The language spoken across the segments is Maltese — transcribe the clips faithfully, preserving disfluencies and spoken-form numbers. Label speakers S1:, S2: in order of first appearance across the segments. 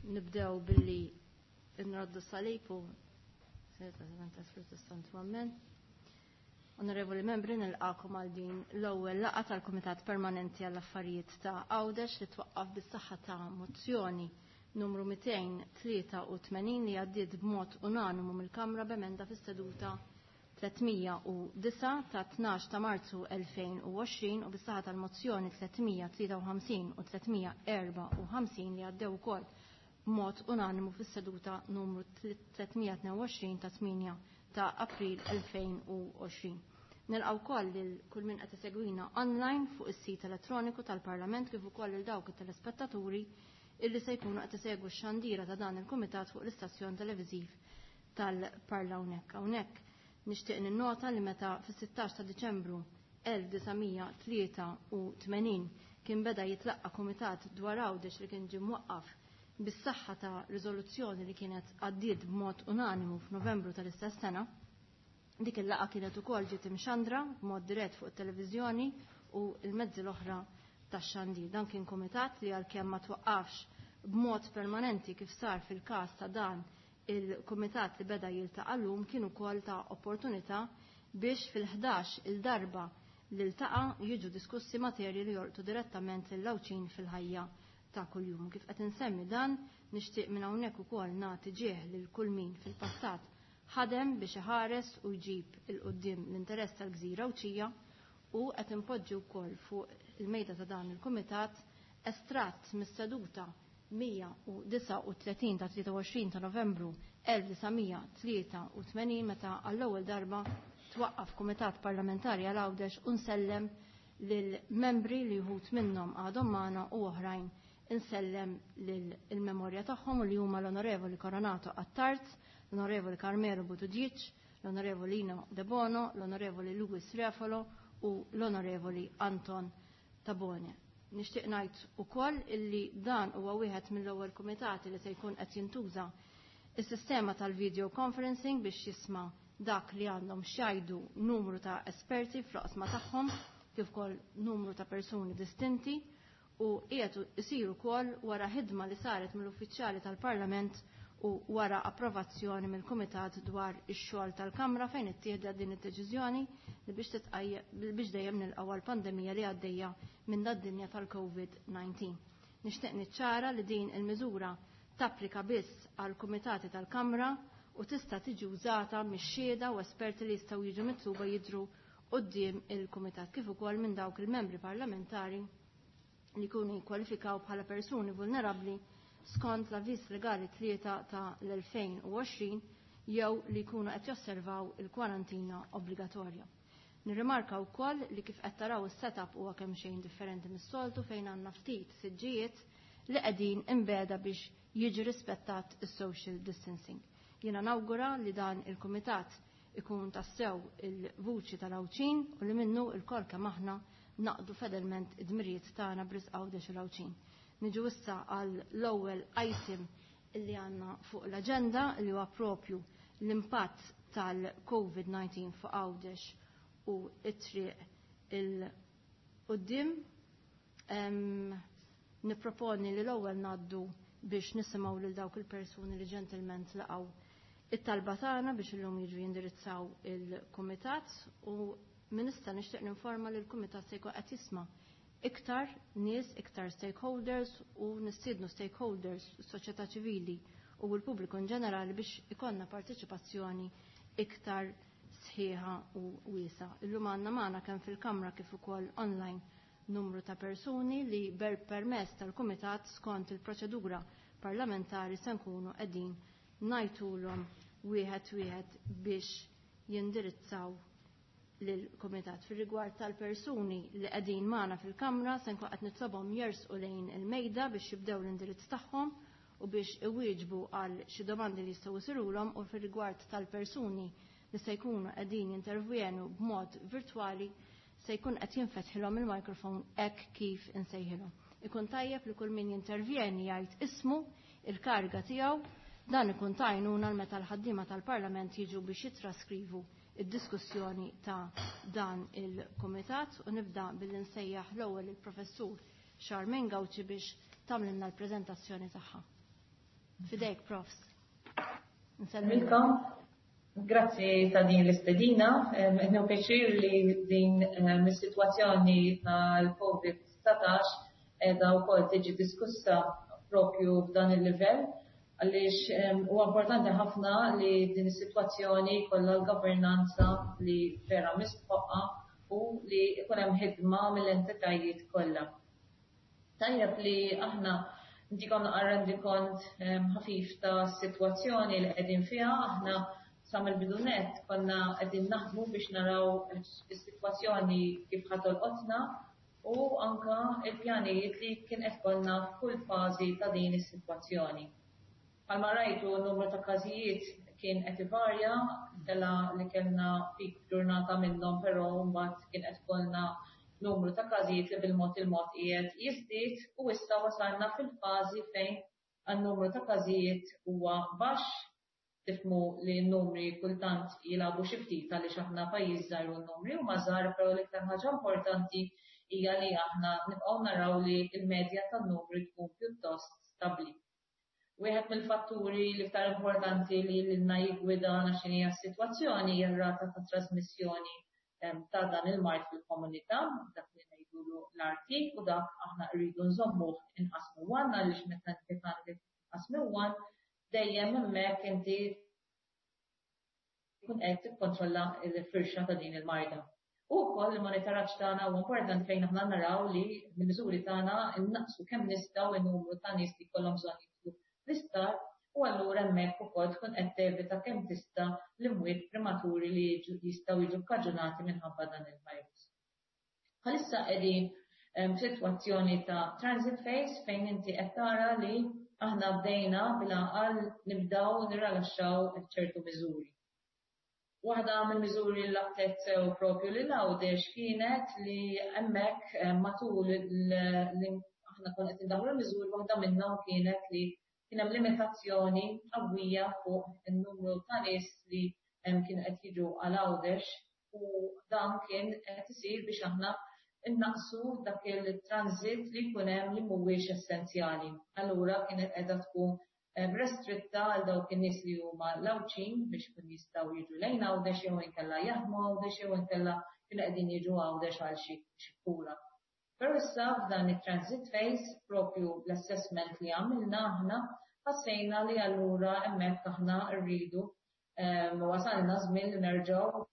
S1: Nibdew billi nroddu salib u Amen. Onorevoli membri, nilqakom għal din l-ewwel laqgħa tal-Kumitat Permanenti għall affarijiet ta' Għawdex li twaqqaf bis-saħħa ta' mozzjoni numru mitejn tlieta u tmenin li għaddiet b'mod unanimu mill-Kamra b'emenda fis-seduta tlietmija u disgħa ta' tnax ta' Marzu elfejn u għoxrin u bis-saħħa tal-mozzjoni tlietmija tlieta u ħamsin u tlietmija erba' u ħamsin li għaddew ukoll b'mod unanimu fis-seduta numru tlietmija tnejn u għoxrin ta' tmienja ta' April elfejn u għoxrin. Nilqgħu wkoll lil kull min qed isegwina online fuq is-sit elettroniku tal-Parlament kif ukoll lil dawk it-telespettaturi illi se jkunu qed isegwu x-xandira ta' dan il-kumitat fuq l-istazzjon televiżiv tal-Parla hawnhekk. Hawnhekk nixtieq ninnota li meta fis-sittax ta' Diċembru elf disa' tlieta u tmenin kien beda jitlaqqa kumitat dwar Għawdex li kien ġie mwaqqaf bis-saħħa ta' riżoluzzjoni li kienet għaddiet b'mod unanimu f'Novembru tal-istess sena. Dik il-laqgħa kienet ukoll ġiet imxandra b'mod dirett fuq it-televiżjoni u l-mezzi l-oħra tax-xandir. Dan kien kumitat li għalkemm ma twaqqafx b'mod permanenti kif sar fil-każ ta' dan il-kumitat li beda jiltaqa' llum, kien ukoll ta' opportunità biex fil-ħdax il-darba li ltaqa' jiġu diskussi materji li jorqtu direttament lill-Għawdxin fil-ħajja ta' kuljum. Kif qed insemmi dan, nixtieq minn hawnhekk ukoll nagħti ġieħ lil kull min fil-passat ħadem biex iħares u jġib il-quddiem l-interess tal-gżira Għawdxija, u qed inpoġġi wkoll fuq il-mejda ta' dan il-kumitat estratt mis-seduta mija u disgħa u tletin ta' tlieta u għoxrin ta' Novembru elf disa' mija tlieta u tmenin meta għall-ewwel darba twaqqaf kumitat parlamentari għal Għawdex u nsellem lil membri li wħud minnhom għadhom magħna u oħrajn insellem lil-memorja tagħhom u li huma l-Onorevoli Coronato Attard, l-Onorevoli Carmelo Buttigieg, l-Onorevoli Lino De Bono, l-Onorevoli Louis Refolo u l-Onorevoli Anton Tabone. Nixtieq ngħid ukoll illi dan huwa wieħed mill-ewwel kumitati li se jkun qed jintuża is-sistema tal-video conferencing biex jisma' dak li għandhom x'jgħidu numru ta' esperti fl-oqsma tagħhom kif ukoll numru ta' persuni distinti, u qiegħed isir ukoll wara ħidma li saret mill-uffiċjali tal-Parlament u wara approvazzjoni mill-Kumitat dwar ix-xogħol tal-Kamra fejn ittieħdet din id-deċiżjoni li biex titqajjem biex dejjem nilqgħu għall-pandemija li għaddejja minn dad-dinja tal-COVID nineteen. Nixtieq niċċara li din il-miżura tapplika biss għal kumitati tal-Kamra u tista' tiġi użata mix-xhieda u esperti li jistgħu jiġu mitluba jidhru quddiem il-kumitat kif ukoll minn dawk il-membri parlamentari li jkunu jikkwalifikaw bħala persuni vulnerabbli skont l-avviż legali tlieta ta' l-elfejn u għoxrin jew li jkunu qed josservaw il-kwarantina obbligatorja. Nirrimarka wkoll li kif qed taraw is-setup huwa kemm xejn differenti mis-soltu fejn għandna ftit siġġijiet li qegħdin imbeda biex jiġi rispettat is-social distancing. Jiena nawgura li dan il-kumitat ikun tassew il-vuċi tal-Għawdxin u li minnu l-kol kemm aħna naqdu fedelment id-dmirijiet tagħna b'risq Għawdex u l-Għawdxin. Niġu issa għal l-ewwel item illi għandna fuq l-aġenda li huwa propju l-impatt tal-COVID nineteen fuq Għawdex u t-triq il-qudiem. Em, nipproponi li l-ewwel ngħaddu biex nisimgħu lil dawk il-persuni li ġentilment laqgħu it-talba tagħna biex illum jiġu jindirizzaw il-kumitat, u minista nixtieq ninforma li l-kumitat se jkun qed jisma' iktar nies, iktar stakeholders, u nistiednu stakeholders, soċjetà ċivili u l-pubbliku in ġenerali biex ikollna parteċipazzjoni iktar sħiħa u wiesa. Illum għandna magħna kemm fil-kamra kif ukoll online numru ta' persuni li ber permess tal-kumitat skont il-proċedura parlamentari se nkunu qegħdin ngħidulhom wieħed wieħed biex jindirizzaw lill-kumitat. Fir-rigward tal-persuni li qegħdin magħna fil-kamra se nkun qed nitlobhom jersqu lejn il-mejda biex jibdew l-indirizz tagħhom u biex iwieġbu għal xi domandi li jistgħu jsirulhom, u fir-rigward tal-persuni li se jkunu qegħdin jintervjenu b'mod virtwali se jkun qed jinfetħilhom il-mikrofon hekk kif insejħilhom. Ikun tajjeb li kull min jintervjeni jgħid ismu, il-karga tiegħu, dan ikun tajnuna l meta l-ħaddiema tal-Parlament jiġu biex jitraskrivu id-diskussjoni ta' dan il-kumitat, u nibda billi nsejjaħ l-ewwel il-Professur Charmaine Gauci biex tagħmlilna l-preżentazzjoni tagħha. Fidejk, Profs.
S2: Nselmilkom. Grazzi ta' din l-istedina. Qed pjaċir li din is-sitwazzjoni tal-Covid dsatax qiegħda wkoll tiġi diskussa propju f'dan il-livell, għaliex huwa importanti ħafna li din is-sitwazzjoni kollha l-governanza li vera mistħoqqa u li jkun hemm ħidma mill-entitajiet kollha. Tajjeb li aħna ntikom naqra rendikont ħafif ta' sitwazzjoni li qegħdin fiha. Aħna sa mill-bidu nett konna qegħdin naħdmu biex naraw is-sitwazzjoni kif ħa tolqotna u anka il-pjanijiet li kien qed kollna f'kull fażi ta' din is-sitwazzjoni. Bħalma rajtu, n-numru ta' każijiet kien qed ivarja, tela li kellna pik ġurnata minnhom, però mbagħad kien qed kollna numru ta' każijiet li bil-mod il-mod qiegħed jiżdied u issa wasalna fil-fażi fejn għan-numru ta' każijiet huwa baxx. Tifhmu li n-numri kultant jilagħbu xi ftit għaliex aħna pajjiż żgħir u n-numri huma żgħar, però l-iktar ħaġa importanti hija li aħna nibqgħu naraw li l-medja tan-numri tkun pjuttost stabbli. Wieħed mill-fatturi l-iktar importanti li lilna jiggwidana x'inhi s-sitwazzjoni hija r-rata ta' trasmissjoni ta' dan il-mard fil-komunità, dak li ngħidulu l-R T, u dak aħna rridu nżommuh inqas minn one, għaliex meta inti għandek inqas minn one, dejjem hemmhekk inti tkun qed tikkontrolla l-firxa ta' din il-marda. U wkoll il-monitoraġġ tagħna huwa importanti fejn aħna naraw li mill-miżuri tagħna innaqsu kemm nistgħu n-numru ta' nies li jkollhom bżonn jidħlu l-isptar, u allura hemmhekk ukoll tkun qed tevita kemm tista' l-imwiet prematuri li jistgħu jiġu kkaġunati minħabba dan il-virus. Bħalissa qegħdin f'sitwazzjoni ta' transit phase fejn inti qed tara li aħna bdejna bil-għaqal nibdaw nirrilaxxaw ċertu miżuri. Waħda mill-miżuri li laqtet sew propju lil Għawdex kienet li hemmhekk matul aħna konna qed indaħlu l-miżuri, waħda minnhom kienet li kien hemm limitazzjoni qawwija fuq in-numru ta' nies li kienu qed jiġu għal Għawdex, u dan kien qed isir biex aħna innaqsu dak il-transit li jkun hemm li mhuwiex essenzjali. Allura kienet qiegħda tkun restritta għal dawk in-nies li huma l-Għawdxin biex kun jistgħu jiġu lejn Għawdex jew inkella jaħdmu Għawdex jew inkella kienu qegħdin jiġu Għawdex għal xi kura. Però issa f'dan it-transit phase, propju l-assessment li għamilna aħna, ħassejna li allura hemmhekk aħna rridu, wasalna żmien li nerġgħu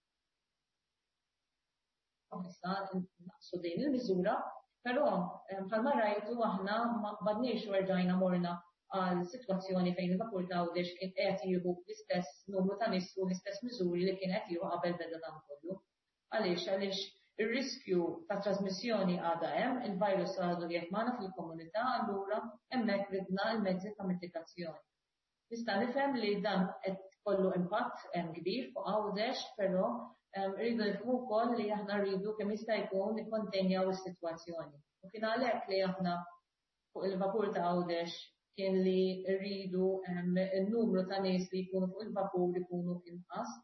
S2: issa naqsu din il-miżura, però bħalma rajtu aħna ma qbadniex u rġajna morna għal sitwazzjoni fejn il-vapur ta' Għawdex kien qed jieħu l-istess numru ta' nies u l-istess miżuri li kien qed jieħu qabel beda dan kollu. Għaliex? Għaliex ir-riskju ta' trasmissjoni għadha hemm, il-virus għadu qiegħed magħna fil-komunità, allura hemmhekk ridna l-mezzi ta' mitigazzjoni. Nista' nifhem li dan qed kollu impatt kbir fuq Għawdex, però rridu nifhmu wkoll li aħna rridu kemm jista' jkun nikkontenjaw is-sitwazzjoni. U kien għalhekk li aħna fuq il-vapur ta' Għawdex kien li rridu n-numru ta' nies li jkunu fuq il-vapur ikunu inqas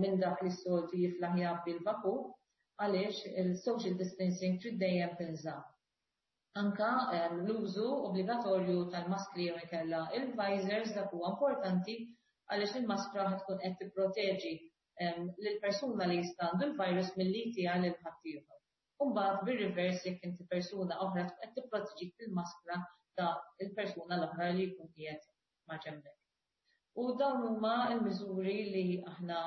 S2: minn dak li s-soltu jiflaħ jgħabbi l-vapur, għaliex il-social distancing trid dejjem tinżamm. Anka l-użu obbligatorju tal-maskri jew inkella il-visors, dak huwa importanti għaliex il-maskra ħa tkun qed tipproteġi lill-persuna li jista' għandu l-virus milli jtiha lil ħaddieħor. U mbagħad bir-reverse, jekk inti persuna oħra, tkun qed tipproteġik bil-maskra ta' il-persuna l-oħra li jkun qiegħed ma' ġenbek. U dawn huma l-miżuri li aħna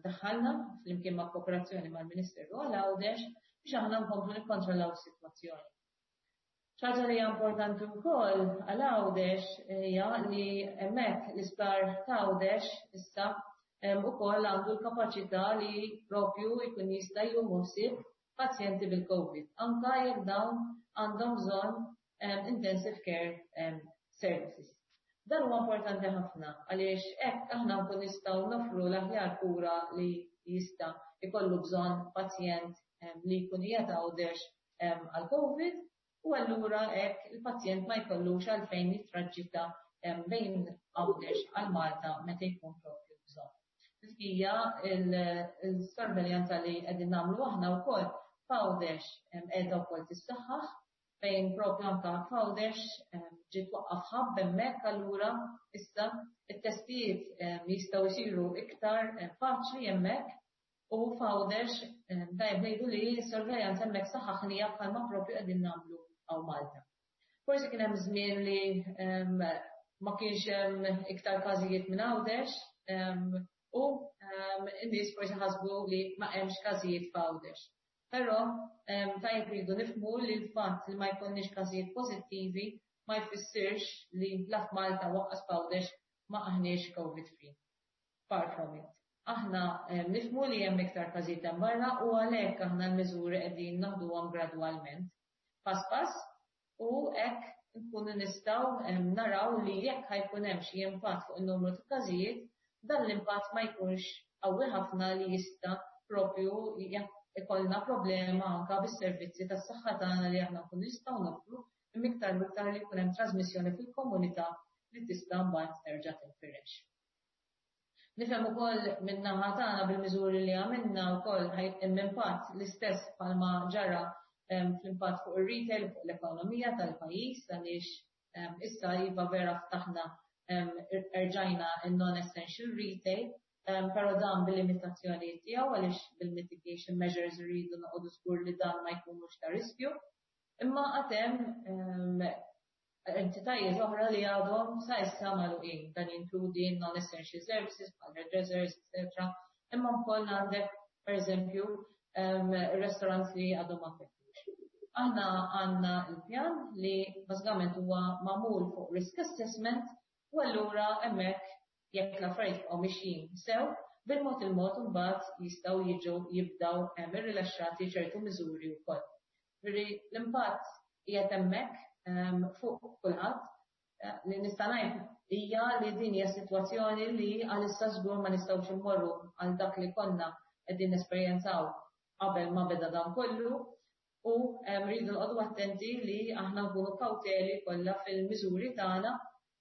S2: daħħalna flimkien ma' kooperazzjoni mal-Ministeru għal Għawdex biex aħna nkomplu nikkontrollaw is-sitwazzjoni. Ħaġa li hija importanti wkoll għal Għawdex hija li hemmhekk l-isptar ta' Għawdex issa ukoll għandu l-kapaċità li propju jkun jista' jieħu ħsieb pazjenti bil-COVID, anka jekk dawn għandhom bżonn intensive care services. Dan huwa importanti ħafna għaliex hekk aħna nkun nistgħu nofru l-aħjar kura li jista' jkollu bżonn pazjent li jkun qiegħed Għawdex għal COVID, u allura hekk il-pazjent ma jkollux għalfejn jitraġitta bejn Għawdex għal Malta meta jkun propju bżonn. Hija il-sorveljanza li qegħdin nagħmlu aħna wkoll f'Għawdex qiegħda wkoll tissaħħaħ. Fejn propju anka f'Għawdex ġiet twaqqaf hub hemmhekk, allura issa it-testijiet jistgħu jsiru iktar faċli hemmhekk u f'Għawdex tajjeb ngħidu li s-sorveljanza hemmhekk saħħaħnija bħalma propju qegħdin nagħmlu hawn Malta. Forsi kien hemm żmien li ma kienx hemm iktar każijiet minn Għawdex u n-nies forsi ħasbu li ma hemmx każijiet f'Għawdex. Però tajjeb rridu nifhmu li l-fatt li ma jkollniex każijiet pożittivi ma jfissirx li la f'Malta u lanqas f'Għawdex ma aħniex COVID free. Far from it. Aħna nifhmu li hemm iktar każijiet hemm barra u għalhekk aħna l-miżuri qegħdin naħduhom gradwalment. Pass pass u hekk nkunu nistgħu naraw li jekk ħa jkun hemm xi impatt fuq in-numru ta' każijiet, dan l-impatt ma jkunx qawwi ħafna li jista' propju ikollna problema anka bis-servizzi tas-saħħa tagħna li aħna nkunu nistgħu noffru, imma iktar u iktar li jkun hemm trasmissjoni fil-komunità li tista' mbagħad terġa' tinfirex. Nifhem ukoll min-naħa tagħna bil-miżuri li għamilna wkoll hemm impatt l-istess bħalma ġara fl-impatt fuq ir-retail, fuq l-ekonomija tal-pajjiż, għaliex issa iva vera ftaħna, erġajna in-non-essential retail, però dan bil-limitazzjoni tiegħu għaliex bil-mitigation measures rridu noqogħdu żgur li dan ma jkunux ta' riskju. Imma għad hemm entitajiet oħra li għadhom sa issa magħluqin. Dan jinkludi non-essential services, bħal hairdressers, et cetera. Imma wkoll għandek, pereżempju, restaurants li għadhom ma fetħux. Aħna għandna il-pjan li bażikament huwa magħmul fuq risk assessment u allura hemmhekk jekk l-affarijiet bqgħu mixjin sew, bil-mod il-mod imbagħad jistgħu jiġu jibdaw irrilaxxati ċertu miżuri wkoll. Ġifieri l-impatt qiegħed hemmhekk fuq kulħadd. Li nista' ngħid hija li din hija sitwazzjoni li għalissa żgur ma nistgħux immorru għal dak li konna qegħdin nesperjenzaw qabel ma beda dan kollu u rridu noqogħdu attenti li aħna nkunu kawteli kollha fil-miżuri tagħna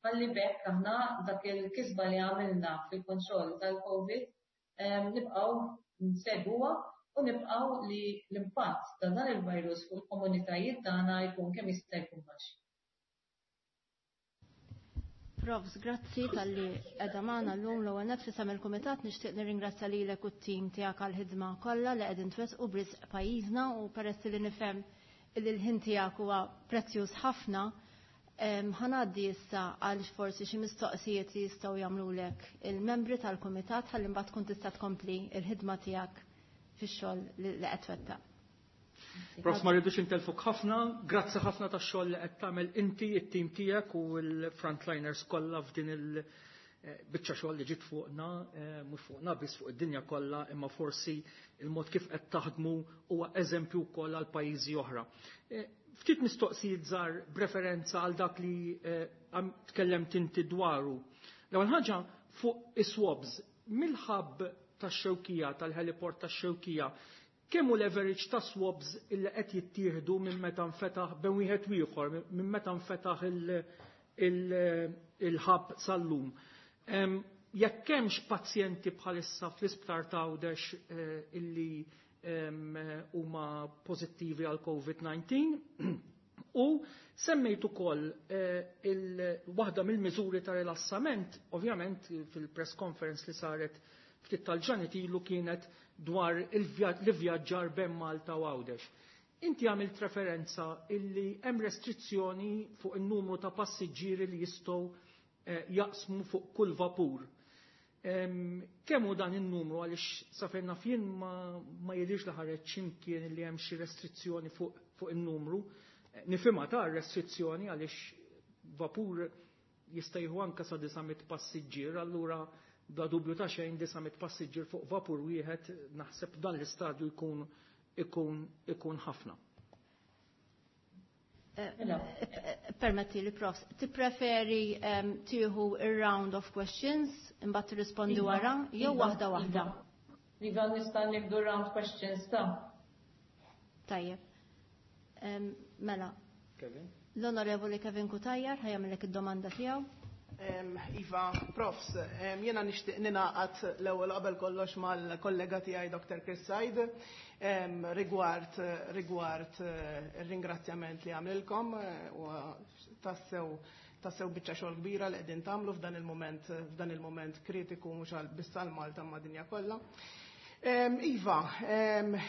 S2: ħalli b'hekk aħna dak il-kisba li għamilna fil-kontroll tal-COVID nibqgħu nsegwuha u nibqgħu li l-impatt ta' dan il-virus fuq il-komunitajiet tagħna jkun kemm jista' jkun baxx.
S1: Profs, grazzi talli qiegħda magħna llum. L-ewwel nett, f'isem il-kumitat nixtieq nirringrazzja lilek u t-tim tiegħek għall-ħidma kollha li qegħdin twettqu b'risq pajjiżna u peress li nifhem li l-ħin tiegħek huwa prezzjuż ħafna, ħa ngħaddi issa għal forsi xi mistoqsijiet li jistgħu jagħmlulek il-membri tal-kumitat ħalli mbagħad tkun tista' tkompli il-ħidma tiegħek fix-xogħol li qed twettaq.
S3: Prof, ma rridux intellfuk ħafna, grazzi ħafna tax-xogħol li qed tagħmel inti, it-tim tiegħek u l-frontliners kollha f'din il-biċċa xogħol li ġiet fuqna, mhux fuqna biss, fuq id-dinja kollha, imma forsi il-mod kif qed taħdmu huwa eżempju wkoll għal pajjiżi oħra. Ftit mistoqsijiet żgħar b'referenza għal dak li tkellemt inti dwaru. L-ewwel ħaġa fuq is-swabs, mill-hub tax-Xewkija, tal-heliport tax-Xewkija, kemm hu l-average ta' swabs illi qed jittieħdu minn meta nfetaħ bejn wieħed u ieħor, minn meta nfetaħ il-hub sal-lum? Jekk hemmx pazjenti bħalissa fl-isptar ta' Għawdex illi huma pożittivi għal COVID disa u semmejt ukoll waħda mill-miżuri ta' rilassament, ovvjament fil-press conference li saret ftit tal-ġranet ilu, kienet dwar l-vjaġġar bejn Malta u Għawdex. Inti għamilt referenza illi hemm restrizzjoni fuq il-numru ta' passiġġieri li jistgħu jaqsmu fuq kull vapur. Kemm hu dan in-numru, għaliex sa fejn naf jien ma, ma jidhirx li ħareġ x'imkien li hemm xi restrizzjoni fuq, fuq in-numru. Nifhimha ta' restrizzjoni għaliex vapur jista' jieħu anke sa disa' mitt passiġġier, allura bla dubju ta' xejn disa' mitt passiġġier fuq vapur wieħed naħseb dan l-istadju jkun ikun ikun ħafna.
S1: Permetti li, Profs, tippreferi tieħu ir-round of questions imbagħad tirrispondi wara jew waħda waħda?
S2: Iva, nista' nibdu round questions ta'.
S1: Tajjeb. Mela.
S3: Kevin?
S1: L-Onorevoli Kevin Cutajar ħa jagħmellek id-domanda tiegħu.
S4: Iva, profs, jena nixtieq ninaqat l-ewwel qabel kollox mal-kollega tiegħi Doctor Chris Said rigward rigward ir-ringrazzjament li għamlilkom u tassew tassew biċċa xogħol kbira li qegħdin tagħmlu f'dan il-mument f'dan il-mument kritiku mhux għal biss għal Malta ma' dinja kollha. Iva,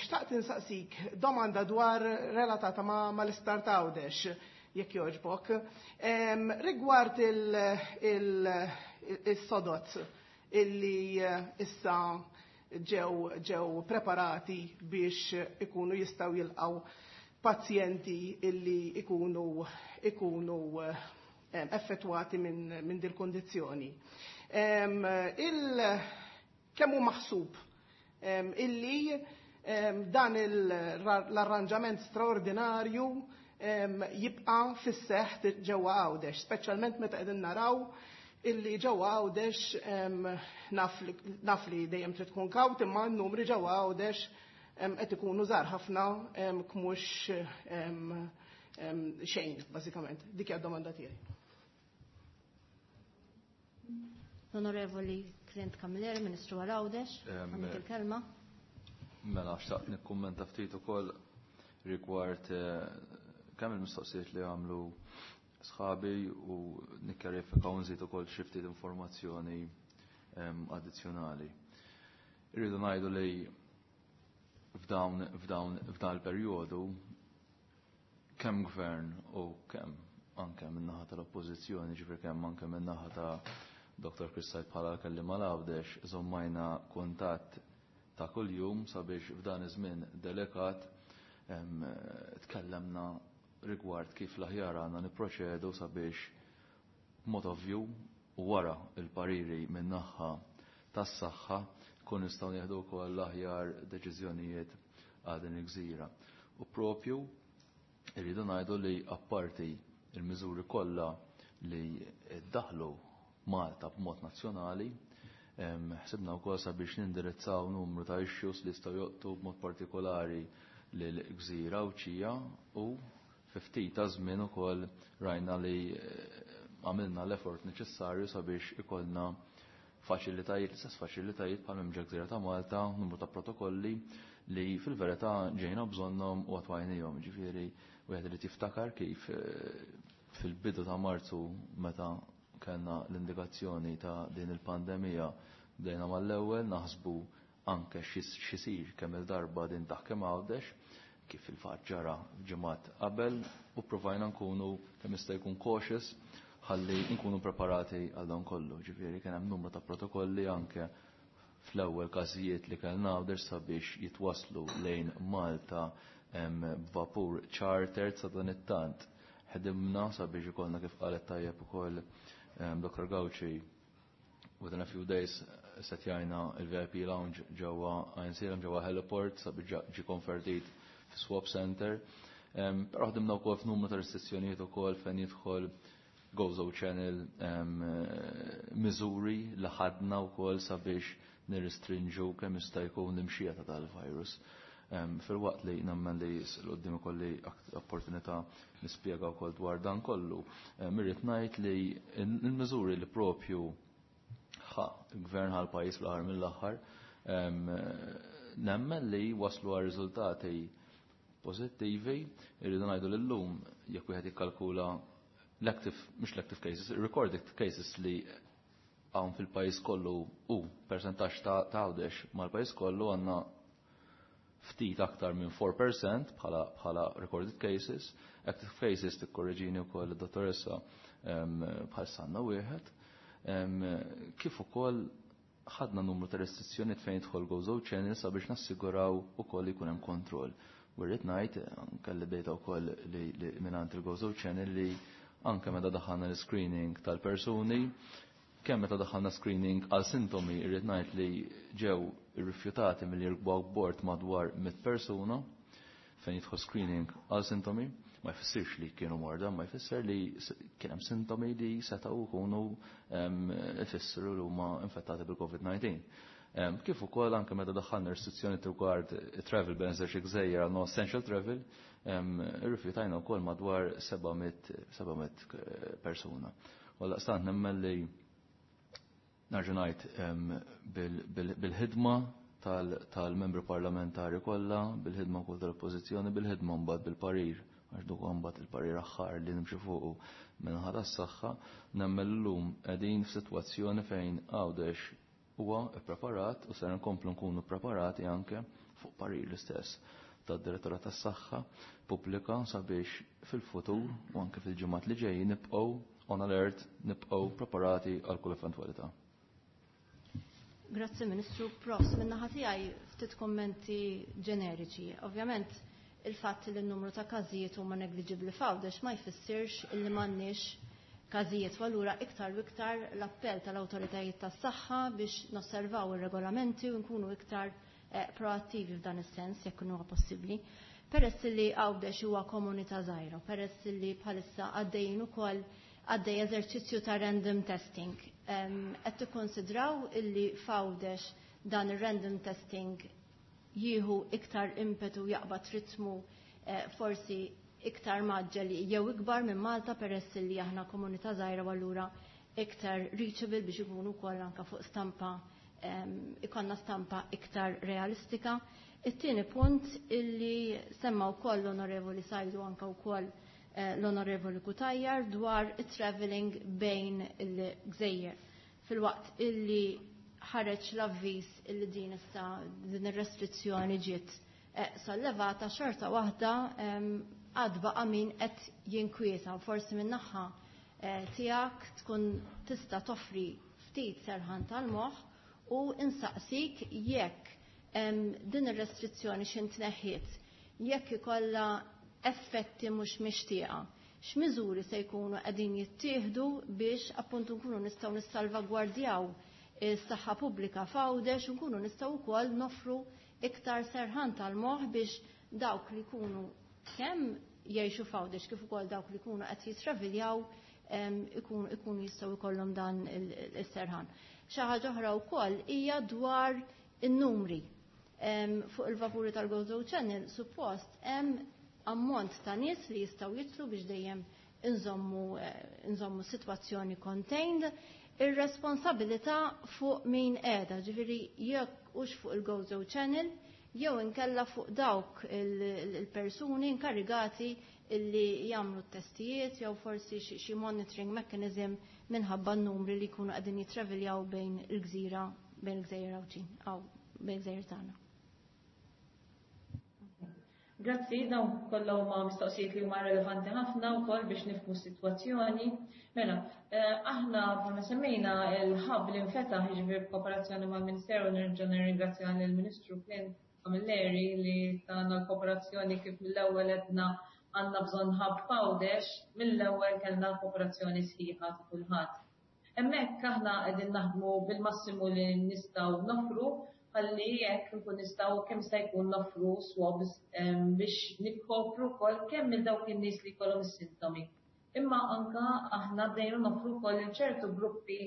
S4: xtaqt insaqsik domanda dwar relatata ma' mal-Isptar Għawdex, jekk jogħġbok. Rigward il-sodot illi issa ġew ġew preparati biex ikunu jistgħu jilqgħu pazjenti illi ikunu ikunu effettwati minn min dil kondizzjoni. Il kemm hu maħsub illi dan l-arranġament straordinarju jibqa' fis-seħħ ġewwa Għawdex, speċjalment meta qegħdin naraw illi ġewwa Għawdex naf li dejjem trid tkun kawt, imma n-numri ġewwa Għawdex qed ikunu żgħar ħafna mhux xejn bażikament. Dik hija d-domanda tiegħi.
S1: L-Onorevoli Clint Camilleri, Ministru għal Għawdex, għandek il-kelma.
S5: Mela, xtaqt nikkummenta ftit ukoll rigward kemm il-mistoqsijiet li għamlu sħabi u nikkjarifika u nżid ukoll xi ftit informazzjoni addizzjonali. Irridu ngħidu li f'dawn f'dawn f'dan il-perjodu kemm gvern u kemm anke min-naħa tal-Oppożizzjoni, ġifier kemm anke min-naħa ta' Doctor Chris Said bħala kelliem għal Għawdex, żommajna kuntatt ta' kuljum sabiex f'dan iż-żmien delikat tkellemna rigward kif l-aħjar għandna nipproċedu sabiex b'mod ovvju u wara il-pariri min-naħa tas-saħħa kun nistgħu nieħdu wkoll l-aħjar deċiżjonijiet għal din il-gżira. U propju irridu ngħidu li apparti il-miżuri kollha li ddaħlu Malta b'mod nazzjonali, ħsibna wkoll sabiex nindirizzaw numru ta' issues li jistgħu joqtu b'mod partikolari lil gżira Għawdxija u fi ftit ta' żmien ukoll rajna li għamilna l-effort neċessarju sabiex ikollna faċilitajiet, l-istess faċilitajiet bħal hemm ġo gżira ta' Malta, numru ta' protokolli li fil-verità ġejna bżonnhom u attwajnihom. Ġifieri wieħed irid jiftakar kif fil-bidu ta' Marzu meta kellna l-indikazzjoni ta' din il-pandemija bdejna mal-ewwel naħsbu anke x'isir kemm il-darba din taħkem Għawdex, kif il-fatt ġara ġimgħat qabel, u provajna nkunu kemm jista' jkun cautious ħalli nkunu preparati għal dan kollu. Ġifieri kien hemm numru ta' protokolli anke fl-ewwel każijiet li kellna Għawdex sabiex jitwaslu lejn Malta b'vapur charter sa dan it-tant. Ħedimna sabiex ikollna kif qalet tajjeb ukoll Doctor Gauci, within a few days setjajna il-V I P lounge ġewwa Għajnsielem ġewwa Heliport sabiex ġi konvertit fi swap center. Però ħdimna wkoll f'numru ta' restrizzjonijiet ukoll fejn jidħol Gozo Channel, miżuri li ħadna wkoll sabiex nirrestrinġu kemm jista' jkun l-imxija ta' tal-virus. Fil-waqt li nemmen li l-qoddim ikolli opportunità nispjega wkoll dwar dan kollu, irrid ngħid li l-miżuri li propju ħa il-gvern ħal pajjiż fl-aħħar mill-aħħar, nemmen li waslu għal riżultati pożittivi. Irridu ngħidu lillum jekk wieħed jikkalkula l-active, mhux l-active cases, recorded cases li hawn fil-pajjiż kollu u percentaġġ ta' Għawdex mal-pajjiż kollu għandna ftit aktar minn four percent bħala, bħala recorded cases. Active cases tikkorreġini wkoll id-dottoressa bħal sanna wieħed. Kif ukoll ħadna numru ta' restrizzjonijiet fejn jidħol Gozo Channel sabiex nassiguraw ukoll li jkun hemm kontroll. U rrid ngħid anke li dejta wkoll li, li mingħand il-Gozo Channel li anke meta daħħalna l-screening tal-persuni, kemm meta daħħalna screening għal sintomi, irrid ngħid li ġew irrifjutati milli jirkbu bord madwar mitt persuna fejn jidħol screening għal sintomi. Ma jfissirx li kienu morda, ma jfisser li kien hemm sintomi li setgħu jkunu ifissru li huma infettati bil-COVID nineteen. Kif ukoll anke meta daħħalna restrizzjoni rigward travel bans xi gżejjer għal no essential travel, irrifjutajna wkoll madwar seba' mitt, seba' mitt persuna. U għaldaqstant nemmen li nerġa' ngħid bil-ħidma tal-membri parlamentari kollha, bil-ħidma wkoll tal-Oppożizzjoni, bil-ħidma mbagħad bil-parir, għax duk mbagħad il-parir aħħar li nimxi fuqu min-naħa tas-saħħa, nemmen llum qegħdin f'sitwazzjoni fejn Għawdex huwa ppreparat u ser nkomplu nkunu preparati anke fuq parir l-istess tad-Direttorat tas-Saħħa Pubblika sabiex fil-futur u anke fil-ġimgħat li ġejjin nibqgħu on alert, nibqgħu preparati għal kull eventwalità.
S1: Grazzi Ministru. Profs, min-naħa tiegħi ftit kommenti ġeneriċi. Ovvjament il-fatt li n-numru ta' każijiet huma negliġibbli f'Għawdex ma jfissirx illi m'għandniex każijiet, u allura iktar u iktar l-appell tal-awtoritajiet tas-saħħa biex nosservaw ir-regolamenti u nkunu iktar eh, proattivi f'dan is-sens jekk huwa possibbli. Peress li Għawdex huwa komunità żgħira, peress li bħalissa għaddejjin ukoll għaddej eżerċizzju ta' random testing. Qed tikkonsidraw illi f'Għawdex dan ir-random testing jieħu iktar impetu, jaqbad ritmu eh, forsi iktar mgħaġġel jew ikbar minn Malta, peress li aħna komunità żgħira u allura iktar reachable biex ikunu wkoll anke fuq stampa, ikonna stampa iktar realistika? It-tieni punt illi semma wkoll l-Onorevoli Sajdu, anke wkoll eh, l-Onorevoli Cutajar, dwar it-traveling bejn il-gżejjer. Filwaqt illi ħareġ l-avviż illi din issa din ir-restrizzjoni ġiet eh, sollevata, xorta waħda għad baqa' min qed jinkwieta. Forsi min-naħa eh, tiegħek tkun tista' toffri ftit serħan tal-moħħ u insaqsik jekk din ir-restrizzjoni x'intneħħiet, jekk ikollha effetti mhux mixtieqa, x'miżuri se jkunu qegħdin jittieħdu biex appuntu nkunu nistgħu nissalvagwardjaw is-saħħa pubblika f'Għawdex u nkunu nistgħu wkoll nofru iktar serħan tal-moħħ biex dawk li jkunu kemm jgħixu f'Għawdex kif ukoll dawk li jkunu qed jitraviljaw ikunu ikunu jistgħu jkollhom dan is-serħan? Xi ħaġa oħra wkoll hija dwar in-numri. Fuq il-vapuri tal-Gozo Channel suppost hemm ammont ta' nies li jistgħu jitlu biex dejjem inżommu inżommu sitwazzjoni contained. Ir-responsabilità fuq min qiegħda, ġifieri jekk hux fuq il-Gozo Channel jew inkella fuq dawk il-persuni inkarigati illi jagħmlu t-testijiet jew forsi xi monitoring mechanism minħabba n-numri li jkunu qegħdin jitraviljaw bejn il-gżira, bejn il-gżejjer Għawdxin, aw bejn il-gżejjer tagħna.
S2: Grazzi, dawn kollha huma mistoqsijiet li huma relevanti ħafna wkoll biex nifhmu s-sitwazzjoni. Mela, eh, aħna bħalma semmejna, il-hub li nfetaħ, jiġifieri b'kooperazzjoni mal-Ministeru, nerġa' nirringrazzja lill-Ministru Clint Camilleri li tana l-kooperazzjoni. Kif mill-ewwel għedna għandna bżonn hub f'Għawdex, mill-ewwel kellna kooperazzjoni sħiħa ta' kulħadd. Hemmhekk aħna qegħdin naħdmu bil-massimu li nistgħu nofru ħalli jekk nkun nistgħu kemm se jkun noffru swabs biex nikkopru wkoll kemm minn dawk in-nies li jkollhom is-sintomi. Imma anka aħna bdejna noffru wkoll ċertu gruppi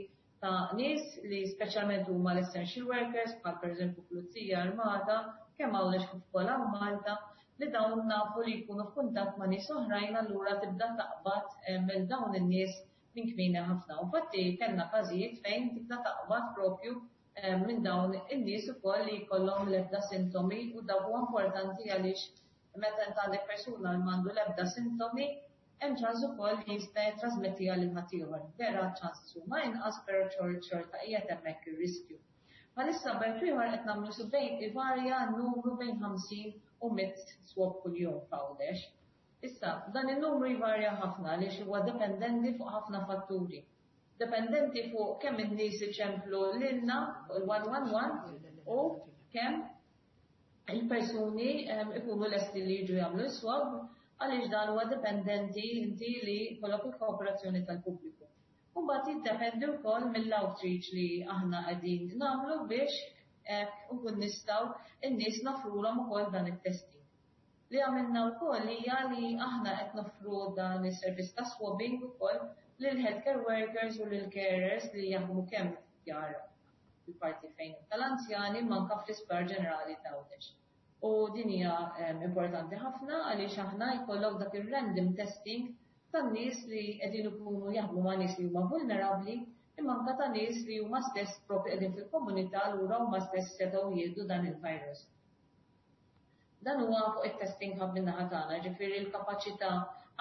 S2: ta' nies li speċjalment huma l-essential workers, bħal pereżempju pulizija, armata, kemm Għawdex kif ukoll hawn Malta, li dawn nafu li jkunu f'kuntatt ma' nies oħrajn, allura tibda taqbad minn dawn in-nies minn kmieni ħafna. Infatti kellna każijiet fejn tibda taqbad propju minn dawn in-nies ukoll li jkollhom l-ebda sintomi, u dak huwa importanti għaliex meta int għandek persuna li m'għandu l-ebda sintomi, hemm ċans ukoll li jista' jittrasmettiha lil ħaddieħor. Vera ċans huma inqas, però xorta qiegħed hemmhekk ir-riskju. Bħalissa bejn ieħor qed nagħmlu su bejn ivarja n-numru bejn ħamsin u mitt swab kuljum f'Għawdex. Issa, dan in-numru jvarja ħafna għaliex huwa dependenti fuq ħafna fatturi. Dependenti fuq kemm in-nies iċemplu lilna fuq il-one one one u kemm il-persuni ikunu lesti li jiġu jagħmlu swab, għaliex dan huwa dependenti inti li jkollok il-kooperazzjoni tal-pubbliku. U mbagħad jiddependi wkoll mill-outreach li aħna qegħdin nagħmlu biex nkun nistgħu in-nies nofrulhom ukoll dan it-testing. Li għamilna wkoll hija li aħna qed nofru dan is-servizz ta' swabbing ukoll lil healthcare workers u lil carers li jaħdmu kemm djar il-parti fejn tal-anzjani, manka fl-Isptar Ġenerali ta' Għawdex. U din hija importanti ħafna għaliex aħna jkollok dak ir-random testing tan-nies li qegħdin ikunu jaħdmu ma' nies li huma vulnerabbli, imma anke ta' nies li huma stess propri qegħdin fil-komunità lura huma stess setgħu jieħdu dan il-virus. Dan huwa fuq it-testing hub min-naħa tagħna, ġifieri l-kapaċità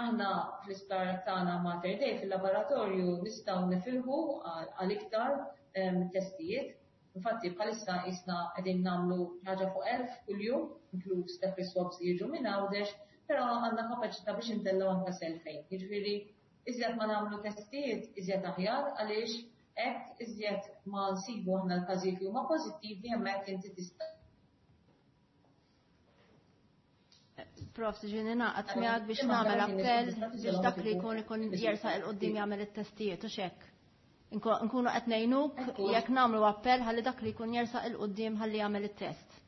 S2: aħna fl-isptar tagħna Mater Dei fil-laboratorju nistgħu nifilħu għal iktar testijiet. Infatti bħalissa isna qegħdin nagħmlu ħaġa fuq elf kuljum, inkluż dak is-swabs li jiġu minn Għawdex, però għandna kapaċità biex intellgħu anke selfejn. Jiġifieri iżjed ma nagħmlu testijiet, iżjed aħjar għaliex hekk iżjed ma nsibu aħna l-każijiet li huma pożittivi hemmhekk inti tista'
S1: Prof, ġini naqat miegħek biex nagħmel appell biex dak li jkun ikun jersaq il qudiem jagħmel it-testijiet u x'hekk. Nkunu qed ngħinuk jekk nagħmlu appell ħalli dak li jkun jersaq il qudiem ħalli jagħmel it-test.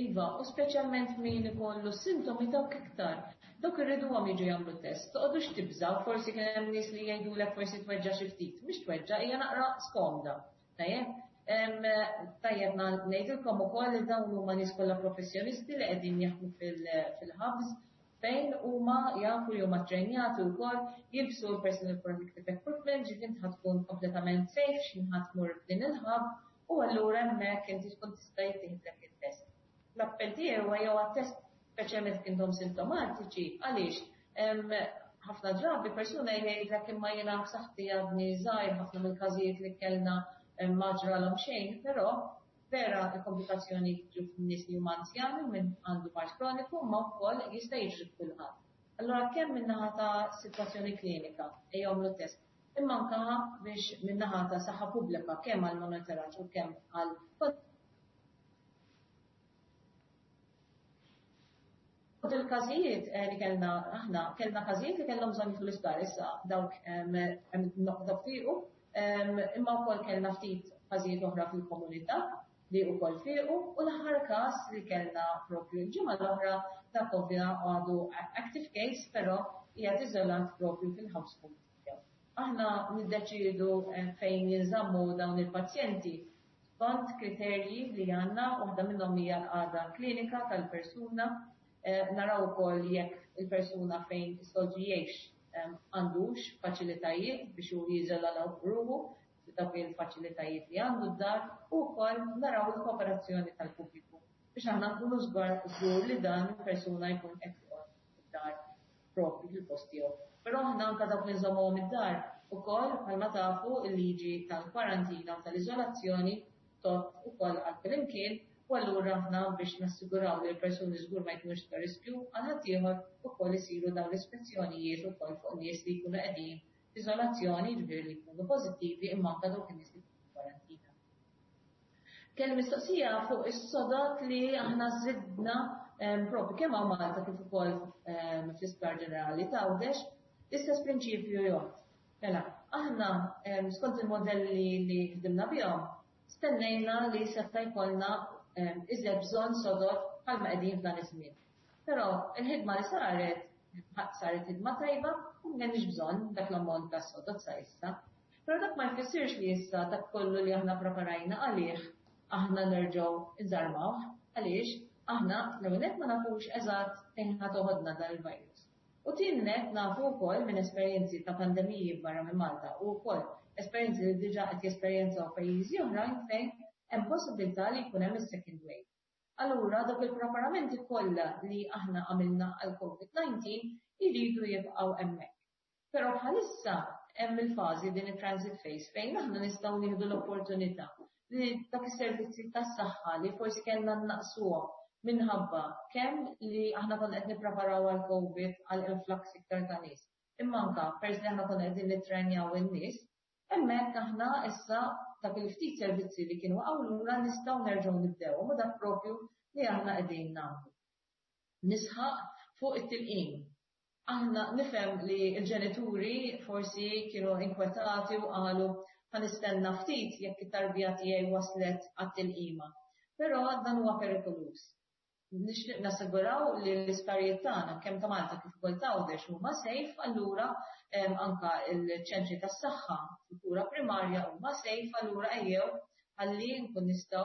S2: Iva, u speċjalment min ikollu sintomi dawk iktar. Dawk irriduhom jiġu jagħmlu test. Toqgħodux tibżgħu, forsi kien hemm nies li jgħidulek forsi tweġġa' xi ftit. Mhix tweġġa' hija naqra skomda. Tajjeb? Tajjeb ngħidilkom ukoll li dawn huma nies kollha professjonisti li qegħdin jaħdmu fil-ħabs fejn huma jafu li huma ttrenjati wkoll jilbsu l-personal protective equipment, ġifieri int tkun kompletament safe x'inħadd tmur f'din il-ħab u allura hemmhekk inti tkun tista' jittieħdlek it-test. L-appell tiegħi huwa jew għat-test speċjalment jekk intom sintomatiċi, għaliex ħafna drabi persuna jgħidlek imma jiena b'saħħti għadni żgħir ħafna mill-każijiet li kellna ma ġralhom xejn, però vera l-komplikazzjoni jiġu f'nies li huma anzjani minn għandu mard kroniku ma wkoll jista' jiġri kulħadd. Allura kemm min-naħa ta' sitwazzjoni klinika ejja għamlu test, imma anke biex min-naħa ta' saħħa pubblika kemm għal monitoraġġ u kemm għal il-każijiet li kellna aħna kellna każijiet li kellhom bżonn jidħlu l-isptar issa dawk dawk fiequ, imma wkoll kellna ftit każijiet oħra fil-komunità li wkoll fiequ, u l-aħħar każ li kellna propju l-ġimgħa l-oħra dak ovvja għadu active case, però qiegħed iżolat propju fil-household tiegħu. Aħna niddeċiedu fejn jinżammu dawn il-pazjenti skont kriterji li għandna, waħda minnhom hija l-qagħda klinika tal-persuna, naraw ukoll jekk il-persuna fejn is-soltu jgħix għandux faċilitajiet biex hu jiżola ruħu dawk il-faċilitajiet li għandu d-dar, u wkoll naraw il-kooperazzjoni tal-pubbliku biex aħna nkunu żgur li dan il-persuna jkun qed joqgħod id-dar propju fil-post tiegħu. Però aħna anke dawk li nżommuhom id-dar ukoll bħalma tafu il-liġi tal-kwarantina u tal-iżolazzjoni tot ukoll għal kullimkien, u allura aħna biex nassiguraw li l-persuni żgur ma jkunux ta' riskju għal ħaddieħor ukoll isiru dawn l-ispezzjonijiet ukoll fuq nies li jkunu qegħdin f'iżolazzjoni, ġifieri li jkunu pożittivi, imma anke dawk in-nies li jkunu kwarantina. Kelli mistoqsija fuq is-sodot li aħna żidna propju kemm hawn Malta kif ukoll fl-Isptar Ġenerali ta' Għawdex, l-istess prinċipju jgħod. Mela, aħna skont il-modelli li ħdimna bihom, stennejna li seta' jkollna iżjed bżonn sodot bħalma qegħdin f'dan iż-żmien. Però il-ħidma li saret saret ħidma tajba u m'hemmx bżonn dak l-ammont ta' sodot sa issa. Però dak ma jfissirx li issa dak kollu li aħna preparajna għalih aħna nerġgħu nżarmawh, għaliex aħna l-ewwel nett ma nafux eżatt fejn ħa toħodna dan il-virus. U tieni nett nafu wkoll minn esperjenzi ta' pandemiji barra minn Malta u wkoll esperjenzi li diġà qed jesperjenzaw pajjiżi oħrajn fejn hemm possibilità li jkun hemm is-second wave. Allura dawk il-preparamenti kollha li aħna għamilna għal COVID nineteen iridu jibqgħu hemmhekk. Però bħalissa hemm il-fażi din it-transit phase fejn aħna nistgħu nieħdu l-opportunità li dak is-servizzi tas-saħħa li forsi kellna naqsuhom minħabba kemm li aħna konna qed nippreparaw għal COVID għal influx iktar ta' nies. Imma anke peress li aħna konna qegħdin nittrenjaw in-nies, hemmhekk aħna issa dak il-ftit servizzi li kienu waqgħu lura nistgħu nerġgħu nibdewhom, u dak propju li aħna qegħdin nagħmlu. Nisħaq fuq it-tilqim. Aħna nifhem li l-ġenituri forsi kienu inkwetati u qalu ħa nistenna ftit jekk it-tarbija tiegħi waslet għat-tilqima. Però dan huwa perikoluż. Nixtieq nassiguraw li l-isptarijiet tagħna kemm ta' Malta kif ukoll ta' Għawdex huma safe, allura anka l-ċentri tas-saħħa fil-kura primarja huma safe, allura ejjew ħalli nkun nistgħu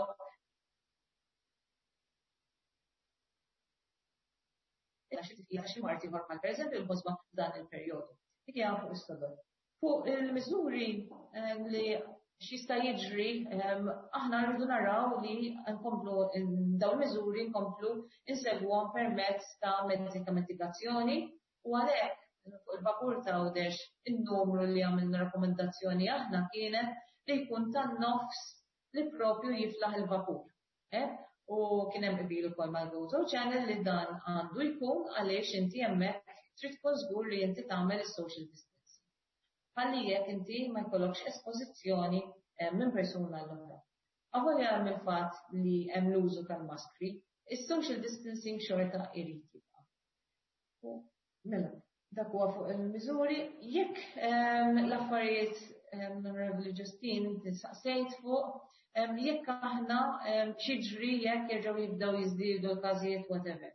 S2: xi mard ieħor bħal pereżempju l-ħosba f'dan il-perjodu. Dik hija fuq is-sodod. Fuq il-miżuri li x'jista' jiġri, aħna rridu naraw li nkomplu dawn miżuri nkomplu insegwhom permezz ta' mezzi ta' mitigazzjoni u għalhekk fuq il-vapur ta' Għawdex in-numru li għamilna rakkomandazzjoni aħna kienet li jkun tan-nofs li propju jiflaħ il-vapur. Eh? U kien hemm qbil ukoll mal-Gozo Channel li dan għandu jkun għaliex inti hemmhekk trid tkun żgur li inti tagħmel is-social distancing. Ħalli jekk inti ma jkollokx espożizzjoni eh, minn persuna l-oħra. Avolja hemm il-fatt li hemm l-użu tal-maskri, is-social distancing xorta irid jibqa'. Mela, dak huwa fuq il-miżuri. Jekk ehm, l-affarijiet ehm, l-Onorevoli Justine inti saqsejt fuq ehm, jekk aħna x'jiġri jekk jerġgħu jibdew jiżdiedu l-każijiet whatever.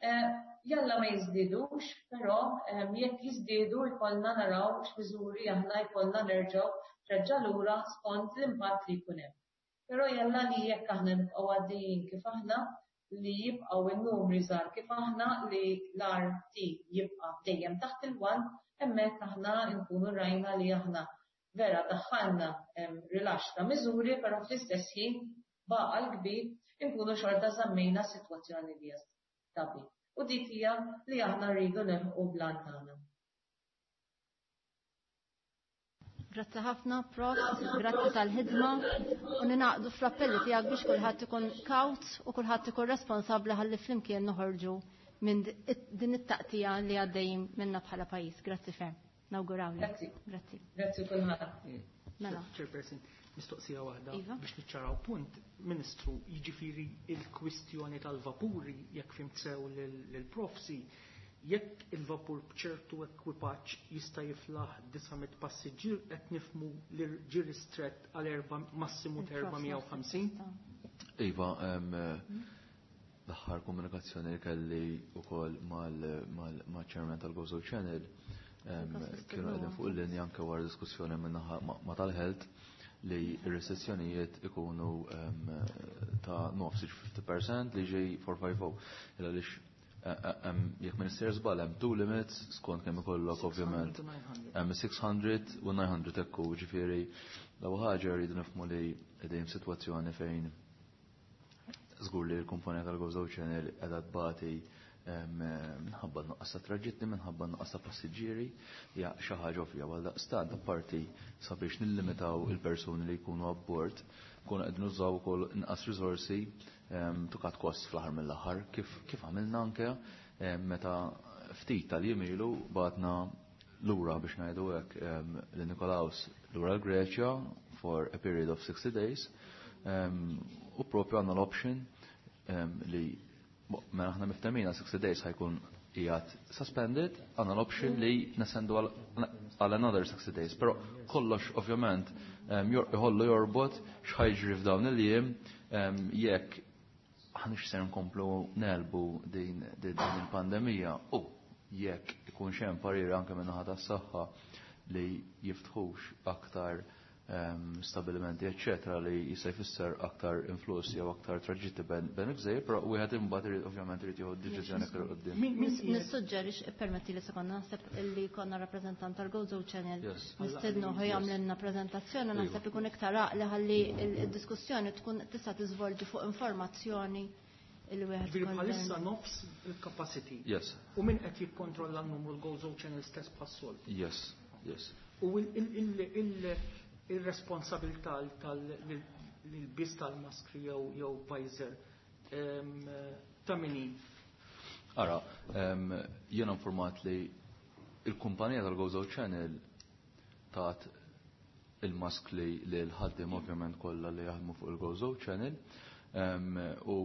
S2: Eh, jalla ma jiżdiedux, però jekk jiżdiedu jkollna naraw x'miżuri aħna jkollna nerġgħu treġġa' lura skont l-impatt li jkun hemm. Però jalla li jekk aħna nibqgħu għaddejjin kif aħna li jibqgħu n-numri żgħar kif aħna li l-R T jibqa' dejjem taħt il-one, hemmhekk aħna nkunu rajna li aħna vera daħħalna rilax ta' miżuri, però fl-istess ħin baqa l-kbir nkunu xorta żammejna s-sitwazzjoni li hija stabbli. U dik hija li aħna rridu nilħqu bl-għan tagħna.
S1: Grazzi ħafna, Prof, grazzi tal-ħidma u ninaqdu fl-appelli tiegħek biex kulħadd ikun kawt u kulħadd ikun responsabbli ħalli flimkien noħorġu minn din it-taqtija li għaddejjin minna bħala pajjiż. Grazzi ferm. Nawgurawlek.
S2: Grazzi.
S1: Grazzi.
S2: Grazzi kulħadd.
S1: Mela.
S3: Chairperson, mistoqsija waħda
S1: Iva.
S3: biex niċċaraw punt. Ministru, jiġifieri il-kwistjoni tal-vapuri, jekk fhimt sew lill-profsi, jekk il-vapur b'ċertu ekwipaġġ jista' jiflaħ disa' mitt passiġġier, qed nifhmu li ġie ristrett għal erba' massimu ta' erba' mija u ħamsin?
S5: Iva, em, l-aħħar komunikazzjoni li kelli wkoll mal-chairman tal-Gozo Channel em, kienu qegħdin fuq il-linja anke wara diskussjoni min-naħa ma' tal-health li r-restrizzjonijiet ikunu em, ta' nofs fifty percent li ġej four five zero. Illa għaliex jekk minister żball hemm two limits skont kemm ikollok ovvjament. Hemm six hundred u nine hundred ekku, ġifieri l-ewwel ħaġa rridu nifhmu li qegħdin f'sitwazzjoni fejn żgur li l-kumpanija tal-Gozo Channel qiegħda tbati minħabba nuqqas ta' traġitti, minħabba nuqqas ta' passiġġieri, hija xi ħaġa ovvja. Għal daqstant apparti sabiex nillimitaw il-persuni li jkunu abbord, nkunu qed nużaw ukoll inqas risorsi to cut costs fl-aħħar mill-aħħar, kif kif għamilna anke meta ftit tal-jiem ilu bagħatna lura, biex ngħidu hekk, li Nikolaus lura l-Greċja for a period of sixty days u propju għandna l-option li mela aħna miftehmina sixty days ħa jkun qiegħed suspended, għandna l-option li nestendu għal another sixty days. Però kollox ovvjament iħollu jorbot x'ħa jiġri f'dawn il-jiem, jekk aħniex ser nkomplu negħlbu din din il-pandemija u jekk ikun hemm parir anke minn naħa tas-saħħa li jiftħux aktar stabilimenti eccetera li jista' jfisser aktar influss jew aktar traġitti bejn il-gżejjer, però wieħed imbagħad irid ovvjament irid jieħu deċiżjoni aktar quddiem.
S1: Nissuġġerix, permetti li sekonda, naħseb illi konna rappreżentant tal-Gozo Channel nistednu jagħmlilna preżentazzjoni, naħseb ikun iktar għaqli ħalli il-diskussjoni tkun tista' tiżvolġi fuq informazzjoni il wieħed.
S3: Ġifieri bħalissa nofs il-capacity.
S5: Yes.
S3: U min qed jikkontrolla n-numru, l-Gozo Channel stess bħas-soltu?
S5: Yes, yes.
S3: U il-responsabilità tal-ilbies tal-maskri jew visor ta' min hi?
S5: Ara, jiena informat li il-kumpanija tal-Gozo Channel tat il-maskli li l-ħaddim ovvjament kollha li jaħdmu fuq il-Gozo Channel u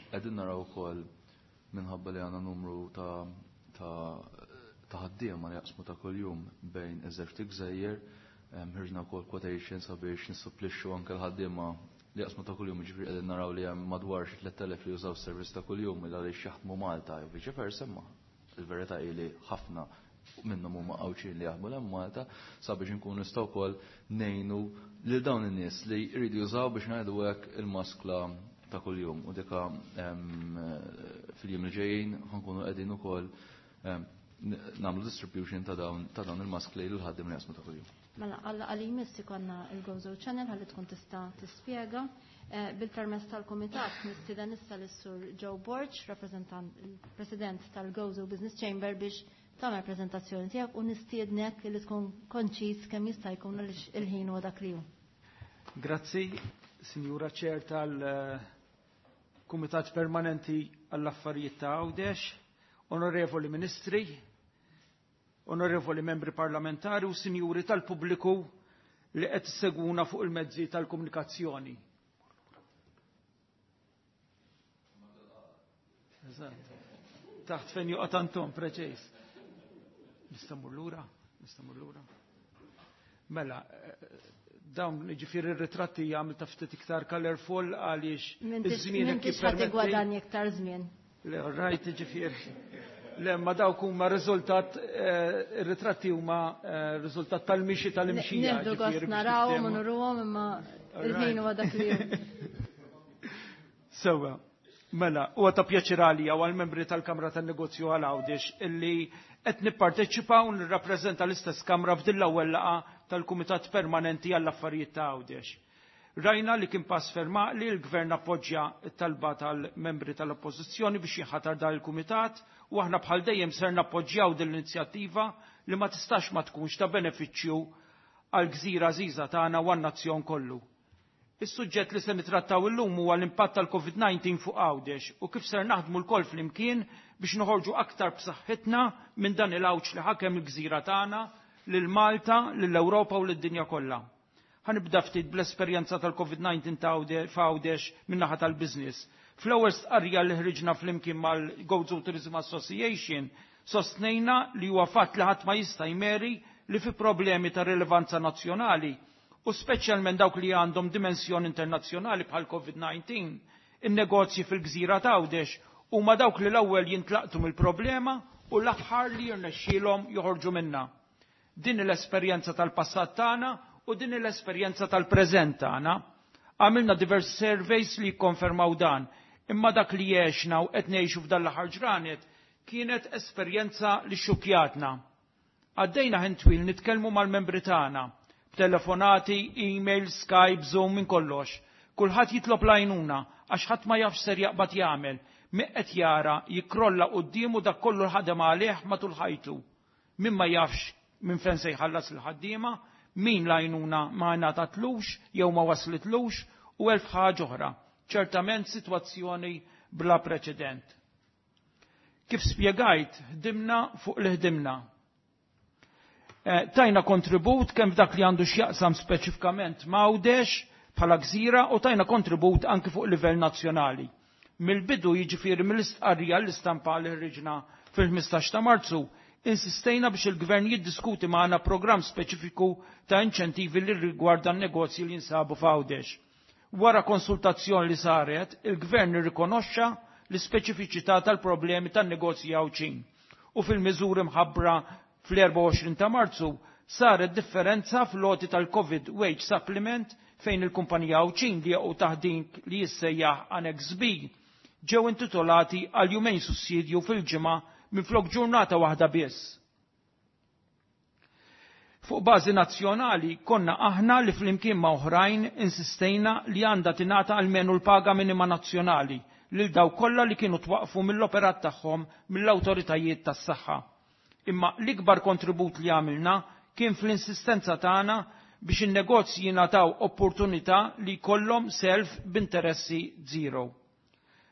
S5: qegħdin naraw ukoll minħabba li għandna numru ta' ta' ħaddiema li jaqsmu ta' kuljum bejn iż-żewġ gżejjer, ħriġna wkoll quotation sabiex nissupplixxu anke l-ħaddiema li jaqsmu ta' kuljum, ġifieri qegħdin naraw li hemm madwar xi tliet elef li jużaw s-servizz ta' kuljum il għaliex jaħdmu Malta jew viċi versa, imma il-verità hi li ħafna minnhom huma Għawdxin li jaħdmu hemm Malta, sabiex inkunu nistgħu wkoll ngħinu lil dawn in-nies li jridu jużaw, biex ngħidu hekk, il-maskla ta' kuljum. U dika fil-jiem li ġejjin ħa nkunu qegħdin ukoll nagħmlu distribution ta' dawn ta' dawn il-mask li l-ħaddim li jasmu ta' kuljum.
S1: Mela għalla għal jmiss ikonna il-Gozo Channel ħalli tkun tista' tispjega. Eh, bil-permess tal-Kumitat nistieden issa lis-Sur Joe Borg, rappresentant il-President tal-Gozo Business Chamber biex tagħmel preżentazzjoni tiegħek u nistiednek li tkun konċis kemm jista' jkun għaliex il-ħin huwa dak li hu.
S6: Grazzi, Sinjura Chair tal-Kumitat Permanenti għall-Affarijiet ta' Għawdex, Onorevoli Ministri, Onorevoli Membri Parlamentari u Sinjuri tal-Pubbliku li qed issegwuna fuq il-mezzi tal-komunikazzjoni. Eżatt. Taħt fejn joqgħod Anton, preċiż. Nista' mmur lura? Nista' mmur lura? Mela, dawn ġifieri ir-ritratti jagħmel ta' ftit iktar colorful għaliex
S1: iż-żmien hekk M'intix ħadd igwadanja iktar żmien.
S6: Le, rajt ġifieri. Le, ma dawk huma riżultat, ir-ritratti huma riżultat tal-mixi tal-imxija.
S1: Nieħdu gost narawhom u nuruhom imma il-ħin huwa dak li hu.
S6: Sewwa. Mela, huwa ta' pjaċir għalija u għall-membri tal-Kamra tan-Negozju għal Għawdex illi qed nipparteċipa u nirrappreżenta l-istess Kamra f'din l-ewwel laqgħa tal-Kumitat Permanenti għall-Affarijiet ta' Għawdex. Rajna li kien pass ferm li l-Gvern appoġġja t-talba tal-membri tal-Oppożizzjoni biex jinħatar dan il-Kumitat u aħna bħal dejjem ser nappoġġjaw din l-inizjattiva li ma tistax ma tkunx ta' benefiċċju għal gżira għażiża tagħna u għan-nazzjon kollu. Is-suġġett li se nitrattaw illum huwa l-impatt tal-Covid nineteen fuq Għawdex u kif ser naħdmu lkoll flimkien biex noħorġu aktar b'saħħitna minn dan il-għawġ li ħakem il-gżira tagħna lil Malta, lill-Ewropa u lid-dinja kollha. Ħanibda ftit bl-esperjenza tal-Covid nineteen ta' f'Għawdex min-naħa tal-business. Fl-ewwel stqarrija li ħriġna flimkien mal-Gozo Tourism Association sostnejna li huwa fatt li ħadd ma jista' jmeri li fi problemi ta' rilevanza nazzjonali u speċjalment dawk li għandhom dimensjoni internazzjonali bħal Covid nineteen, in-negozji fil-gżira ta' Għawdex huma dawk li l-ewwel jintlaqtu mill-problema u l-aħħar li jirnexxielhom joħorġu minnha. Din l-esperjenza tal-passat tagħna u din l-esperjenza tal-preżent tagħna. Għamilna diversi surveys li jikkonfermaw dan, imma dak li għexna u qed ngħixu f'dan l-aħħar ġranet kienet esperjenza li xukjatna. Għaddejna ħin twil nitkellmu mal-membri tagħna, telefonati, email, Skype, Zoom, minn kollox. Kulħadd jitlob l-għajnuna għax ħadd ma jafx ser jaqbad jagħmel, min qed jara jikkrolla quddiemu dak kollu l-ħadem għalih matul ħajtu. Min ma jafx minn fejn se jħallas il-ħaddiema, min l-għajnuna ma ngħatatlux jew ma waslitlux u elf ħaġa oħra. Ċertament sitwazzjoni bla preċedent. Kif spjegajt, ħdimna fuq li ħdimna. Tajna kontribut kemm f'dak li għandu x'jaqsam speċifikament m'Għawdex bħala gżira u tajna kontribut anki fuq livell nazzjonali. Mill-bidu jiġifieri mill-istqarrija l-istampa li ħriġna fil-ħmistax ta' Marzu, insistejna biex il-Gvern jiddiskuti magħna programm speċifiku ta' inċentivi li rigwarda n-negozji li jinsabu f'Għawdex. Wara konsultazzjoni li saret, il-Gvern irrikonoxxa l-ispeċifiċità tal-problemi tan-negozji Għawdxin u fil-miżuri mħabbra fl-erbgħa u għoxrin ta' Marzu saret differenza fl-għoti tal-Covid Wage Supplement fejn il-kumpanija Għawdxin li jaqgħu taħt din li jissejjaħ Annex B ġew intitolati għal jumejn sussidju fil-ġimgħa minflok ġurnata waħda biss. Fuq bażi nazzjonali konna aħna li flimkien ma' oħrajn insistejna li għandha tingħata almenu l-paga minima nazzjonali lil dawk kollha li kienu twaqfu mill-operat tagħhom mill-awtoritajiet tas-saħħa. Imma l-ikbar kontribut li għamilna kien fl-insistenza tagħna biex in-negozji jingħataw opportunità li jkollhom self b'interessi zero.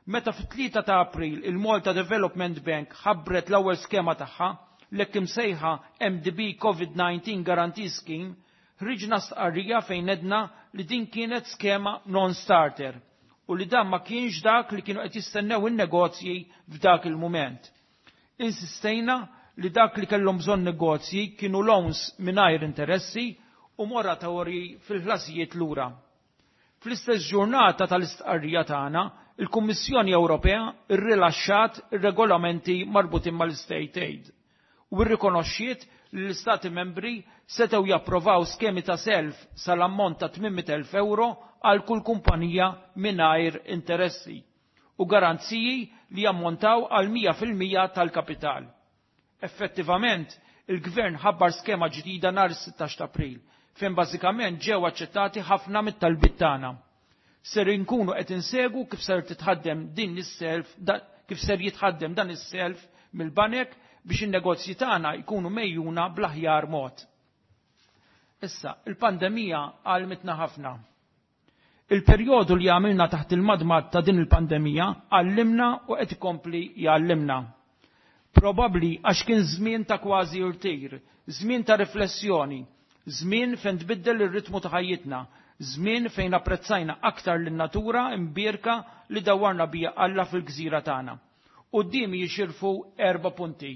S6: Meta fit-tlieta ta' April il-Malta Development Bank ħabbret l-ewwel skema tagħha l-hekk imsejħa M D B Covid nineteen Guarantee Scheme, ħriġna stqarrija fejn edna li din kienet skema non-starter u li dan ma kienx dak li kienu qed jistennew in-negozji f'dak il-mument. Insistejna li dak li kellhom bżonn negozji kienu loans mingħajr interessi u moratorji fil-ħlasijiet lura. Fl-istess ġurnata tal-istqarrija tagħna, il-Kummissjoni Ewropea rrilaxxat ir-regolamenti marbutin mal-State Aid u rrikonoxxiet li l-Istati membri setgħu japprovaw skemi ta' self sal-ammont ta' tmien mitt elf euro għal kull kumpanija mingħajr interessi u garanziji li jammontaw għal mija fil-mija tal-kapital. Effettivament, il-Gvern ħabbar skema ġdida nhar is-sittax ta' April, fejn bażikament ġew aċċettati ħafna mit-talbiet tagħna. Ser inkunu qed insegu kif ser titħaddem din is-self, kif ser jitħaddem dan is-self mill-banek biex in-negozji tagħna jkunu mejjuna bl-aħjar mod. Issa, il-pandemija għalmitna ħafna. Il-perjodu li għamilna taħt il-madmad ta' din il-pandemija għallimna u qed ikompli jgħallimna. Probabbli għax kien żmien ta' kważi irtir, żmien ta' riflessjoni, żmien fejn tbiddel ir-ritmu ta' ħajjitna, żmien fejn apprezzajna aktar lin-natura imbierka li dawwarna bija Alla fil-gżira tagħna. Quddiemi jixirfu erba' punti.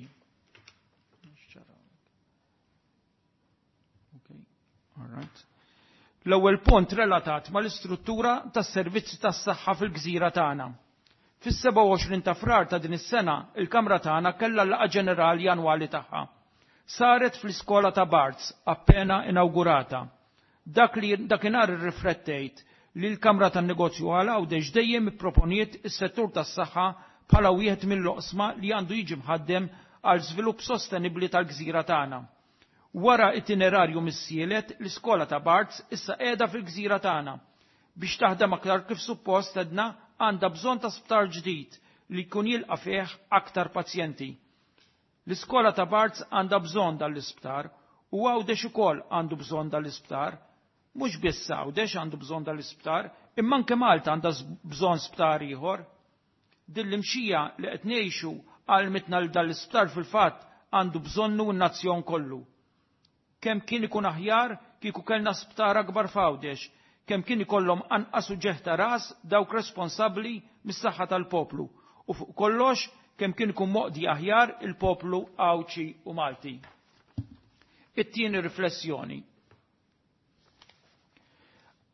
S6: All right. L-ewwel punt relatat mal-istruttura tas-servizzi tas-saħħa fil-gżira tagħna. Fis-sebgħa u għoxrin ta' Frar ta' din is-sena, il-Kamra tagħna kellha l-laqgħa ġenerali annwali tagħha. Saret fl-iskola ta' Barts, appena inawgurata. Dak li dakinhar irriflettejt li l-Kamra tan-Negozju għal Għawdex dejjem ipproponiet is-settur tas-saħħa bħala wieħed mill-oqsma li għandu jiġi mħaddem għal żvilupp sostenibbli tal-gżira tagħna. Wara itinerarju missielet, l-iskola ta' Barts issa qiegħda fil-gżira tagħna. Biex taħdem aktar kif suppost edna għandha bżonn ta' sptar ġdid li jkun jilqa' fih aktar pazjenti. L-iskola ta' Barts għandha bżonn dal-isptar u Għawdex ukoll għandu bżonn dal-isptar. Mhux biss Għawdex għandu bżonn dal-isptar, imma anke Malta għandha bżonn sptar ieħor. Din l-imxija li qed ngħixu għalmitna li dal-isptar fil-fatt għandu bżonnu n-nazzjon kollu. Kemm kien ikun aħjar kieku kellna sptar akbar f'Għawdex, kemm kien ikollhom anqas uġeħ ta' ras dawk responsabbli mis-saħħa tal-poplu, u fuq kollox kemm kien ikun moqdi aħjar il-poplu Għawdxi u Malti. It-tieni riflessjoni.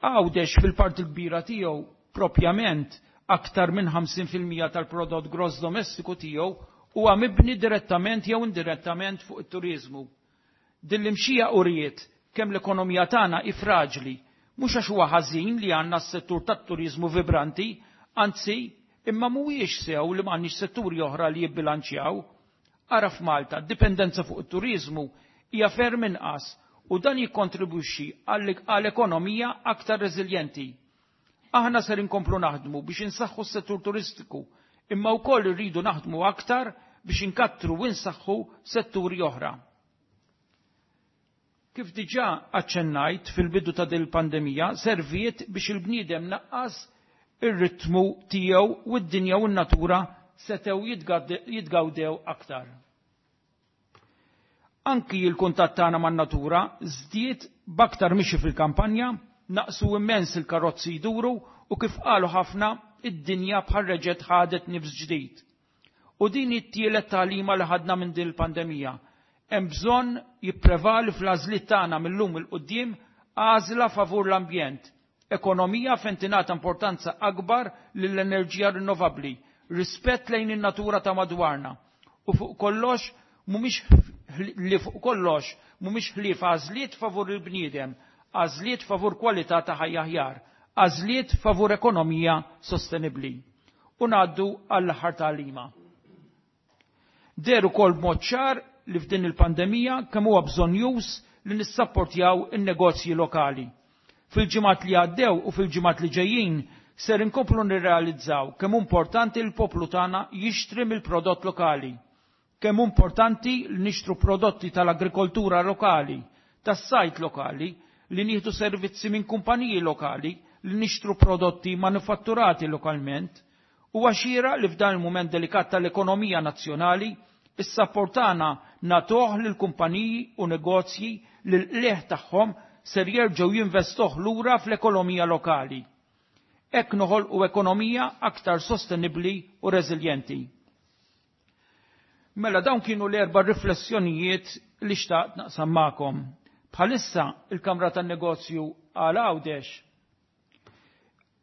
S6: Għawdex fil-parti l-kbira tiegħu propjament aktar minn ħamsin fil-mija tal-prodott gross domestiku tiegħu huwa mibni direttament jew indirettament fuq it-turizmu. Din l-imxija uriet kemm l-ekonomija tagħna hi fraġli, mhux għax huwa ħażin li għandna s-settur tat-turizmu vibranti, anzi imma mhuwiex sew li m'għandniex setturi oħra li jibbilanċjaw. Ara f'Malta, d-dipendenza fuq it-turizmu hija ferm inqas u dan jikkontribwixxi għal ekonomija aktar reżiljenti. Aħna ser inkomplu naħdmu biex insaħħu s-settur turistiku, imma wkoll irridu naħdmu aktar biex inkattru u insaħħu setturi oħra. Kif diġà aċċennajt fil-bidu ta' din il-pandemija, serviet biex il-bniedem naqqas ir-ritmu tiegħu u d-dinja u n-natura setgħu jitgawdew aktar. Anki il-kuntatt tagħna man-natura żdied b'aktar mixi fil-kampanja, naqsu immens il-karozzi jduru u kif qalu ħafna id-dinja bħal reġgħet ħadet nifs ġdid. U din it-tielet tagħlima li ħadna minn din il-pandemija. Hemm bżonn jipprevali fl-għażliet tagħna mill-lum il quddiem għażla favur l-ambjent, ekonomija fejn tingħata importanza akbar lill-enerġija rinnovabbli, rispett lejn in-natura ta' madwarna u fuq kollox mhumiex li fuq kollox mhumiex ħlief għażliet favur il-bniedem, għażliet favur kwalità ta' ħajja aħjar, għażliet favur ekonomija sostenibbli. U ngħaddu għall-aħħar tagħlima. Deher ukoll b'mod ċar li f'din il-pandemija kemm huwa bżonn-już li nissapportjaw in-negozji lokali. Fil-ġimgħat li għaddew u fil-ġimgħat li ġejjin ser inkomplu nirrealizzaw kemm hu importanti l-poplu tagħna jixtri mill-prodott lokali. Kemm hu importanti li nixtru prodotti tal-agrikoltura lokali, tas-sajt lokali, li nieħdu servizzi minn kumpaniji lokali, li nixtru prodotti manufatturati lokalment. Huwa xieraq li f'dan il-mument delikat tal-ekonomija nazzjonali is-sapportana nagħtuh lil kumpaniji u negozji li l-qligħ tagħhom ser jerġgħu jinvestuh lura fl-ekonomija lokali. Hekk noħolqu ekonomija aktar sostenibbli u reżiljenti. Mela dawn kienu l-erba' riflessjonijiet li xtaqt naqsam magħkom. Bħalissa il-Kamra tan-Negozju għal Għawdex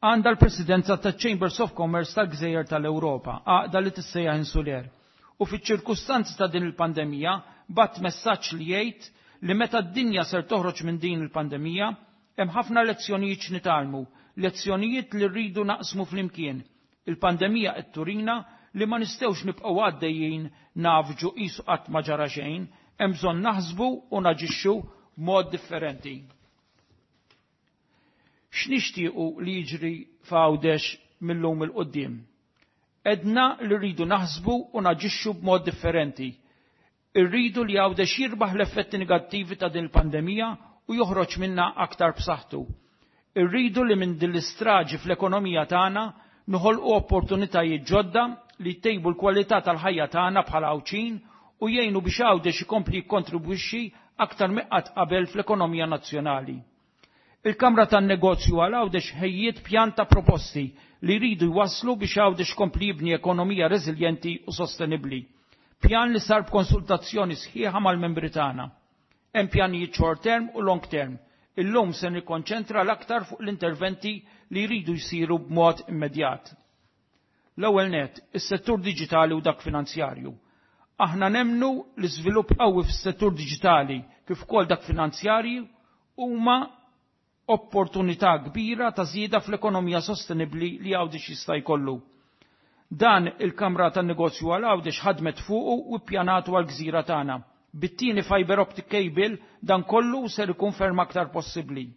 S6: għandha l-Presidenza taċ-Chambers of Commerce tal-Gżejjer tal-Ewropa, għaqda li tissejjaħ Insuler. U fiċ-ċirkustanzi ta' din il-pandemija bat messaġġ li jgħid li meta d-dinja ser toħroġ minn din il-pandemija hemm ħafna lezzjonijiet x'nitgħallmu, lezzjonijiet li rridu naqsmu flimkien. Il-pandemija qed turina li ma nistgħux nibqgħu għaddejjin nafġu qisu qatt ma ġara xejn, hemm bżonn naħsbu u naġixxu b'mod differenti. X'nixtiequ li jiġri f'Għawdex mil-lum 'il quddiem? Edna li rridu naħsbu u naġixxu b'mod differenti. Irridu li Għawdex jirbaħ l-effetti negattivi ta' din il-pandemija u joħroġ minna aktar b'saħħtu. Irridu li minn din l-istraġi fl-ekonomija tagħna noħolqu opportunitajiet ġodda li jtejbu l-kwalità tal-ħajja tagħna bħala Għawdxin u jgħinu biex Għawdex ikompli jikkontribwixxi aktar minn qatt qabel fl-ekonomija nazzjonali. Il-Kamra tan-Negozju għal Għawdex ħejjiet pjan ta' proposti li jridu jwasslu biex Għawdex ikompli jibni ekonomija reżiljenti u sostenibbli. Pjan li sar b'konsultazzjoni sħiħa mal-membri tagħna. Hemm pjanijiet short term u long term. Illum se nikkonċentra l-aktar fuq l-interventi li jridu jsiru b'mod immedjat. L-ewwel net, is-settur diġitali u dak finanzjarju. Aħna nemmnu li żvilupp qawwi fis-settur diġitali kif ukoll dak finanzjarju huma opportunità kbira ta' żieda fl-ekonomija sostenibbli li Għawdex jista' jkollu. Dan il-Kamra tan-Negozju għal Għawdex ħadmet fuqu u ppjanatu għall-gżira tagħna. Bit-tieni fiber optic cable dan kollu ser ikun ferm aktar possibbli.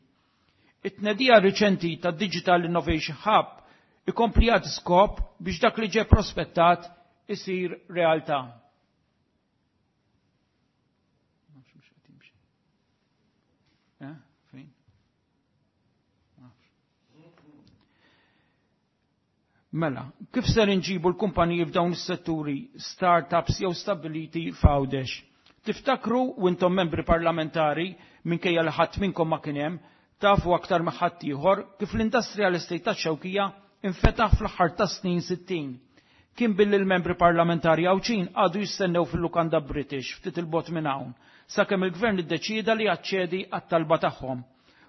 S6: It-tnedija riċenti ta' Digital Innovation Hub ikompli jagħti skop biex dak li ġie prospettat isir realtà. Eh, fejn? Mela, kif ser inġibu l-kumpaniji f'dawn is-setturi startups jew stabbiliti f'Għawdex? Tiftakru u intom membri parlamentari minkejja li ħadd minnkom ma kien hemm, tafu aktar ma ħadd ieħor kif l-industrial estate tax-Xewkija infetaħ fl-aħħar tas-snin sittin. Kien billi l-membri parlamentari Għawdxin għadu jistennew fil-lukanda British ftit il-bot minn hawn, sakemm il-gvern iddeċieda li jaċċedi għat-talba tagħhom.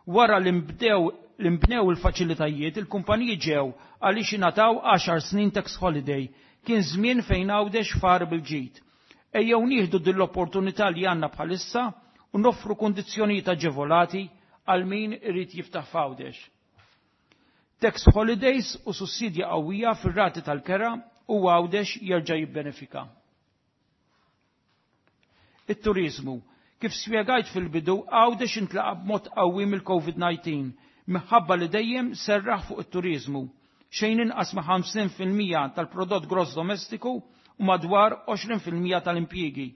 S6: Wara li nbdew li nbnew il-faċilitajiet, il-kumpaniji ġew għaliex ingħataw għaxar snin tax holiday. Kien żmien fejn Għawdex far bil-ġid. Ejjew nieħdu din l-opportunità li għandna bħalissa u noffru kundizzjonijiet aġevolati għal min irid jiftaħ f'Għawdex. Tax holidays u sussidja qawwija fir-rati tal-kera u Għawdex jerġa' jibbenefika. It-turizmu. Kif spjegajt fil-bidu, Għawdex intlaqa b'mod qawwi mill-COVID nineteen, minħabba li dejjem serraħ fuq it-turizmu. Xejn inqas ma' ħamsin fil-mija tal-prodott gross domestiku u madwar għoxrin fil-mija tal-impjiegi.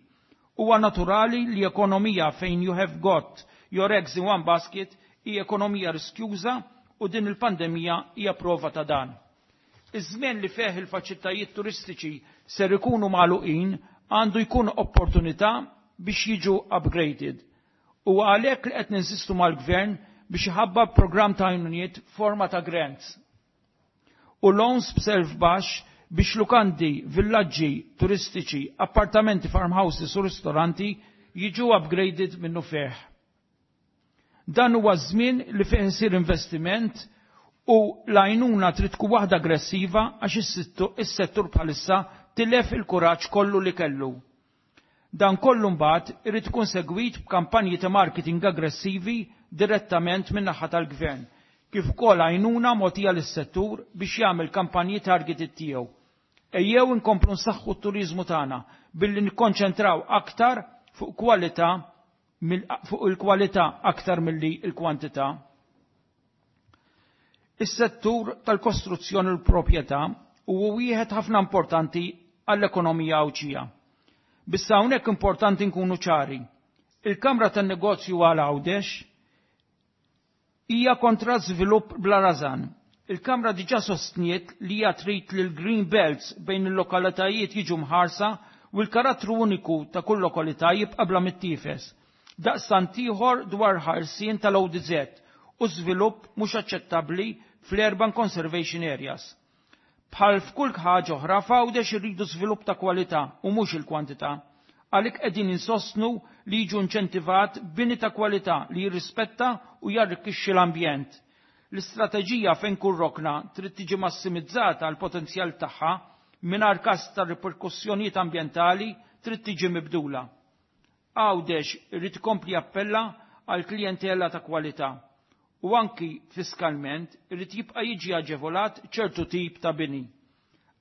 S6: Huwa naturali li ekonomija fejn you have got your eggs in one basket hi ekonomija riskjuża u din il-pandemija hija prova ta' dan. Iż-żmien li fih il-faċilitajiet turistiċi ser ikunu magħluqin għandu jkun opportunità biex jiġu upgraded. U għalhekk li qed ninsistu mal-gvern biex iħabba programm ta' għajnuniet forma ta' grants u loans b'self baxx biex lukandi, villaġġi turistiċi, appartamenti, farmhouses u ristoranti jiġu upgraded minnu fih. Dan huwa żmien li fih isir investiment u l-għajnuna trid tkun waħda aggressiva għax is-settur bħalissa tilef il-kuraġġ kollu li kellu. Dan kollu mbagħad irid ikun segwit b'kampanji ta' marketing aggressivi direttament min-naħa tal-gvern, kif ukoll għajnuna mogħtija lis-settur biex jagħmel kampanji targeted tiegħu. Ejjew inkomplu nsaħħu t-turiżmu tagħna billi nikkonċentraw aktar fuq kwalità fuq il-kwalità aktar milli l-kwantità. Is-settur tal-kostruzzjoni u l-proprjetà huwa wieħed ħafna importanti għall-ekonomija Għawdxija. Bissa hawnhekk importanti nkunu ċari. Il-Kamra tan-Negozju għal Għawdex hija kontra żvilupp bla rażan. Il-Kamra diġà sostniet li hija trid li l-Green Belts bejn il-lokalitajiet jiġu mħarsa u l-karattru uniku ta' kull lokalità jibqa' bla mittiefes. Daqstant ieħor dwar ħarsien tal-O D Z u żvilupp mhux aċċettabbli fl-Urban Conservation Areas. Bħal f'kull ħaġa oħra f'Għawdex irridu żvilupp ta' kwalità u mhux il-kwantità. Għalhekk qegħdin insostnu li jiġu inċentivat bini ta' kwalità li jirrispetta u jarrikkixxi l-ambjent. L-istrateġija fejn kull rokna trid tiġi massimizzata għal potenzjal tagħha mingħajr każ ta' riperkussjonijiet ambjentali trid tiġi mibdula. Għawdex irid ikompli jappella għal klijentela ta' kwalità u anki fiskalment irid jibqa' jiġi aġevolat ċertu tip ta' bini.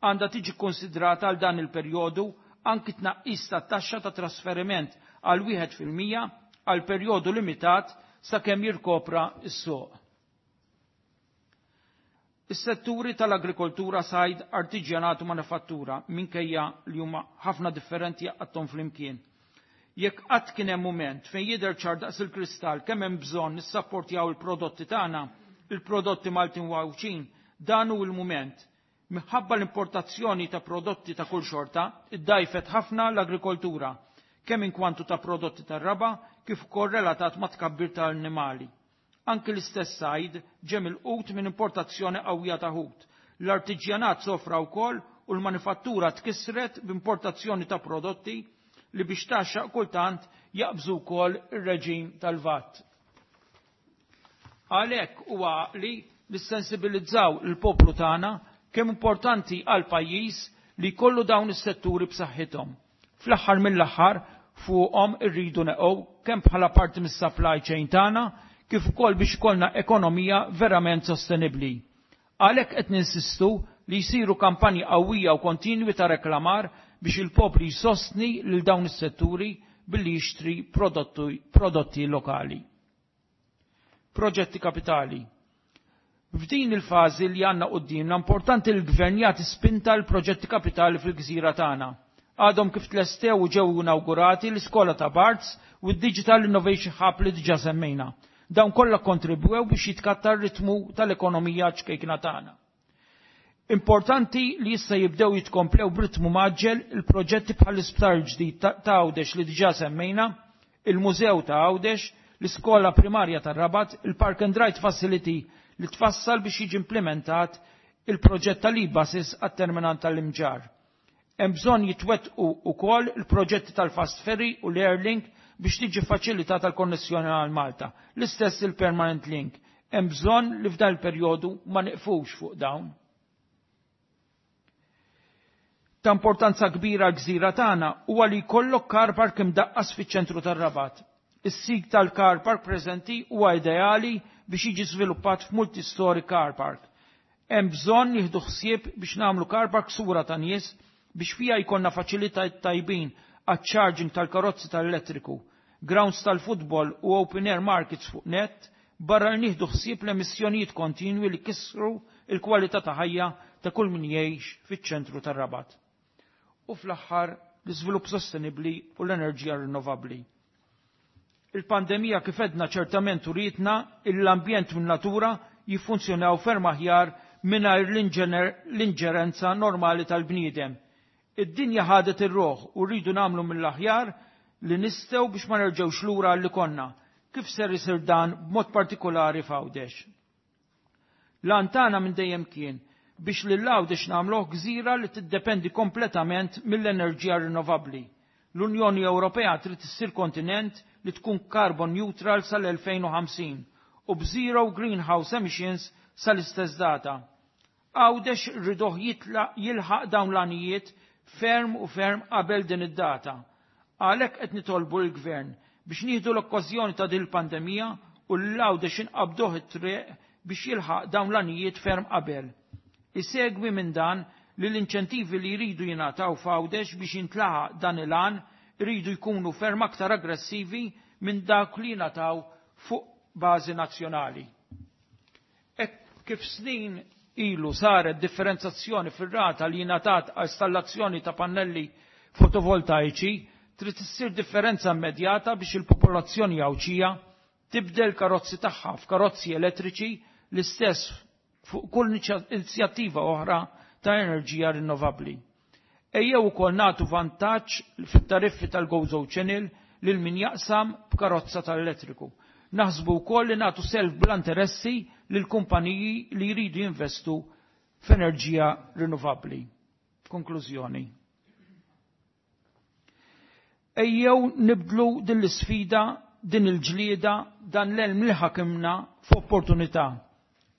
S6: Għandha tiġi konsidrata għal dan il-perjodu anki tnaqqis ta' taxxa ta' trasferiment għal wieħed fil-mija għal perjodu limitat sakemm jirkopra s-suq. Is-setturi tal-agrikoltura, sajd, artiġjanat u manifattura minkejja li huma ħafna differenti jaqgħadhom flimkien. Jekk qatt kien hemm mument fejn jidher ċar daqs il-kristall kemm hemm bżonn nissapportjaw il-prodotti tagħna, il-prodotti Maltin u Għawdxin, dan hu l-mument. Minħabba l-importazzjoni ta' prodotti ta' kull xorta, iddajfet ħafna l-agrikoltura, kemm inkwantu ta' prodotti tar-raba' kif ukoll relatat ma' tkabbir tal-annimali. Anki l-istess sajd ġie milqut minn importazzjoni qawwija ta' ħut. L-artiġjanat sofra wkoll u l-manifattura tkissret b'importazzjoni ta' prodotti li biex taxxaq kultant jaqbżu wkoll ir-reġim tal-V A T. Għalhekk huwa għaqli nissensibilizzaw il-poplu tagħna kemm importanti għal pajjiż li jkollu dawn is-setturi b'saħħithom. Fl-aħħar mill-aħħar, fuqhom irridu neqgħu kemm bħala parti mis-supply chain tagħna kif ukoll biex ikollna ekonomija verament sostenibbli. Għalhekk qed ninsistu li jsiru kampanji qawwija u kontinwi ta' reklamar biex il-poplu jsostni lil dawn is-setturi billi jixtri prodotti, prodotti lokali. Proġetti kapitali. F'din il-fażi li għandna qudiemna, importanti l-gvern jagħti spinta l-proġetti kapitali fil-gżira tagħna. Għadhom kif tlestew u ġew inaugurati l-iskola ta' Barts u d-Digital Innovation Hub li diġà semmejna. Dawn kollha kontribwew biex jitkattar ritmu tal-ekonomija ċkejkna tagħna. Importanti li issa jibdew jitkomplew b'ritmu mgħaġġel il-proġetti bħall-isptar ġdid ta' Għawdex li diġà semmejna, il-Mużew ta' Għawdex, l-Iskola Primarja tar-Rabat, il-Park and Ride Facility li tfassal biex jiġi implementat il-proġett tal-e-buses għat-terminal tal-Imġarr. Hemm bżonn jitwettqu ukoll il-proġetti tal-Fast Ferry u l-Airlink biex tiġi faċilitata l-konnessjoni għal Malta. L-istess il-Permanent Link. Hemm bżonn li f'dan il-perjodu ma neqfux fuq dawn. Ta' importanza kbira gżira tagħna huwa li jkollok car park imdaqqas fiċ-ċentru tar-Rabat. Is-sit tal-car park preżenti huwa ideali biex jiġi żviluppat f'multi-story car park. Hemm bżonn nieħdu ħsieb biex nagħmlu car park sura ta' nies biex fija jkollna faċilitajiet tajbin għat-charging tal-karozzi tal-elettriku, grounds tal-futbol u open air markets fuq net, barra li nieħdu ħsieb l-emissjonijiet kontinwi li kisru il-kwalità ta' ħajja ta' kull min jgħix fiċ-ċentru tar-Rabat. U fl-aħħar, l-iżvilupp sostenibbli u l-enerġija rinnovabbli. Il-pandemija, kif edna, ċertament urietna l-ambjent u natura jiffunzjonaw ferm aħjar mingħajr l-inġerenza normali tal-bniedem. Id-dinja ħadet ir-roħ u rridu nagħmlu mill-aħjar li nistgħu biex ma nerġgħux lura li konna. Kif ser isir dan b'mod partikolari f'Għawdex? L-għan tagħna minn dejjem kien biex lil Għawdex nagħmluh gżira li tiddependi kompletament mill-enerġija rinnovabbli. L-Unjoni Ewropea trid issir kontinent li tkun carbon neutral sal-elfejn u ħamsin u b'zero greenhouse emissions sal-istess data. Għawdex rriduh jilħaq dawn l-għanijiet ferm u ferm qabel din id-data. Għalhekk qed nitolbu l-gvern biex nieħdu l-okkażjoni ta' din il-pandemija u lil Għawdex inqabduh it-triq biex jilħaq dawn l-għanijiet ferm qabel. Isegwi minn dan li l-inċentivi li jridu jingħataw f'Għawdex biex jintlaħaq dan il-għan jridu jkunu ferm aktar aggressivi minn dak li jingħataw fuq bażi nazzjonali. Hekk kif snin ilu saret differenzazzjoni fir-rata li jingħatat għal installazzjoni ta' pannelli fotovoltaiċi, trid issir differenza immedjata biex il-popolazzjoni Għawdxija tibdel karozzi tagħha f'karozzi elettriċi, l-istess fuq kull inizjattiva oħra ta' enerġija rinnovabbli. Ejjew ukoll nagħtu vantaġġ fit-tariffi tal-Gozo Channel lil min jaqsam b'karozza tal-elettriku. Naħsbu wkoll li nagħtu self bla interessi lil kumpaniji li jridu jinvestu f'enerġija rinnovabbli. Konklużjoni. Ejjew nibdlu din l-isfida, din il-ġlieda, dan l-elm li ħakimna f'opportunità.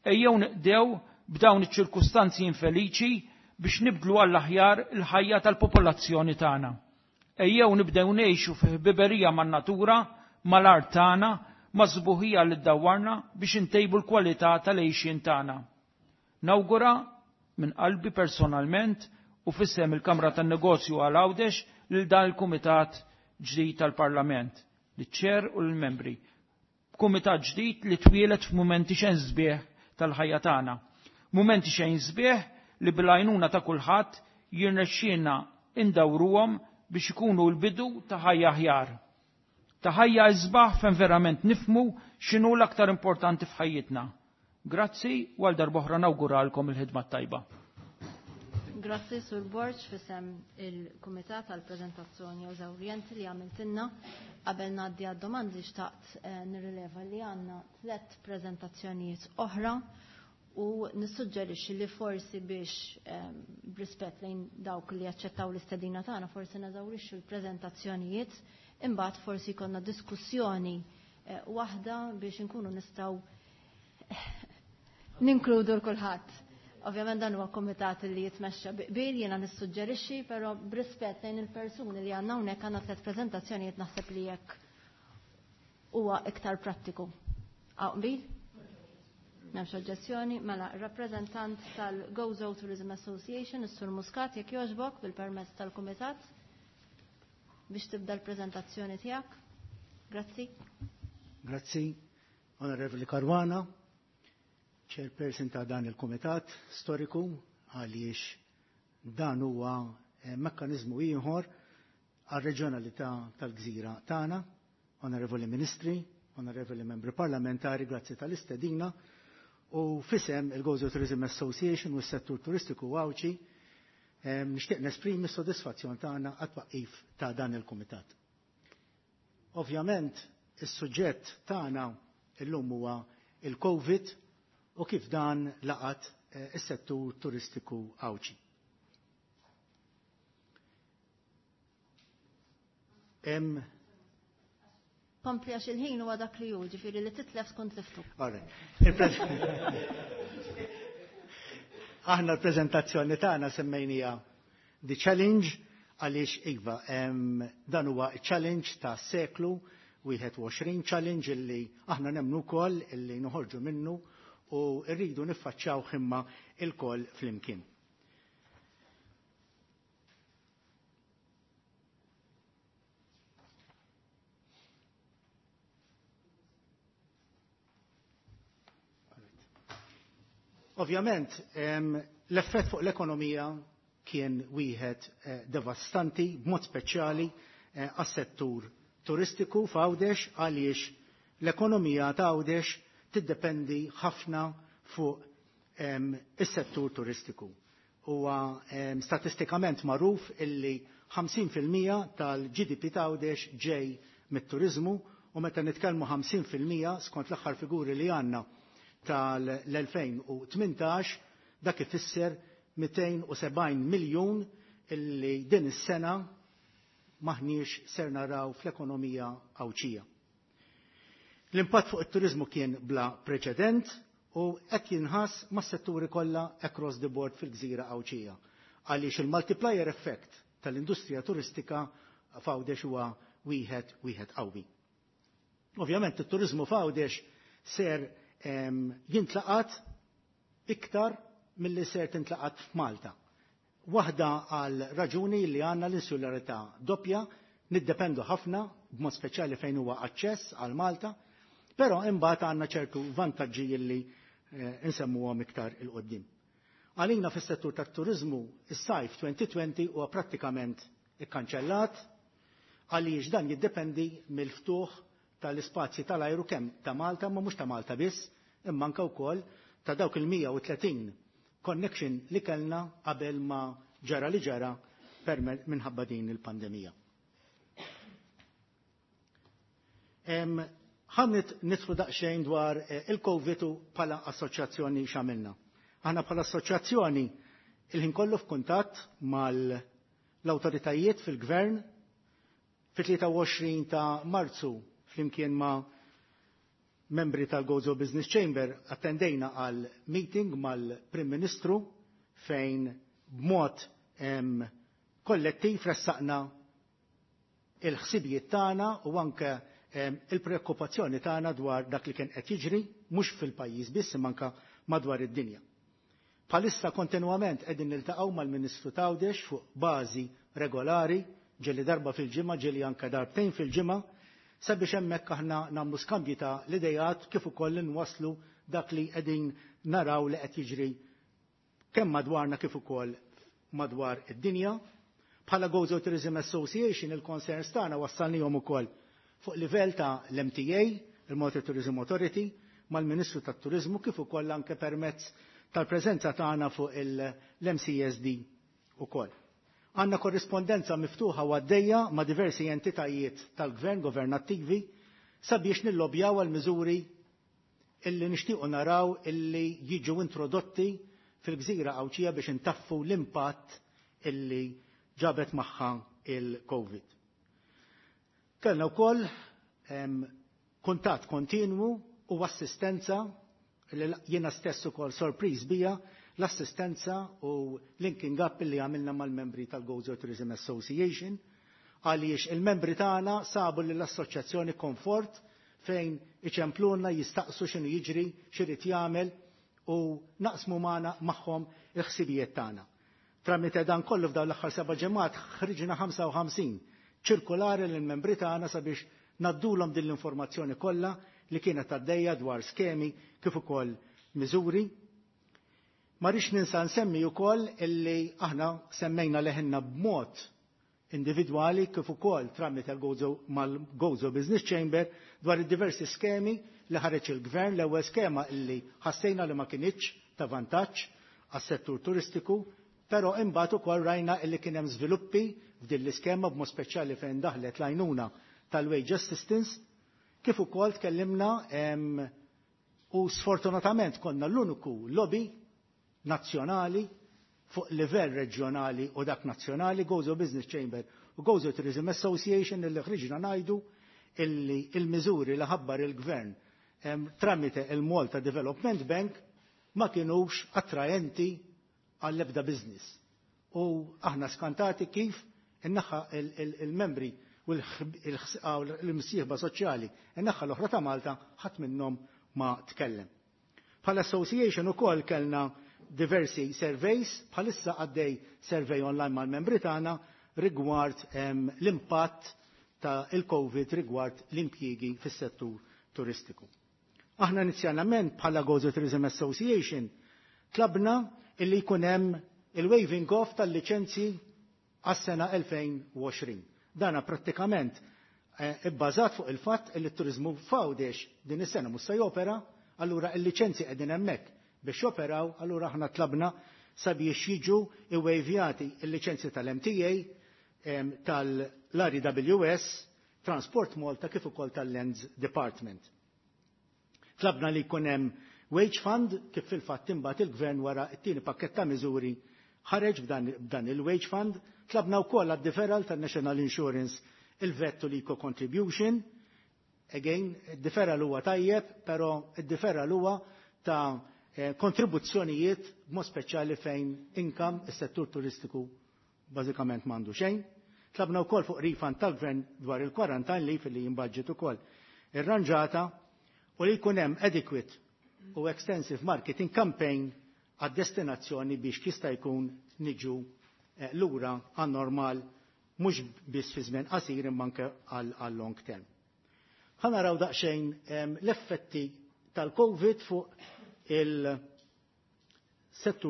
S6: Ejjew nibdew b'dawn iċ-ċirkustanzi infeliċi biex nibdlu għall-aħjar il-ħajja tal-popolazzjoni tagħna. Ejjew nibdew ngħixu fi ħbiberija man-natura, mal-art tagħna, ma' sbuħija li ddawarna biex intejbu l-kwalità tal-għejxien tagħna. Nawgura minn qalbi personalment u fissem il-Kamra tan-Negozju għal Għawdex lil dan il-Kumitat ġdid tal-Parlament, liċ-ċer u l-membri. Kumitat ġdid li twieled f'mumenti xejn sbieħ tal-ħajja tagħna. Mumenti xejn sbieħ li bil-għajnuna ta' kulħadd jirnexxielna indawruhom biex ikunu l-bidu ta' ħajja aħjar. Ta' ħajja isbaħ fejn verament nifmu x'inhu l-aktar importanti f'ħajjitna. Grazzi u għal darb'oħra nawguralkom il-ħidma tajba.
S1: Grazzi Sur Borg fisem il-Kumitat għal prezentazzjoni eżawrjenti li għamiltinna. Qabel ngħaddi għad-domandi xtaqt eh, nirrileva li għandna tliet preżentazzjonijiet oħra u nissuġġerixxi li forsi biex ehm, b'rispett lejn dawk li jaċċettaw l-istedina tagħna forsi neżawrixxu l-preżentazzjonijiet imbagħad forsi jkollna diskussjoni eh, waħda biex inkunu nistgħu ninkludu l-kulħadd. Ovvjament dan huwa komitat li jitmexxa biqbil jiena nissuġġerixxi, però b'rispett lejn il-persuni li għandna hawnhekk għandna tliet preżentazzjonijiet naħseb li jekk huwa iktar prattiku. Hawn qbil? M'hemmx oġġezzjoni, mela rappreżentant tal-Gozo Tourism Association, is-Sur Muscat, jekk jogħġbok bil-permess tal-kumitat biex tibda l-preżentazzjoni tiegħek. Grazzi.
S7: Grazzi, Onorevoli Caruana, chairperson ta' dan il-Kumitat storiku għaliex dan huwa eh, mekkanizmu ieħor għal-reġjonalità tal-gżira tagħna. Onorevoli Ministri, Onorevoli Membri Parlamentari, grazzi tal-istedina u fisem il-Gozo Tourism Association u s-settur turistiku Għawdxi eh, nixtieq nesprimi s-sodisfazzjon tagħna għat-twaqqif ta' dan il-kumitat. Ovvjament, is-suġġett tagħna illum huwa il-COVID u kif dan laqat eh, is-settur turistiku Għawdxi. Hemm
S1: Kompli għax il-ħin huwa dak li hu, ġifieri li titlef tkun tliftu.
S7: All right. Il-pres- Aħna l-preżentazzjoni tagħna semmejnija The Challenge għaliex iva em, dan huwa challenge ta' seklu wieħed u għoxrin, challenge illi aħna nemmnu wkoll illi noħorġu minnu u rridu niffaċċjaw imma il-koll flimkien. Ovvjament, em, l-effett fuq l-ekonomija kien wieħed eh, devastanti, b'mod speċjali eh, għas-settur turistiku f'Għawdex għaliex l-ekonomija ta' Għawdex tiddependi ħafna fuq em, is-settur turistiku. Huwa em, statistikament magħruf illi ħamsin fil-mija tal-G D P ta' Għawdex ġej mit-turizmu u meta nitkellmu ħamsin fil-mija skont l-aħħar figuri li għandna tal-elfejn u tmintax, dak ifisser mitejn u sebgħin miljun illi din is-sena maħniex ser naraw fl-ekonomija Għawdxija. L-impatt fuq it-turizmu kien bla preċedent u hekk jinħass mas-setturi kollha across the board fil-gżira Għawdxija. Għaliex il-multiplier effect tal-industrija turistika f'Għawdex huwa wieħed wieħed qawwi. Ovvjament it-turizmu f'Għawdex ser em, jintlaqat iktar milli ser tintlaqat f'Malta. Waħda għal raġuni li għandna l-insularità doppja, niddependu ħafna, b'mod speċjali fejn huwa aċċess għal Malta, però imbagħad għandna ċertu vantaġġi li eh, insemmuhom iktar 'il quddiem. Għalina fis-settur tat-turizmu is-sajf elfejn u għoxrin huwa prattikament ikkanċellat għaliex dan jiddependi mill-ftuħ tal-ispazji tal-ajru kemm ta' Malta, ma mhux ta' Malta biss, imma anke wkoll ta' dawk il-mija u tletin connection li kellna qabel ma ġara li ġara minħabba din il-pandemija. Ħa nidħlu daqsxejn dwar eh, il-Covid u bħala assoċjazzjoni x'għamilna. Aħna bħala assoċjazzjoni il-ħin kollu f'kuntatt mal-awtoritajiet fil-gvern. Fit-tlieta u għoxrin ta' Marzu, flimkien ma' membri tal-Gozo Business Chamber, attendejna għal meeting mal-Prim Ministru fejn b'mod kollettiv ressaqna il-ħsibijiet tagħna u anke il-preokkupazzjoni tagħna dwar dak li kien qed jiġri mhux fil-pajjiż biss imma anke madwar id-dinja. Bħalissa kontinwament qegħdin niltaqgħu mal-Ministru t'Għawdex fuq bażi regolari, ġieli darba fil-ġimgħa, ġieli anke darbtejn fil-ġimgħa, sabiex hemmhekk aħna nagħmlu skambji ta' l-idejat kif ukoll nwaslu dak li qegħdin naraw li qed jiġri kemm madwarna kif ukoll madwar id-dinja. Bħala Gozo Tourism Association il-concerns tagħna wassalnihom ukoll fuq livell ta' l-M T A, il-Malta Tourism Authority, mal-Ministru tat-Turizmu kif ukoll anke permezz tal-preżenza tagħna fuq l-M C S D ukoll. Għandna korrispondenza miftuħa u għaddejja ma' diversi entitajiet tal-gvern governattivi sabiex nillobjaw għal miżuri illi nixtiequ naraw illi jiġu introdotti fil-gżira Għawdxija biex intaffu l-impatt illi ġabet magħha il-Covid. Kellna wkoll kuntatt kontinwu u assistenza li jiena stess ukoll sorpriż bija, l-assistenza u linking up li għamilna mal-membri tal-Gozo Tourism Association, għaliex il-membri tagħna sabu li l-assoċjazzjoni komfort fejn iċempluna, jistaqsu x'inhu jiġri, x'irid jagħmel u naqsmu magħna magħhom il-ħsibijiet tagħna. Tramite dan kollu, f'dawn l-aħħar seba' ġimgħat ħriġna ħamsa u ħamsin ċirkolari lill-membri tagħna sabiex ngħaddulhom din l-informazzjoni kollha li kienet għaddejja dwar skemi kif ukoll miżuri. Ma rridx ninsa nsemmi wkoll illi aħna semmejna leħinna b'mod individwali kif ukoll tramite l-Gozo mal-Gozo Business Chamber dwar id-diversi skemi li ħareġ il-gvern. L-ewwel skema illi ħassejna li ma kinitx ta' vantaġġ għas-settur turistiku, però imbagħad ukoll rajna illi kien hemm żviluppi f'din l-iskema, b'mod speċjali fejn daħlet l-għajnuna tal-wage assistance, kif ukoll tkellimna u sfortunatament konna l-uniku lobby nazzjonali fuq livell reġjonali u dak nazzjonali, Gozo Business Chamber u Gozo Tourism Association, illi ħriġna ngħidu illi il-miżuri li ħabbar il-gvern tramite il-Malta Development Bank ma kienux attraenti għall-ebda business. U aħna skantati kif in-naħa il-membri u l-msieħba soċjali, in-naħa l-oħra ta' Malta, ħadd minnhom ma tkellem. Bħala association ukoll kellna diversi surveys, bħalissa għaddej survey online mal-membri tagħna rigward l-impatt ta' il-Covid rigward l-impjiegi fis-settur turistiku. Aħna inizjalment bħala Gozo Tourism Association tlabna illi jkun hemm il-waiving off tal-liċenzji għas-sena elfejn u għoxrin. Dana prattikament eh, ibbażat fuq il-fatt li t-turizmu f'Għawdex din is-sena mhux se jopera, allura il-liċenzji qegħdin hemmhekk biex joperaw, allura aħna tlabna sabiex jiġu iwejvjati il-liċenzji tal-M T A, tal-R E W S, Transport Malta kif ukoll tal-Lands Department. Tlabna li jkun hemm wage fund, kif fil-fatt imbagħad il-gvern wara t-tieni pakket ta' miżuri ħareġ b'dan il-wage fund. Tlabna wkoll għad-deferral tan-National Insurance, il-VAT u l-Eco Contribution. Again, id-deferral huwa tajjeb, però id-deferral huwa ta' eh, kontribuzzjonijiet, b'mod speċjali fejn income is-settur turistiku bażikament m'għandu xejn. Tlabna wkoll fuq refund tal-gvern dwar il-quarantine leave li jimbudget ukoll irranġata u li jkun hemm adequate u extensive marketing campaign għad-destinazzjoni biex jista' jkun niġu eh, lura għan normal mhux biss fi żmien qasir imma anke għal long term. Ħa naraw daqsxejn l-effetti tal-Covid fuq il-settur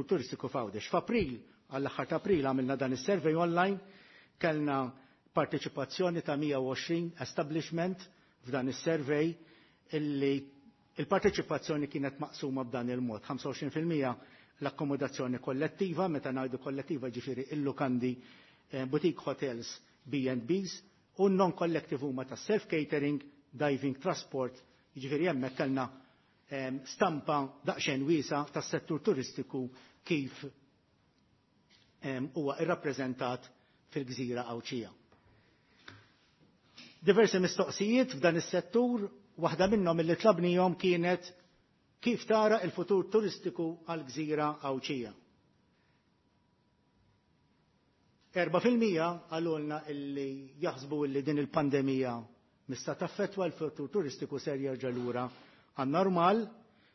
S7: turistiku f'Għawdex. F'April, għall-aħħar ta' April, għamilna dan is-survey online, kellna parteċipazzjoni ta' mija u għoxrin establishment f'dan is-survey, illi il-parteċipazzjoni kienet maqsuma b'dan il-mod: ħamsa u għoxrin fil-mija l-akkomodazzjoni kollettiva, meta ngħidu kollettiva ġifieri il-lukandi, eh, boutique hotels, B and Bs, u non-collective huma ta' self-catering, diving, transport, ġifieri hemmhekk kellna stampa daqsxejn wiesa tas-settur turistiku kif huwa irrappreżentat fil-gżira Għawdxija. Diversi mistoqsijiet f'dan is-settur, waħda minnhom illi tlabnihom kienet kif tara il-futur turistiku għal-gżira Għawdxija. Erba fil-mija qalulna illi jaħsbu illi din il-pandemija mista taffetwa l-futur turistiku ser jerġa' lura għan-normal,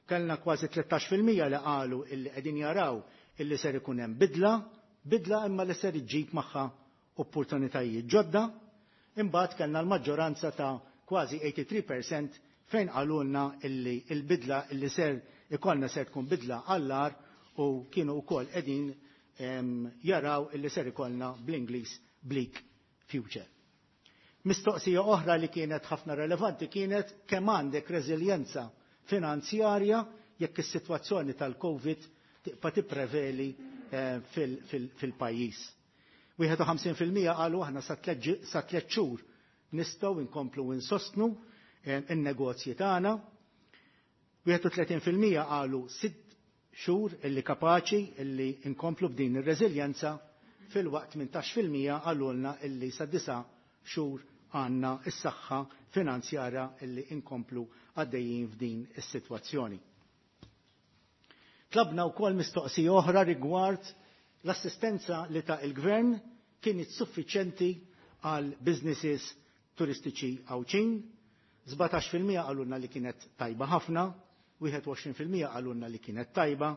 S7: Kellna kważi tlettax fil-mija li qalu illi qegħdin jaraw illi ser ikun hemm bidla, bidla imma li ser iġġib magħha opportunitajiet ġodda. Imbagħad kellna l-maġġoranza ta' kważi eighty-three percent fejn qalulna illi l-bidla illi ser ikollna ser tkun bidla għall-agħar u kienu wkoll qegħdin, em, jaraw illi ser ikollna bl-Ingliż bleak future. Mistoqsija oħra li kienet ħafna relevanti kienet kemm għandek reżiljenza finanzjarja jekk is-sitwazzjoni tal-COVID tibqa' tippreveli, eh, fil-, fil-, fil-pajjiż. Wieħed u ħamsin fil-mija qalu aħna sa tliet ġi-, sa tliet xhur nistgħu nkomplu insostnu, eh, in-negozji tagħna. Wieħed u tletin fil-mija qalu sitt xhur illi kapaċi illi nkomplu b'din ir-reżiljenza, fil-waqt tmintax fil-mija qalulna illi sa disa' xhur għandna s-saħħa finanzjarja illi nkomplu għaddejjin f'din is-sitwazzjoni. Tlabna wkoll mistoqsija oħra rigward l-assistenza li ta' il-gvern kienet suffiċjenti għal businesses turistiċi Għawdxin. Sbatax fil-mija qalulna li kienet tajba ħafna, wieħed u għoxrin fil-mija qalulna li kienet tajba,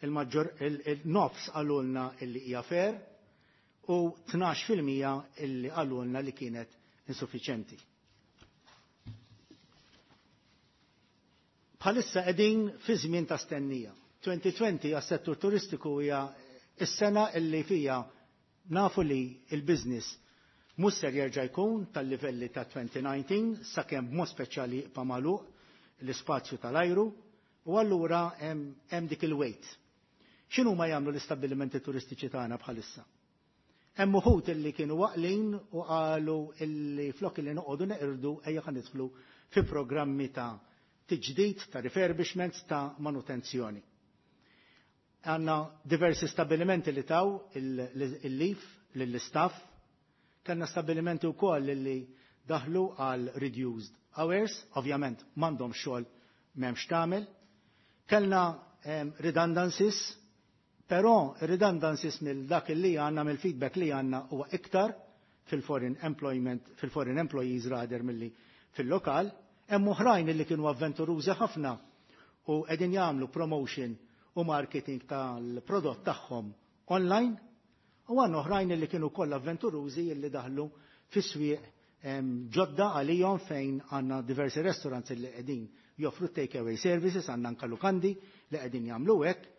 S7: il-maġġor, il-, il-nofs qalulna illi hija fair u tnax fil-mija illi qalulna li kienet insuffiċjenti. Bħalissa qegħdin fi żmien ta' stennija. twenty twenty għas-settur turistiku hija s-sena illi fija nafu li il-business mhux ser jerġa' jkun tal-livelli ta' twenty nineteen sakemm b'mod speċjali jibqa' magħluq l-ispazju tal-ajru, u allura hemm, hemm dik il-wait. X'inhu ma jagħmlu l-istabbilimenti turistiċi tagħna bħalissa? Hemm uħud illi kienu waqlin u qalu illi flok illi noqogħdu neqirdu ejja ħa nidħlu fi programmi ta' tiġdid, ta' refurbishments, ta' manutenzjoni. Għandna diversi stabilimenti li taw il-, il-leaf lill-istaff, kellna stabilimenti wkoll li daħlu għal reduced hours, ovvjament m'għandhom xogħol m'hemmx tagħmel. Kellna, em, redundancies, però redundancies mill dak li għandna, mill-feedback li għandna huwa iktar fil-foreign employment, fil-foreign employees rather milli fil-lokal. Hemm oħrajn li kienu avventurużi ħafna u qegħdin jagħmlu promotion u marketing tal-prodott tagħhom online, u għandna oħrajn li kienu kollha avventurużi li daħlu fis-swieq, em, ġodda għalihom fejn għandna diversi restaurants li qegħdin joffru take-away services, għandna anke lukandi li qegħdin jagħmlu hekk,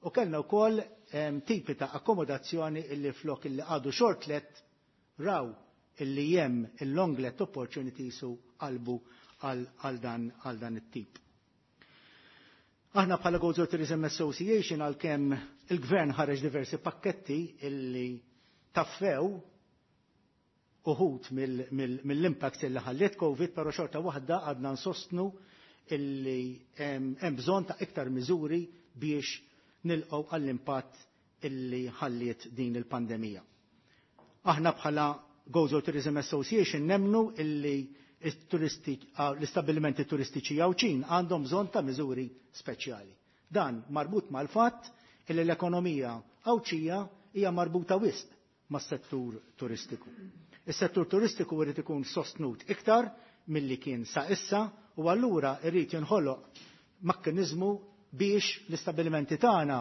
S7: u kellna wkoll, em, tipi ta' akkomodazzjoni illi flok illi għadu short let raw illi hemm il-long let opportunities u qalbu għal, għal dan, għal dan it-tip. Aħna bħala Gozo Tourism Association għalkemm il-gvern ħareġ diversi pakketti illi taffew uħud mill-, mill-, mill-impact illi ħalliet COVID, però xorta waħda għadna nsostnu illi hemm, hemm bżonn ta' iktar miżuri biex nilqgħu għall-impatt illi ħalliet din il-pandemija. Aħna bħala Gozo Tourism Association nemnu illi it-turisti, ah, l-istabbilimenti turistiċi Għawdxin għandhom bżonn ta' miżuri speċjali. Dan marbut mal-fatt illi l-ekonomija Għawdxija hija marbuta wisq mas-settur turistiku. Is-settur turistiku jrid ikun sostnut iktar milli kien sa issa, u allura jrid jinħoloq mekkaniżmu biex l-istabbilimenti tagħna,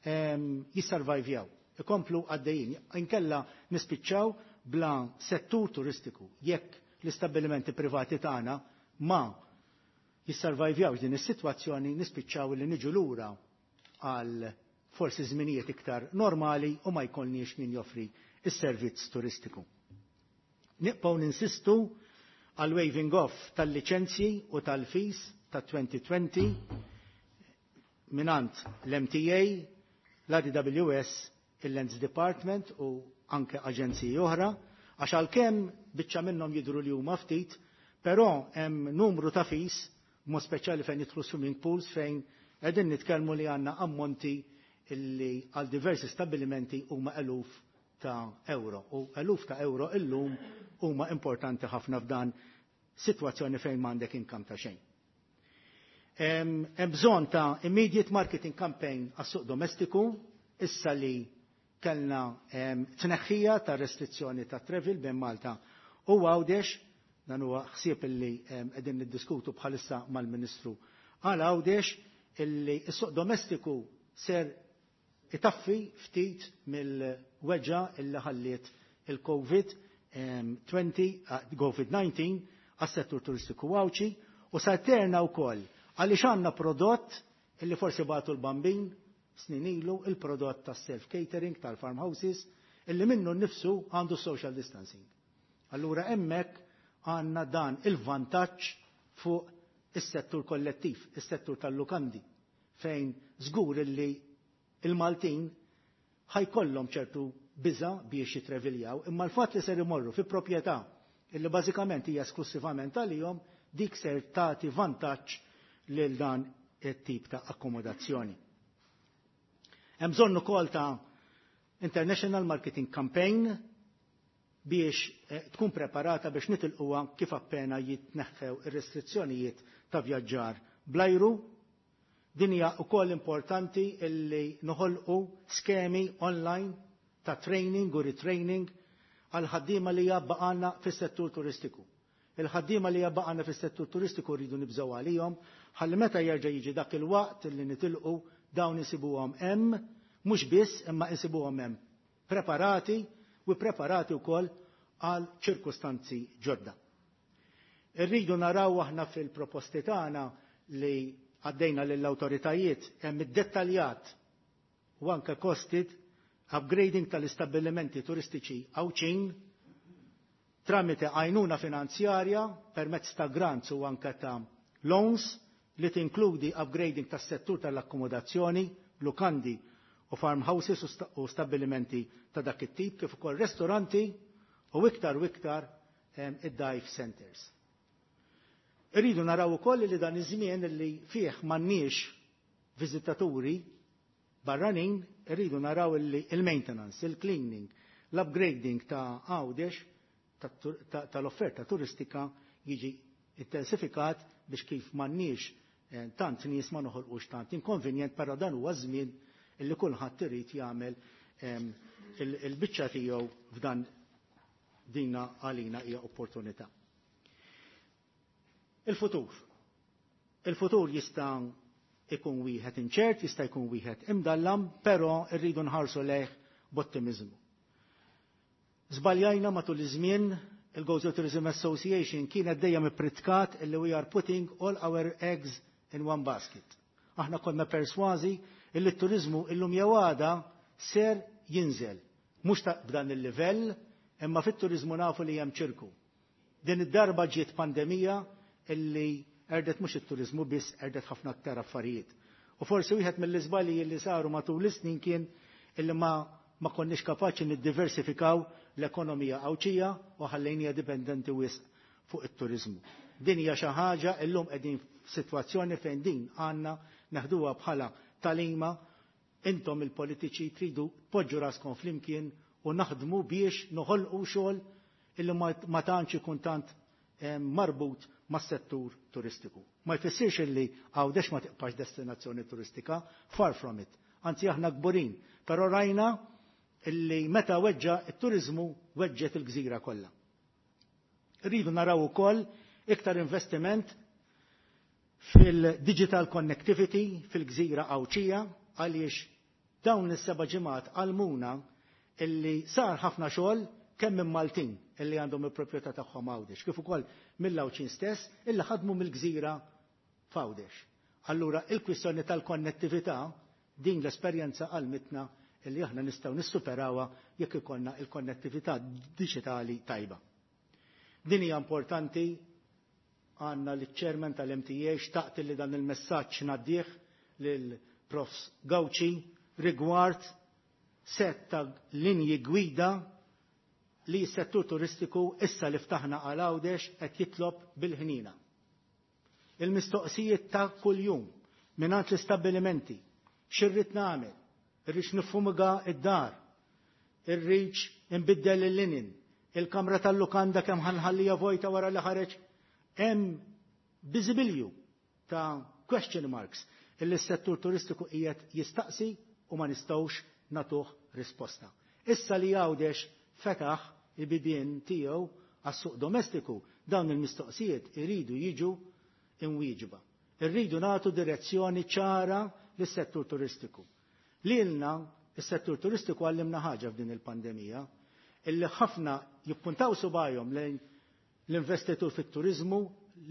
S7: ehm, jissurvivjaw, ikomplu għaddejjin. Inkella nispiċċaw bla settur turistiku jekk l-istabbilimenti privati tagħna ma jissurvivjawx din is-sitwazzjoni, nispiċċaw li niġu lura għal forsi żminijiet iktar normali u ma jkollniex min joffri is-servizz turistiku. Nibqgħu ninsistu għal waiving off tal-liċenzji u tal-fees ta' twenty twenty minant l-M T A, l-A D W S, il-Lands Department u anke aġenziji oħra, għax għalkemm biċċa minnhom jidhru li huma ftit, però hemm numru ta' fees, mod speċjali fejn jidħlu swimming pools, fejn qegħdin nitkellmu li għandna ammonti illi għal diversi stabilimenti huma eluf ta' euro. U eluf ta' euro illum huma importanti ħafna f'dan sitwazzjoni fejn m'għandek income ta' xejn. Hemm, hemm bżonn ta' immediate marketing campaign għas-suq domestiku, issa li kellna, em, tneħħija ta' restrizzjoni ta' travel bejn Malta u Għawdex, dan huwa ħsieb illi, em, qegħdin niddiskutu bħalissa mal-Ministru għal Għawdex illi s-suq domestiku ser itaffi ftit mill-weġġa illi ħalliet il-COVID twenty, COVID nineteen għas-settur turistiku Għawdxi u sarterna wkoll għaliex għandna prodott illi forsi bagħtu l-Bambin snin ilu, il-prodott tas-self-catering tal-farmhouses illi minnu nnifsu għandu social distancing. Allura hemmhekk għandna dan il-vantaġġ fuq is-settur kollettiv, is-settur tal-lukandi, fejn żgur illi il-Maltin ħajkollhom ċertu biża biex jitreviljaw, imma l-fatt li ser imorru fi proprjetà illi bażikament hija esklusivament għalihom, dik ser tagħti vantaġġ lil dan it-tip ta' akkomodazzjoni. Hemm bżonn ukoll ta' International Marketing Campaign biex tkun preparata biex nitilquha kif appena jitneħħew ir-restrizzjonijiet ta' vjaġġar blajru. Din hija wkoll importanti illi noħolqu skemi online ta' training u retraining għal ħaddiema li jabbaqalna fis-settur turistiku. Il-ħaddiema li jabbaqalna fis-settur turistiku rridu nibżgħu għalihom ħalli meta jerġa' jiġi dak il-waqt illi nitilqu dawn insibuhom hemm, mhux biss imma insibuhom hemm preparati u preparati wkoll għal ċirkustanzi ġodda. Irridu naraw aħna fil-proposti tagħna li għaddejna lill-awtoritajiet hemm iddettaljat u anke costed upgrading tal-istabbilimenti turistiċi Għawdxin tramite għajnuna finanzjarja permezz ta' grants u anke ta' loans li tinkludi upgrading tas-settur tal-akkomodazzjoni, lukandi u farmhouses u stabbilimenti ta' dak it-tip kif ukoll ristoranti u iktar u iktar id-dive centers. Irridu naraw ukoll li dan iż-żmien li fih m'għandniex viżitaturi barranin, irridu naraw li il-maintenance, il-cleaning, l-upgrading ta' Għawdex tal-offerta turistika jiġi intensifikat biex kif m'għandniex tant nies ma noħolqux tant inkonvenjent, però dan huwa żmien illi kulħadd irid jagħmel il-biċċa tiegħu f'dan dina għalina hija opportunità. Il-futur. Il-futur jista' ikun wieħed inċert, jista' jkun wieħed imdallam, però rridu nħarsu lejh b'ottimiżmu. Żbaljajna matul iż-żmien, il-Gozo Tourism Association kienet dejjem ippritkat illi we are putting all our eggs in one basket. Aħna konna persważi illi t-turizmu illum jew għada ser jinżel. Mhux ta' b'dan il-livell, imma fit-turizmu nafu li hemm ċirku. Din id-darba ġiet pandemija illi erdet mhux it-turizmu biss, erdet ħafna aktar affarijiet. U forsi wieħed mill-iżbalji li saru matul is-snin kien illi ma, ma konniex kapaċi niddiversifikaw l-ekonomija Għawdxija u ħallejnija dipendenti wisq fuq it-turizmu. Din hija xi ħaġa illum qegħdin f'sitwazzjoni fejn din għandna neħduha bħala talima. Intom il-politiċi tridu poġġu raskom flimkien u naħdmu biex noħolqu xogħol illi ma tantx ikun tant marbut mas-settur turistiku. Ma jfissirx illi Għawdex ma tibqax destinazzjoni turistika, far from it. Anzi aħna kburin, però rajna illi meta weġġa it-turizmu weġġet il-gżira kollha. Rridu naraw ukoll iktar investiment fil-digital connectivity fil-gżira Għawdxija, għaliex dawn is-seba' ġimgħat għalmuna illi sar ħafna xogħol kemm minn Maltin illi għandhom il-proprjetà tagħhom Għawdex, kif ukoll mill-Għawdxin stess illi ħadmu mill-gżira f'Għawdex. Allura il-kwistjoni tal-konnettività din l-esperjenza għalmitna illi aħna nistgħu nissuperawha jekk ikollna il-konnettività diġitali tajba. Din hija importanti, għandna l-chairman tal-M T A xtaqt li dan il-messaġġ ngħaddih lil Profs Gauci rigward set ta' linji gwida li s-settur turistiku issa li ftaħna għal Għawdex qed jitlob bil-ħnina. Il-mistoqsijiet ta' kuljum mingħand l-istabbilimenti, x'irrid nagħmel, irrid nifumiga id-dar, irrid inbiddel il-linen, il-kamra tal-lukanda kemm ħanħallija vojta wara li ħareġ, hemm biżibilju ta' question marks illi s-settur turistiku qiegħed jistaqsi u ma nistgħux natuh risposta. Issa li Għawdex fetaħ il-bibien tiegħu għas-suq domestiku, dawn il-mistoqsijiet iridu jiġu imwieġba. Irridu nagħtu direzzjoni ċara lis-settur turistiku. Lilna is-settur turistiku għallimna ħaġa f'din il-pandemija, illi ħafna jippuntaw subajhom lejn l-investitur fit-turizmu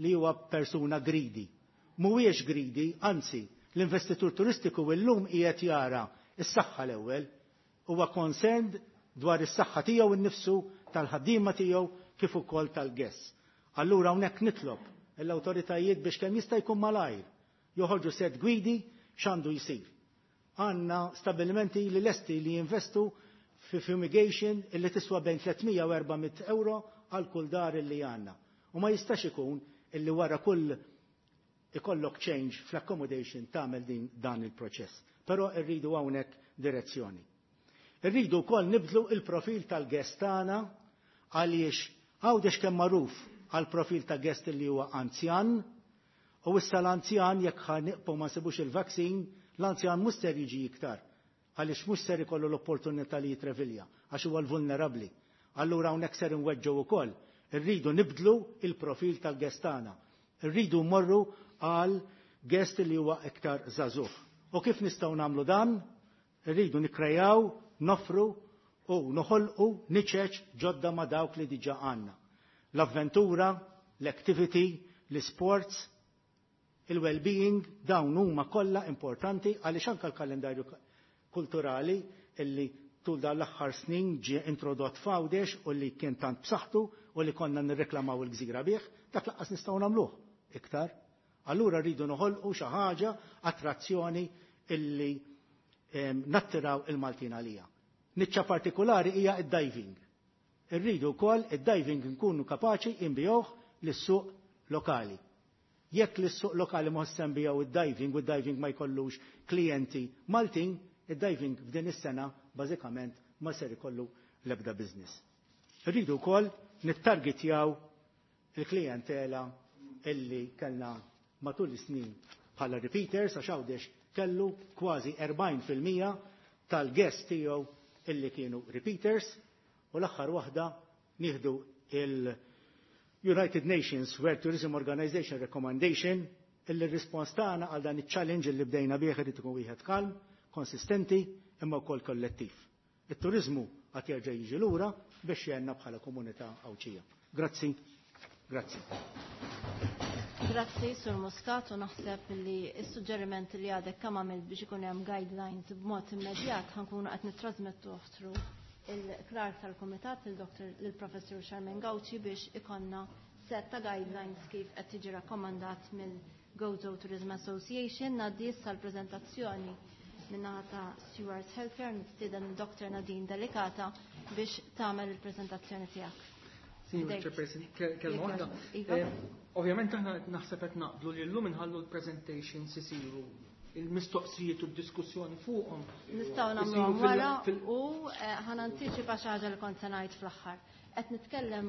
S7: li huwa persuna greedy. Mhuwiex greedy, anzi, l-investitur turistiku illum qiegħed jara is-saħħa l-ewwel, huwa concerned dwar is-saħħa tiegħu innifsu, tal-ħaddiema tiegħu kif ukoll tal-guests. Allura hawnhekk nitlob l-awtoritajiet biex kemm jista' jkun malajr joħorġu set gwidi x'għandu jsir. Għandna stabilimenti li lesti li jinvestu fi fumigation illi tiswa bejn tliet mija u erba' mitt euro għal kull dar illi għandna. U ma jistax ikun illi wara kull ikollok change fl-accommodation tagħmel din dan il-proċess. Però rridu hawnhekk direzzjoni. Irridu wkoll nibdlu il-profil tal-guest tagħna, għaliex Għawdex kemm magħruf għal profil ta' guest li huwa anzjan, u issa l-anzjan, jekk ħa nibqgħu ma nsibux il-vaccine, l-anzjan mhux ser jiġi iktar għaliex mhux ser ikollu l-opportunità li jitrevilja għax huwa l-vulnerabbli. Allura hawnhekk ser inweġġgħu ukoll. Irridu nibdlu il-profil tal-guest tagħna. Irridu mmorru għal guest li huwa iktar żagħżugħ. U kif nistgħu nagħmlu dan? Irridu nikkrejaw, nofru u noħolqu niċeċ ġodda ma' dawk li diġà għandna. L-avventura, l-activity, l-sports, il-well-being, dawn huma kollha importanti, għaliex anke l-kalendarju kulturali illi tul dan l-aħħar snin ġie introdott f'Għawdex u li kien tant b'saħħtu u li konna nirreklamaw il-gżira bih, dak lanqas nistgħu nagħmluh iktar. Allura rridu noħolqu xi ħaġa, attrazzjoni illi nattiraw il-Maltin għalija. Niċċa partikolari hija id-diving. Irridu wkoll id-diving nkunu kapaċi inbigħuh lis-suq lokali. Jekk lis-suq lokali ma nbigħu id-diving u id-diving ma jkollux klijenti Maltin, id-diving f'din is-sena bażikament ma ser ikollu l-ebda business. Irridu wkoll nittargetjaw il-klijentela illi kellna matul is-snin bħala repeaters, għax Għawdex kellu kważi erbgħin fil-mija tal-guest tiegħu illi kienu repeaters. U l-aħħar waħda, nieħdu il-United Nations World Tourism Organization Recommendation, illi r-rispons tagħna għal dan iċ-challenge illi bdejna bih irid ikun wieħed kalm, konsistenti imma wkoll kollettiv. It-turizmu għad jerġa' jiġi lura biex jgħinna bħala komunità Għawdxija. Grazzi. Grazzi.
S1: Grazzi, Sur Muscat, u naħseb li s-suġġeriment li għadek kemm għamilt biex ikun hemm guidelines b'mod immedjat ħa nkunu qed nittrasmettu through il-clerk tal-Kumitat, il-Dr. il-Professur Charmaine Gauci, biex ikollna set ta' guidelines kif qed tiġi rakkomandat mill-Gozo Tourism Association. Ngħaddi issa l-preżentazzjoni min-naħa ta' Steward Healthcare, nistieden Dr. Nadine Delicata biex tagħmel il-preżentazzjoni tiegħek.
S3: Signor Chairperson, kelma waħda.
S1: Iva.
S3: Eh, ovvjament aħna naħseb qed naqblu li llum inħallu l-presentations isiru, il-mistoqsijiet u d-diskussjoni fuqhom.
S1: Nistgħu nagħmlu wara u eh, ħa nantiċipa xi ħaġa li kont se ngħid fl-aħħar. Qed nitkellem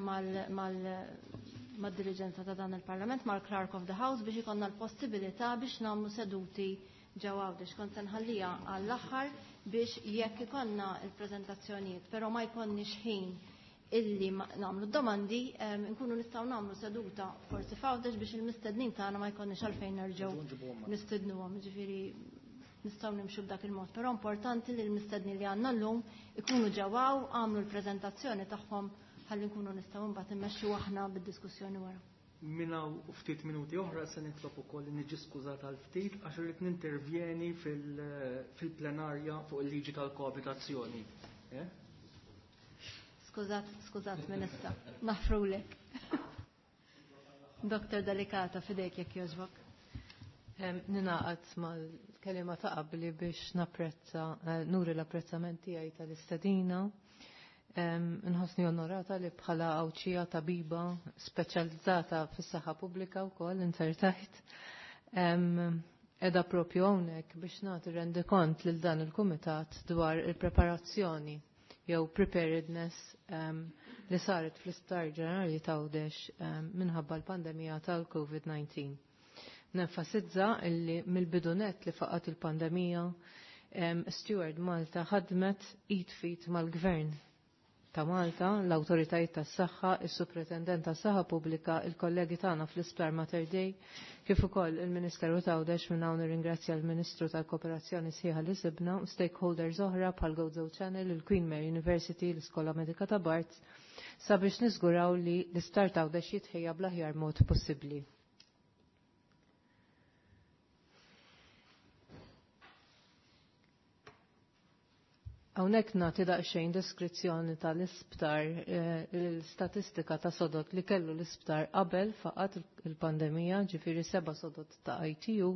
S1: mad-diriġenza ta' dan il-Parlament, mal-Clerk of the House, biex ikollna l-possibilità biex nagħmlu seduti ġewwa Għawdex. Kont se nħallija għall-aħħar biex jekk ikollna il-preżentazzjonijiet, però ma jkollniex ħin illi nagħmlu domandi, nkunu nistgħu nagħmlu seduta forsi f'Għawdex biex il-mistednin tagħna ma jkollniex għalfejn nerġgħu nistednuhom, ġifieri nistgħu nimxu b'dak il-mod. Però importanti li l-mistednin li għandna llum ikunu ġewwa, għamlu l-preżentazzjoni tagħhom, ħalli nkunu nistgħu mbagħad immexxu aħna bid-diskussjoni wara.
S3: Minna u ftit minuti oħra se nitlob ukoll niġi skużat għal ftit għax irrid nintervjeni fil-plenarja fuq il-liġi tal-koabitazzjoni. Eh?
S1: Skużat, skużat Ministra, naħfrulek. Doktor Delicata, f'idejk jekk jogħġbok.
S8: Ninaqat mal-kelima ta' qabli biex napprezza, eh, nuri l-apprezzament tiegħi tal-istedina. Nħossni onorata li bħala Għawdxija tabiba speċjalizzata fis-saħħa pubblika wkoll insertajt. Qiegħda propju hawnhekk biex nagħti rendikont lil dan il-kumitat dwar il-preparazzjoni jew preparedness um, li saret fl-Isptar Ġenerali t'Għawdex um, minħabba l-pandemija tal-COVID diciannove. Nenfasizza illi mill-bidu nett li faqat il-pandemija, um, Steward Malta ħadmet id f'id mal-gvern. ta' Malta, l-Awtoritajiet tas-Saħħa, is-Supretendent tas-Saħħa Pubblika, il-kollegi tagħna fl-Isptar Mater Dei, kif ukoll il-Ministeru ta' Għawdex. Minn hawn nirringrazzja l-Ministru tal-Kooperazzjoni sħiħa li sibna, u stakeholders oħra bħal Gozo Channel, il-Queen Mary University, l-Iskola Medika ta' Barts, sabiex niżguraw li l-Isptar ta' Għawdex jitħejja bl-aħjar mod possibbli. Hawnhekk nagħti daqsxejn deskrizzjoni tal-isptar, l-istatistika ta' sodot li kellu l-isptar qabel faqat il-pandemija, ġifieri seba' sodot ta' I T U,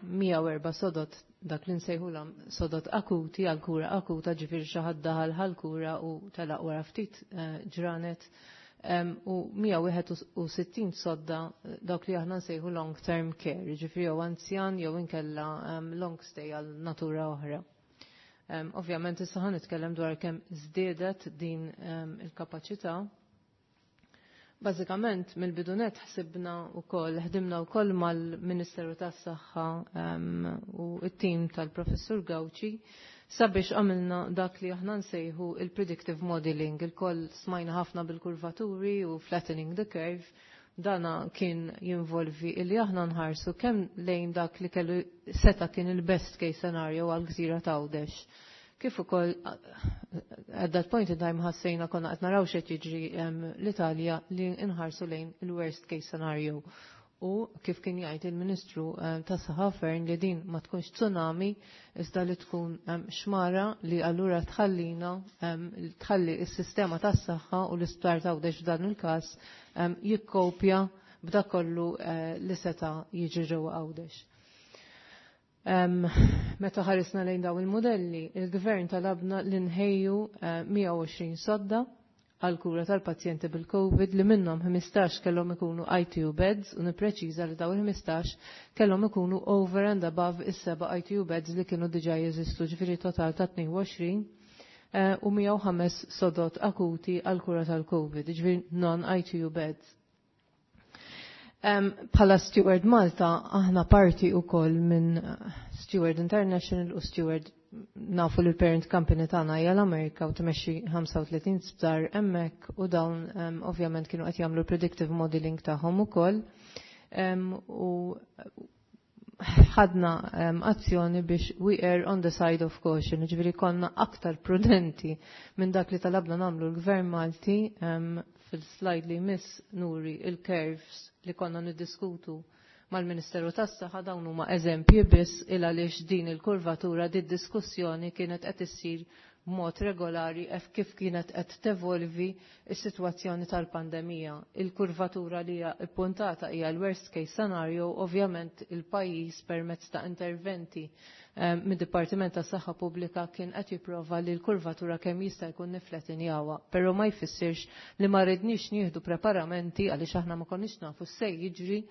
S8: mija u erba' sodot dak li nsejħulhom sodot akuti għal kura akuta, ġifieri xi ħadd daħal ħal kura u telaq wara ftit ġranet, u mija wieħed u sittin sodda dawk li aħna nsejħu long term care, ġifieri jew anzjan jew inkella long stay għal natura oħra. Um, ovvjament issa ħa nitkellem dwar kemm żdiedet din um, il-kapaċità. Bażikament mill-bidunet ħsibna wkoll, ħdimna wkoll mal-Ministeru tas-Saħħa um, u t-tim tal-Professur Gauci sabiex għamilna dak li aħna nsejħu il-predictive modeling. Il-koll smajna ħafna bil-kurvaturi u flattening the curve. Dana kien jinvolvi illi aħna nħarsu kemm lejn dak li kellu seta kien il-best case scenario għal gżira ta' Għawdex. Kif ukoll at that point in time ħassejna konna qed naraw x'qed jiġri l-Italja li nħarsu lejn il-worst case scenario. U kif kien jgħid il-Ministru tas-Saħħa Fern li din ma tkunx tsunami iżda li tkun xmara li allura tħallina tħalli s-sistema tas-saħħa u l-isptar ta' Għawdex f'dan il-każ jikkopja b'dak kollu li seta' jiġri ġewwa Għawdex. Meta ħarisna lejn dawn il-modelli, il-gvern talabna li nħejju mija u għoxrin sodda għal kura tal-pazjenti bil-COVID li minnhom ħmistax kellhom ikunu I T U beds, u nippreċiża li dawn il-ħmistax kellhom ikunu over and above is-seba' I T U beds li kienu diġà jeżistu, ġifieri total ta' tnejn u għoxrin u mija u ħames sodot akuti għal kura tal-COVID, ġifieri non-I T U beds. Bħala Steward Malta aħna parti wkoll minn Steward International u Steward nafu li l-parent company tagħna hija l-Amerika u tmexxi ħamsa u tletin sptar hemmhekk, u dawn ovvjament kienu qed jagħmlu predictive modeling tagħhom ukoll. U ħadna azzjoni biex we err on the side of caution, ġifieri konna aktar prudenti minn dak li talabna nagħmlu l-Gvern Malti. Fil-slide li jmiss nuri il-curves li konna niddiskutu mal-Ministeru tas-Saħħa, dawn huma eżempji biss il għaliex din il-kurvatura, din diskussjoni kienet qed issir b'mod regolari ef kif kienet qed tevolvi s-sitwazzjoni tal-pandemija. Il-kurvatura li hija ppuntata hija l-worst case scenario, ovvjament il-pajjiż permezz ta' interventi mid-Dipartiment tas-Saħħa Pubblika kien qed jipprova li l-kurvatura kemm jista' jkun nifletinjawha, però ma jfissirx li ma rridniex nieħdu preparamenti għaliex aħna ma konniex nafu se jiġri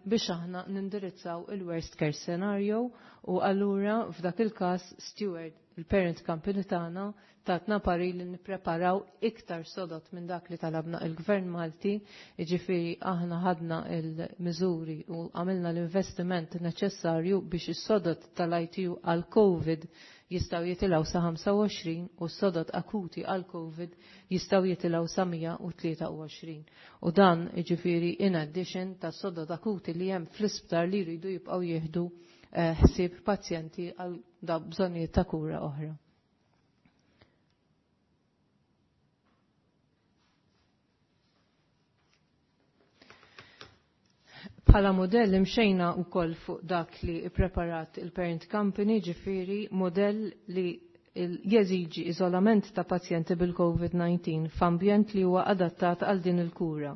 S8: biex aħna nindirizzaw il-worst case scenario, u allura f'dak il-każ Steward, il-parent company tagħna, tatna pari li nippreparaw iktar sodot minn dak li talabna il-Gvern Malti, jiġifieri aħna ħadna il-miżuri u għamilna l-investiment neċessarju biex is-sodot tal-I T U għal-COVID jistgħu jitilgħu sa ħamsa u għoxrin u s-sodot akuti għal-COVID jistgħu jitilgħu sa mija u tlieta u għoxrin. U dan jiġifieri in addition ta' sodot akuti li hemm fl-isptar li jridu jibqgħu jieħdu ħsieb pazjenti għal bżonnijiet ta' kura oħra. Bħala modell imxejna wkoll fuq dak li ppreparat il-parent company, ġifieri modell li jeżiġi iżolament ta' pazjenti bil-COVID nineteen f'ambjent li huwa adattat għal din il-kura.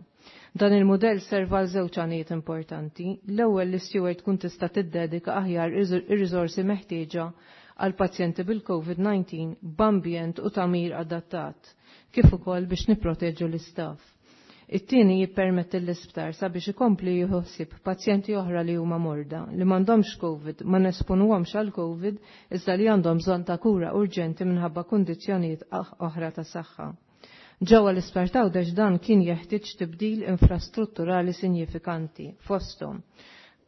S8: Dan il-modell serva għal żewġ għanijiet importanti. L-ewwel li Steward tkun tista' tiddedika aħjar ir-riżorsi meħtieġa għal pazjenti bil-COVID nineteen b'ambjent u tagħmir adattat, kif ukoll biex nipproteġu l-istaff. It-tieni jippermetti l-isptar sabiex ikompli jieħu ħsieb pazjenti oħra li huma morda, li m'għandhomx COVID, ma nesponuhomx għal COVID, iżda li għandhom bżonn ta' kura urġenti minħabba kundizzjonijiet oħra ta' saħħa. Ġewwa l-isptar t'Għawdex dan kien jeħtieġ tibdil infrastrutturali sinjifikanti fosthom.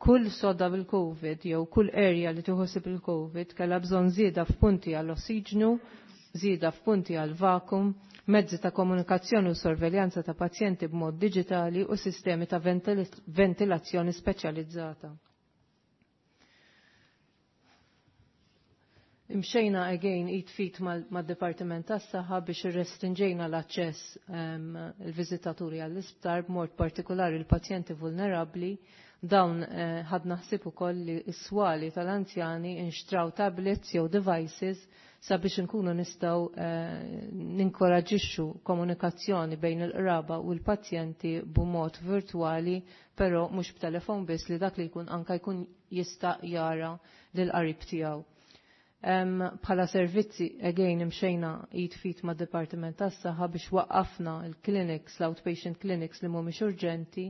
S8: Kull sodda bil-COVID jew kull area li tieħu ħsieb il-COVID kellha bżonn żieda f'punti għall-ossiġnu, żieda f'punti għal vakum, mezzi ta' komunikazzjoni u sorveljanza ta' pazjenti b'mod diġitali u sistemi ta' ventilazzjoni speċjalizzata. Imxejna again id fit mad-Dipartiment tas-Saħħa biex irrestrinġejna l-aċċess um, il-viżitaturi għall-isptar b'mod partikolari l-pazjenti vulnerabbli. Dawn eh, ħadna ħsieb ukoll li s-swali tal-anzjani inxtraw tablets jew devices sabiex inkunu nistgħu eh, ninkoraġixxu komunikazzjoni bejn il-qraba u l-pazjenti b'mod virtwali, però mhux b'telefon biss, li dak li jkun anka jkun jista' jara lil qarib tiegħu. Bħala servizzi, again, imxejna id fit ma' Dipartiment tas-Saħħa biex waqqafna il-clinics, l-outpatient clinics li mhumiex urġenti,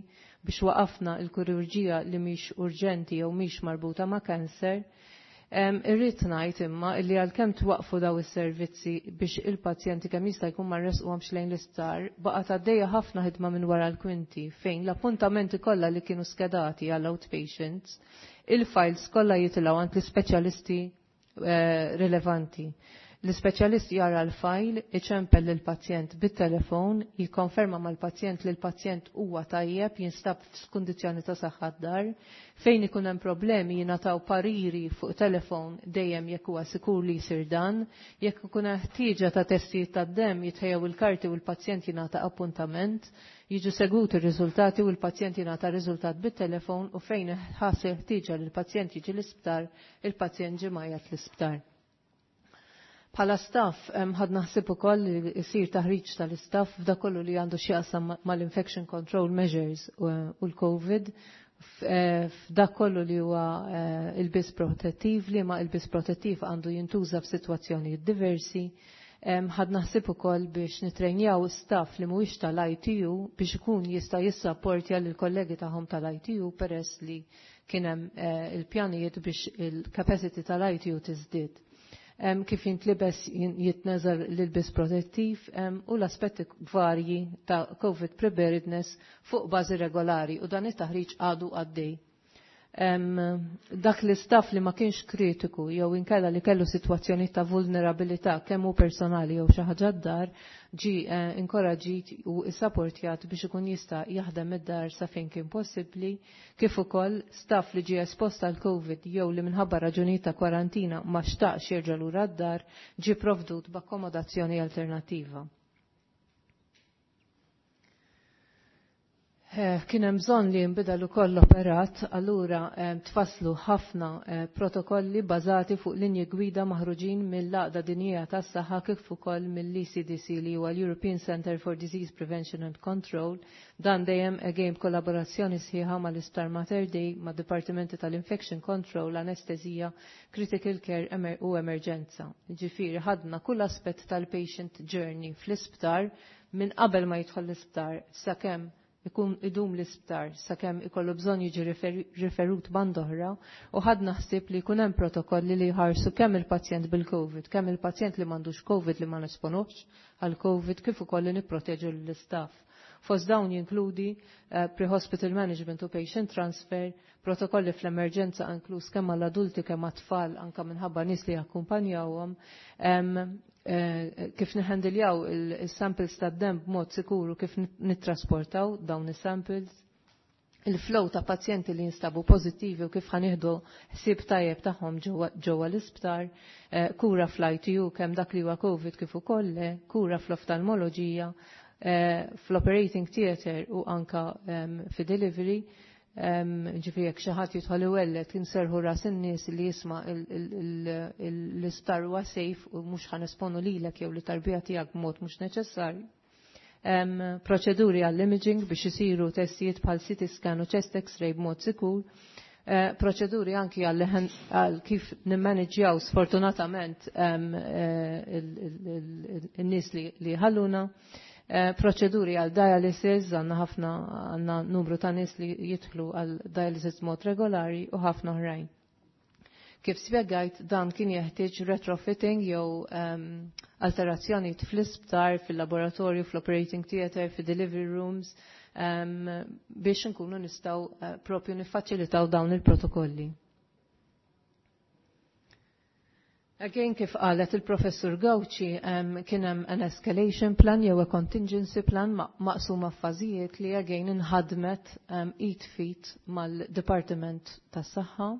S8: biex waqafna il-kirurġija li mhix urġenti jew mhix marbuta ma' cancer. Irrid ngħid imma li għalkemm twaqfu daw is-servizzi biex il-pazjenti kemm jista' jkun ma nresquhomx lejn l-isptar, baqgħet għaddejja ħafna ħidma minn wara l-kwinti fejn l-appuntamenti kollha li kienu skedati għall outpatients, il-files kollha jitilgħu għand l-ispeċjalisti Eh, rilevanti. L-ispeċjalist jara l-fajl, iċempel lill-pazjent bit-telefon, jikkonferma mal-pazjent li l-pazjent huwa tajjeb, jinstab f'kundizzjoni ta' saħħa d-dar, fejn ikun hemm problemi jingħataw pariri fuq telefon dejjem jekk huwa sikur li jsir dan, jekk ikun hemm ħtieġa ta' testijiet tad-demm jitħejjew il-karti u l-pazjent jingħata appuntament, jiġu seguti r-riżultati u l-pazjent jingħata riżultat bit-telefon u fejn ħass ħtieġa li l-pazjent jiġi l-isptar, il-pazjent ġie mgħajjat l-isptar. Bħala staff ħadna ħsieb ukoll li jsir taħriġ tal-istaff f'dak kollu li għandu x'jaqsam mal-infection control measures u l-COVID, f'dak kollu li huwa ilbies protettiv, li ma ilbies protettiv għandu jintuża f'sitwazzjonijiet diversi. Ħadna ħsieb ukoll biex nitrejnjaw staff li mhuwiex tal-I T U biex ikun jista' jissapportja lill kollegi tagħhom tal-I T U, peress li kien hemm il-pjanijiet biex il-capacity tal-I T U tiżdied. Kif jintlibes, jitneżel l-ilbis protettiv u l-aspetti varji ta' COVID preparedness fuq bażi regolari, u dan it-taħriġ għadu għaddej. Dak l-istaff li ma kienx kritiku jew inkella li kellu sitwazzjoni ta' vulnerabilità, kemm hu personali jew xi ħaġa d-dar, ġi eh, inkoraġġit u issapportjat biex ikun jista' jaħdem id-dar sa fejn kien possibbli, kif ukoll staff li ġie espost għal COVID jew li minħabba raġunijiet ta' kwarantina ma xtaqx jerġa' lura d-dar ġie provdut b'akkomodazzjoni alternattiva. Eh, kien hemm bżonn li jinbidel ukoll l-operat, allura eh, tfasslu ħafna eh, protokolli bażati fuq linji gwida maħruġin mill-Għaqda Dinjija tas-Saħħa kif ukoll mill-E C D C, li huwa l-European Center for Disease Prevention and Control. Dan dejjem again kollaborazzjoni sħiħa mal-Isptar Mater Dei, mad-Dipartimenti tal-Infection Control, Anestesija, Critical Care u Emerġenza. Ġifieri ħadna kull aspett tal-patient journey fl-isptar minn qabel ma jidħol l-isptar sakemm ikun idum l-isptar, sakemm ikollu bżonn jiġi riferut band'oħra, u ħadna ħsieb li jkun hemm protokolli li jħarsu kemm il-pazjent bil-COVID, kemm il-pazjent li m'għandux COVID, li ma nesponux għal COVID, kif ukoll li nipproteġu l-istaff. Fost dawn jinkludi uh, pre-hospital management u patient transfer, protokolli fl-emerġenza inkluż kemm għall-adulti kemm għat-tfal, anka minħabba nies li jakkumpanjawhom, um, eh, kif niħendiljaw il-samples tad-dem b'mod sikuru, kif nittrasportaw dawn is-samples, il-flow ta' pazjenti li jinstabu pozittivi u kif ħa nieħdu ħsieb tajjeb tagħhom ġewwa l-isptar, eh, kura fl-I T U kemm dak li huwa COVID kif ukoll, kura fl-oftalmoloġija, eh, fl-operating theater u anka fi delivery, ġifieri jekk xi ħadd jidħol iwelled, inserħu ras in-nies li jisma' l-isptar huwa safe u mhux ħa nesponu lilek jew lit-tarbija tiegħek b'mod mhux neċessarju. Proċeduri għall-imaging biex isiru testijiet bħal C T scan u chest X-ray b'mod sikur. Eh, proċeduri anki għal kif nimmanġjaw sfortunatament eh, il-nies li ħalluna. Eh, proċeduri għal dialysis, għandna ħafna, għandna numru ta' nies li jidħlu għal dialysis mod regolari u ħafna oħrajn. Kif spjegajt, dan kien jeħtieġ retrofitting jew um, alterazzjoni fl-isptar, fil-laboratorju, fl-operating theater, fil-delivery rooms, um, biex nkunu nistgħu uh, propju niffaċilitaw dawn il-protokolli. Again, kif qalet il-professur Gauci, um, kien hemm an escalation plan jew a contingency plan maqsuma f'fażijiet li again inħadmet um, id f'id mal-Dipartiment tas-Saħħa.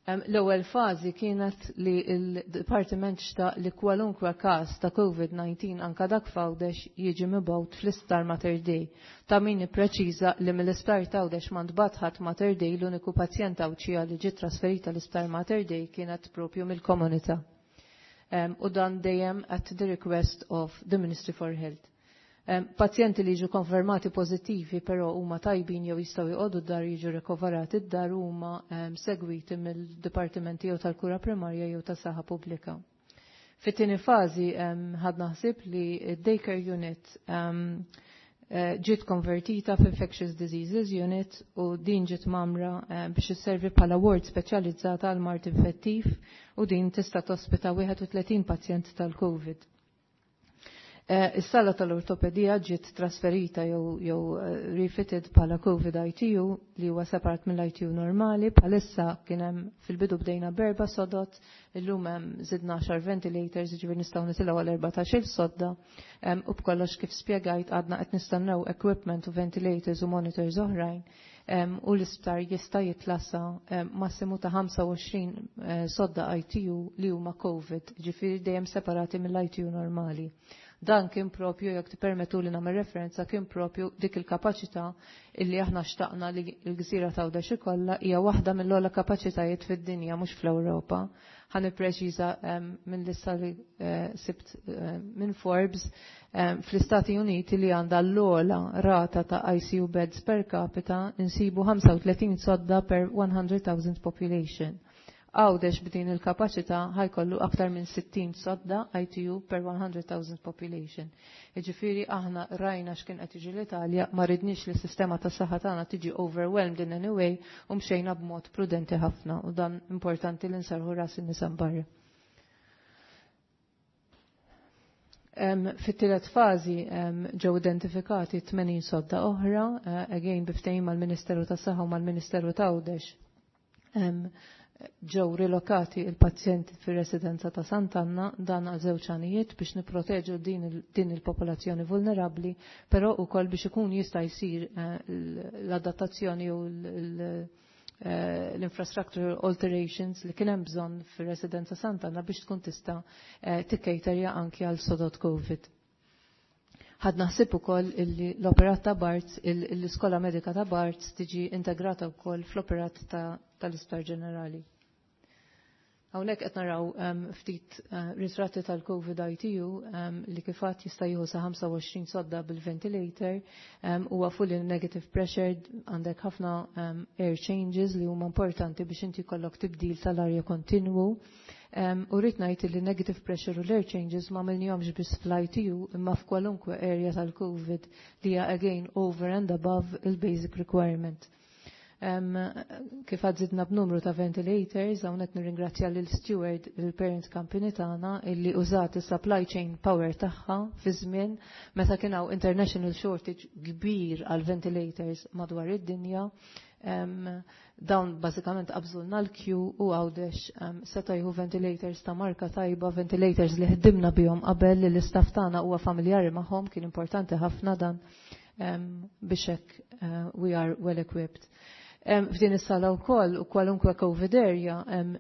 S8: Um, L-ewwel fażi kienet li l-Dipartiment xtaq li kwalunkwe każ ta' COVID nineteen, anka dak f'Għawdex, jiġi mibgħut fl-Isptar Mater Dei. Ta' min ippreċiża li mill-Isptar t'Għawdex ma ntbagħat ħadd Mater Dei. L-uniku pazjent Għawdxija li ġiet trasferita l-Isptar Mater Dei kienet propju mill-komunità. Um, u dan dejjem at the request of the Ministry for Health. Um, pazjenti li jiġu konfermati pozittivi però huma tajbin jew jistgħu jqogħdu d-dar, jiġu rikoverati d-dar, huma um, segwiti mill-dipartimenti jew tal-kura primarja jew tas-saħħa pubblika. Fit-tieni fażi um, ħadna ħsieb li d-daycare unit um, ġiet konvertita f'Infectious Diseases Unit u din ġiet mgħammra biex isservi bħala ward speċjalizzata għal mard infettiv u din tista' tospita wieħed u tletin pazjent tal-COVID. Eh, is-sala tal-ortopedija ġiet trasferita jew jew eh, refitted bħala COVID I T U li huwa separat mill-I T U normali. Bħalissa kien hemm, fil-bidu bdejna b'erba' sodod, illum hemm żidna għaxar ventilators, jiġifieri nistgħu nitilgħu għal erbatax-il sodda. U b'kollox, kif spjegajt, għadna qed nistennew equipment u ventilators u monitors oħrajn u l-isptar jista' jitla' sa massimu ta' ħamsa u għoxrin eh, sodda I T U li huma COVID, ġifieri dejjem separati mill-I T U normali. Dan kien propju, jekk tippermettu li nagħmel referenza, kien propju dik il-kapaċità illi aħna xtaqna li l-gżira ta' Għawdex ikollha. Hija waħda mill-ogħla kapaċitajiet fid-dinja, mhux fl-Ewropa. Ħa nippreċiża minn lista li eh, sibt eh, minn Forbes, fl-Istati Uniti, li għandha l-ogħla rata ta' I C U beds per capita, insibu ħamsa u tletin sodda per one hundred thousand population. Għawdex b'din il-kapaċità ħa jkollu aktar minn sittin sodda I T U per one hundred thousand population. Iġifieri aħna rajna x'kien qed jiġi l-Italja, ma ridniex li s-sistema tas saħħa tagħna tiġi overwhelmed in any way u mxejna b'mod prudenti ħafna u dan importanti li nserrħu ras in-nies barra. Um, Fit-tielet fażi um, ġew identifikati tmenin sodda oħra, uh, again bi ftehim mal-Ministeru tas-Saħħa u mal-Ministeru ta' Għawdex. Um, ġew rilokati il-pazjenti fir-residenza ta' Sant'Anna, dan għal żewġ għanijiet: biex niproteġu din, din il-popolazzjoni vulnerabbli, però wkoll biex ikun jista' jsir eh, l-adattazzjoni u eh, l-infrastructure alterations li kien hemm bżonn fir-residenza Sant'Anna biex tkun tista' eh, tikkejterja anki għal sodod COVID. Ħadna ħsieb ukoll illi l-operat ta' Barts, l-iskola medika ta' Barts tiġi integrata wkoll fl-operat tal-Isptar Ġenerali. Hawnhekk qed naraw um, ftit uh, ritratti tal-COVID I T U um, li kif għedt jista' jieħu sa ħamsa u għoxrin sodda bil-ventilator, um, huwa fully negative pressure, għandek ħafna um, air changes li huma importanti biex inti jkollok tibdil tal-arja kontinwu. Um, u rrid ngħid li negative pressure u l-air changes ma għamilnihomx biss fl-I T U imma f'kwalunkwe area tal-COVID, li hija again over and above il-basic requirement. Um, kif għedt, żidna b'numru ta' ventilators. Hawnhekk nirringrazzja lil Steward, il-parent company tagħna, illi użat is-supply chain power tagħha fi żmien meta kien hawn international shortage kbir għal ventilators madwar id-dinja. Um, dawn bażikament qabżulna l-queue u Għawdex um, seta' jieħu ventilators ta' marka tajba, ventilators li ħdimna bihom qabel, li l-istaff tagħna huwa familjari magħhom. Kien importanti ħafna dan um, biex hekk uh, we are well equipped. F'din is-sala wkoll u kwalunkwe COVID area,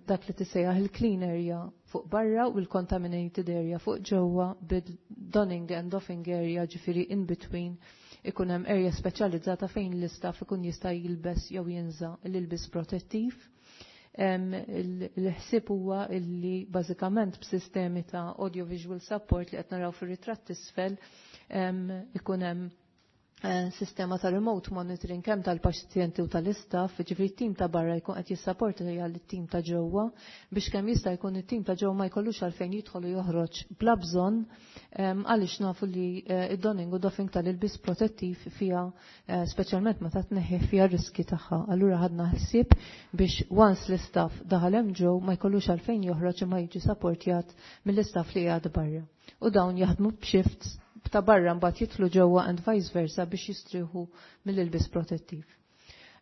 S8: dak li tissejjaħ il-clean area fuq barra u l-contaminated area fuq ġewwa, bid-donning and doffing area, ġifieri in between ikun hemm area speċjalizzata fejn l-istaff ikun jista' jilbes jew jinża l-ilbis protettiv. Il-ħsieb huwa illi bażikament b'sistemi ta' audiovisual support li qed naraw fir-ritratt isfel ikun hemm Eh, sistema ta' remote monitoring kemm tal-pazjenti u tal-istaff, ġifieri t-tim ta' barra jkun qed jissapporta it-tim ta' ġewwa biex kemm jista' jkun it-tim ta' ġewwa ma jkollux għalfejn jidħol u joħroġ bla bżonn, għaliex nafu li eh, id-donning u doffing tal-ilbis protettiv fija, eh, speċjalment meta tneħħi, fija riski tagħha. Allura ħadna ħsieb biex once l-istaff daħal hemm ġew ma jkollux għalfejn joħroġ imma jiġi supportjat mill-istaff li qiegħed barra. U dawn jaħdmu b'shifts, ta' barra mbagħad jidħlu ġewwa and vice versa biex jistrieħu mill-ilbis protettiv.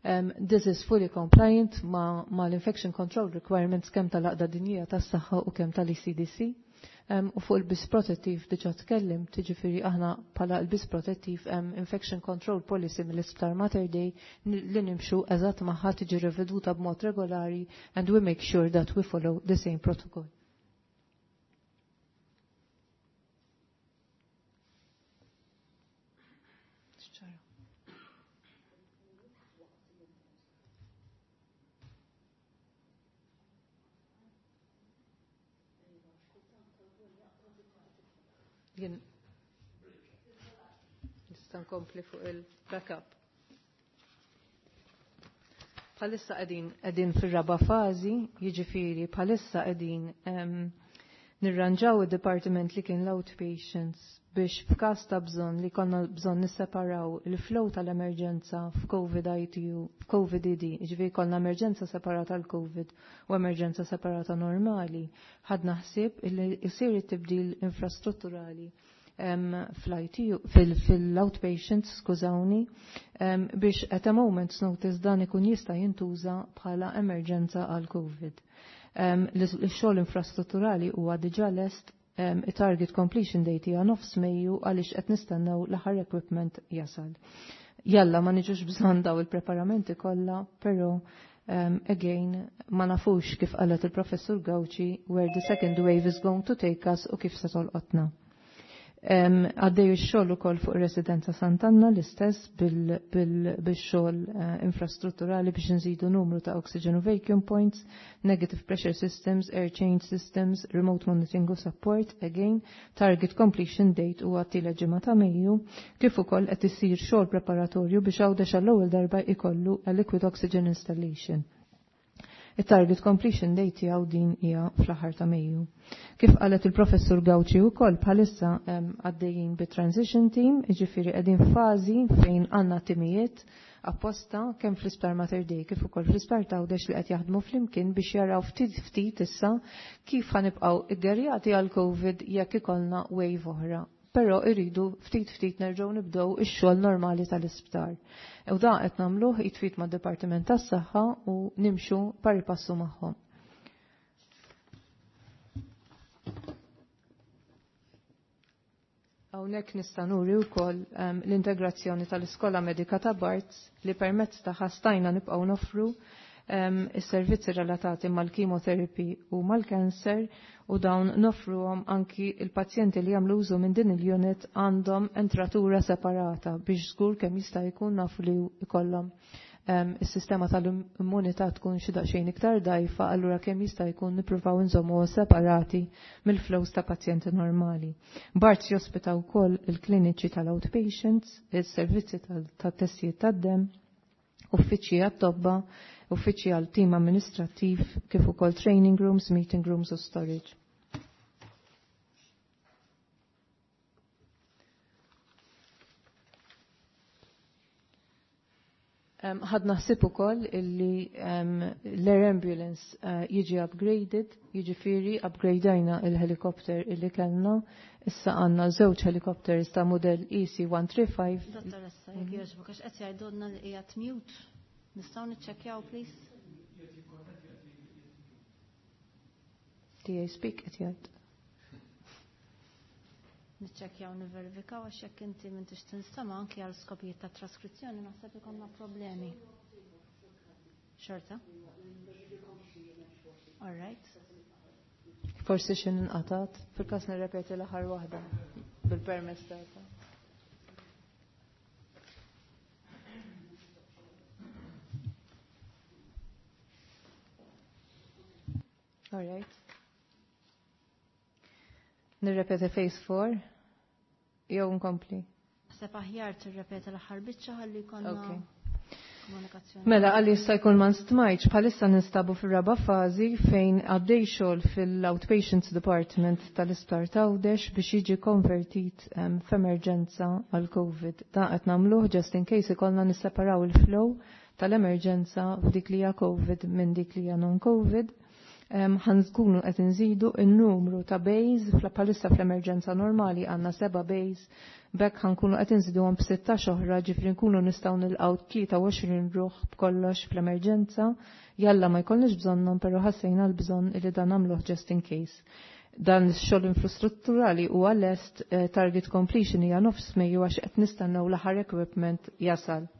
S8: Um, this is fully compliant ma, ma l-infection control requirements kemm tal-Għaqda Dinjija tas-Saħħa u kemm tal-E C D C. Um, u fuq il-bis protettiv diġa tkellim, tiġifieri aħna bħala il-bis protettiv um, infection control policy mill-Isptar Mater Dei li nimxu eżatt magħha, tiġi reveduta b'mod regolari and we make sure that we follow the same protocol. Jien nista' nkompli fuq il-backup. Bħalissa qegħdin qegħdin fir-raba' fażi, jiġifieri bħalissa qegħdin nirranġaw id-departiment li kien l-outpatients biex f'każ ta' bżonn li konna bżonn nisseparaw il-flow tal-emerġenza f'Covid I T U, f'Covid E D, ġifieri konna emerġenza separata l-Covid u emerġenza separata normali. Ħadna ħsieb illi jsir it-tibdil infrastrutturali fl-I T U, fil-outpatients, skużawni, biex at a moment's notice dan ikun jista' jintuża bħala emerġenza għal Covid. L-xogħol infrastrutturali huwa diġà lest, target completion date hija nofs Mejju għaliex qed nistennew l-aħħar equipment jasal. Jalla ma niġux bżonn daw il-preparamenti kollha, però um, again ma nafux, kif qalet il-professur Gauci, where the second wave is going to take us u kif se tolqotna. Għaddej ix-xogħol ukoll fuq residenza Sant'Anna, l-istess bil-xogħol eh, infrastrutturali biex nżidu numru ta' oxygen u vacuum points, negative pressure systems, air change systems, remote monitoring u support, again, target completion date huwa t-tielet ġimgħa ta' Mejju, kif ukoll qed isir xogħol preparatorju biex Għawdex għall-ewwel darba ikollu a liquid oxygen installation. Il-target completion date tiegħu din hija fl-aħħar ta' Mejju. Kif qalet il-professur Gauci wkoll, bħalissa għaddejjin bi transition team, jiġifieri qegħdin fażi fejn għandna timijiet apposta kemm fl-Isptar Mater Dei kif ukoll fl-Isptar Għawdex li qed jaħdmu flimkien biex jaraw ftit ftit issa kif ħanibqgħu iggerjati għal Covid jekk ikollna wave oħra, però irridu ftit ftit nerġgħu nibdew ix-xogħol normali tal-isptar. U da qed nagħmluh jitfit mad-Dipartiment tas-Saħħa u nimxu pari passu magħhom. Hawnhekk nista' nuri wkoll um, l-integrazzjoni tal-Iskola Medika ta' Barts li permezz ta' stajna nibqgħu nofru um, is-servizzi relatati mal-chemotherapy u mal-cancer u dawn nofruhom anki il-pazjenti li jagħmlu użu minn din il-unit għandhom entratura separata biex żgur kemm jista' jkun nafu li jkollhom um, is-sistema tal-immunità tkun xi daqsxejn iktar dajfa, allura kemm jista' jkun nippruvaw inżommu separati mill-flows ta' pazjenti normali. Barts jospita wkoll il-kliniċi tal-outpatients, il-servizzi tat-testijiet tad-dem, uffiċċji għat-tobba, uffiċċji għal tim amministrattiv, kif ukoll training rooms, meeting rooms u storage. Ħadna ħsieb ukoll illi um, l-air ambulance uh, jiġi upgraded, jiġifieri upgradajna il-helikopter illi kellna, issa għandna żewġ helikopters ta' model E C one three five.
S1: Dottoressa, jekk jogħġbok, għax qed jgħidulna li qiegħed mute. Nistgħu niċċekkjaw, please?
S8: T A speak qed jgħid.
S1: Niċċekkjaw, niverifikaw, għax jekk inti m'intix tinstema' anki għal skopijiet ta' traskrizzjoni naħseb ikollna problemi. Xorta? All right.
S8: Forsi xi inqatat, fil-każ nirrepeti l-aħħar waħda bil-permess tagħha. All right. Nirrepeti phase four jew nkompli?
S1: Naħseb aħjar tirrepeti l-aħħar biċċa ħalli jkollna
S8: Okay.
S1: komunikazzjoni.
S8: Mela, għalli jista' jkun ma stmajtx, bħalissa ninstabu fir-raba' fażi fejn għaddej xogħol fil-Outpatients Department tal-Isptar Għawdex biex jiġi konvertit um, f'emerġenza għal Covid. Dan qed nagħmluh just in case ikollna nisseparaw il-flow tal-emerġenza f'dik li hija Covid minn dik li hija non-Covid. Ħa nkunu qed inżidu n-numru ta' bays. Bħalissa fl-emerġenza normali għandna seba' bays, b'hekk ħa nkunu qed inżiduhom b'sittax oħra, ġifieri nkunu nistgħu nilqgħu tlieta u għoxrin ruħ b'kollox fl-emerġenza. Jalla ma jkollniex bżonnhom, però ħassejna l-bżonn li dan nagħmluh just in case. Dan ix-xogħol infrastrutturali huwa lest, eh, target completion hija nofs Mejju għax qed nistennew l-aħħar equipment jasal.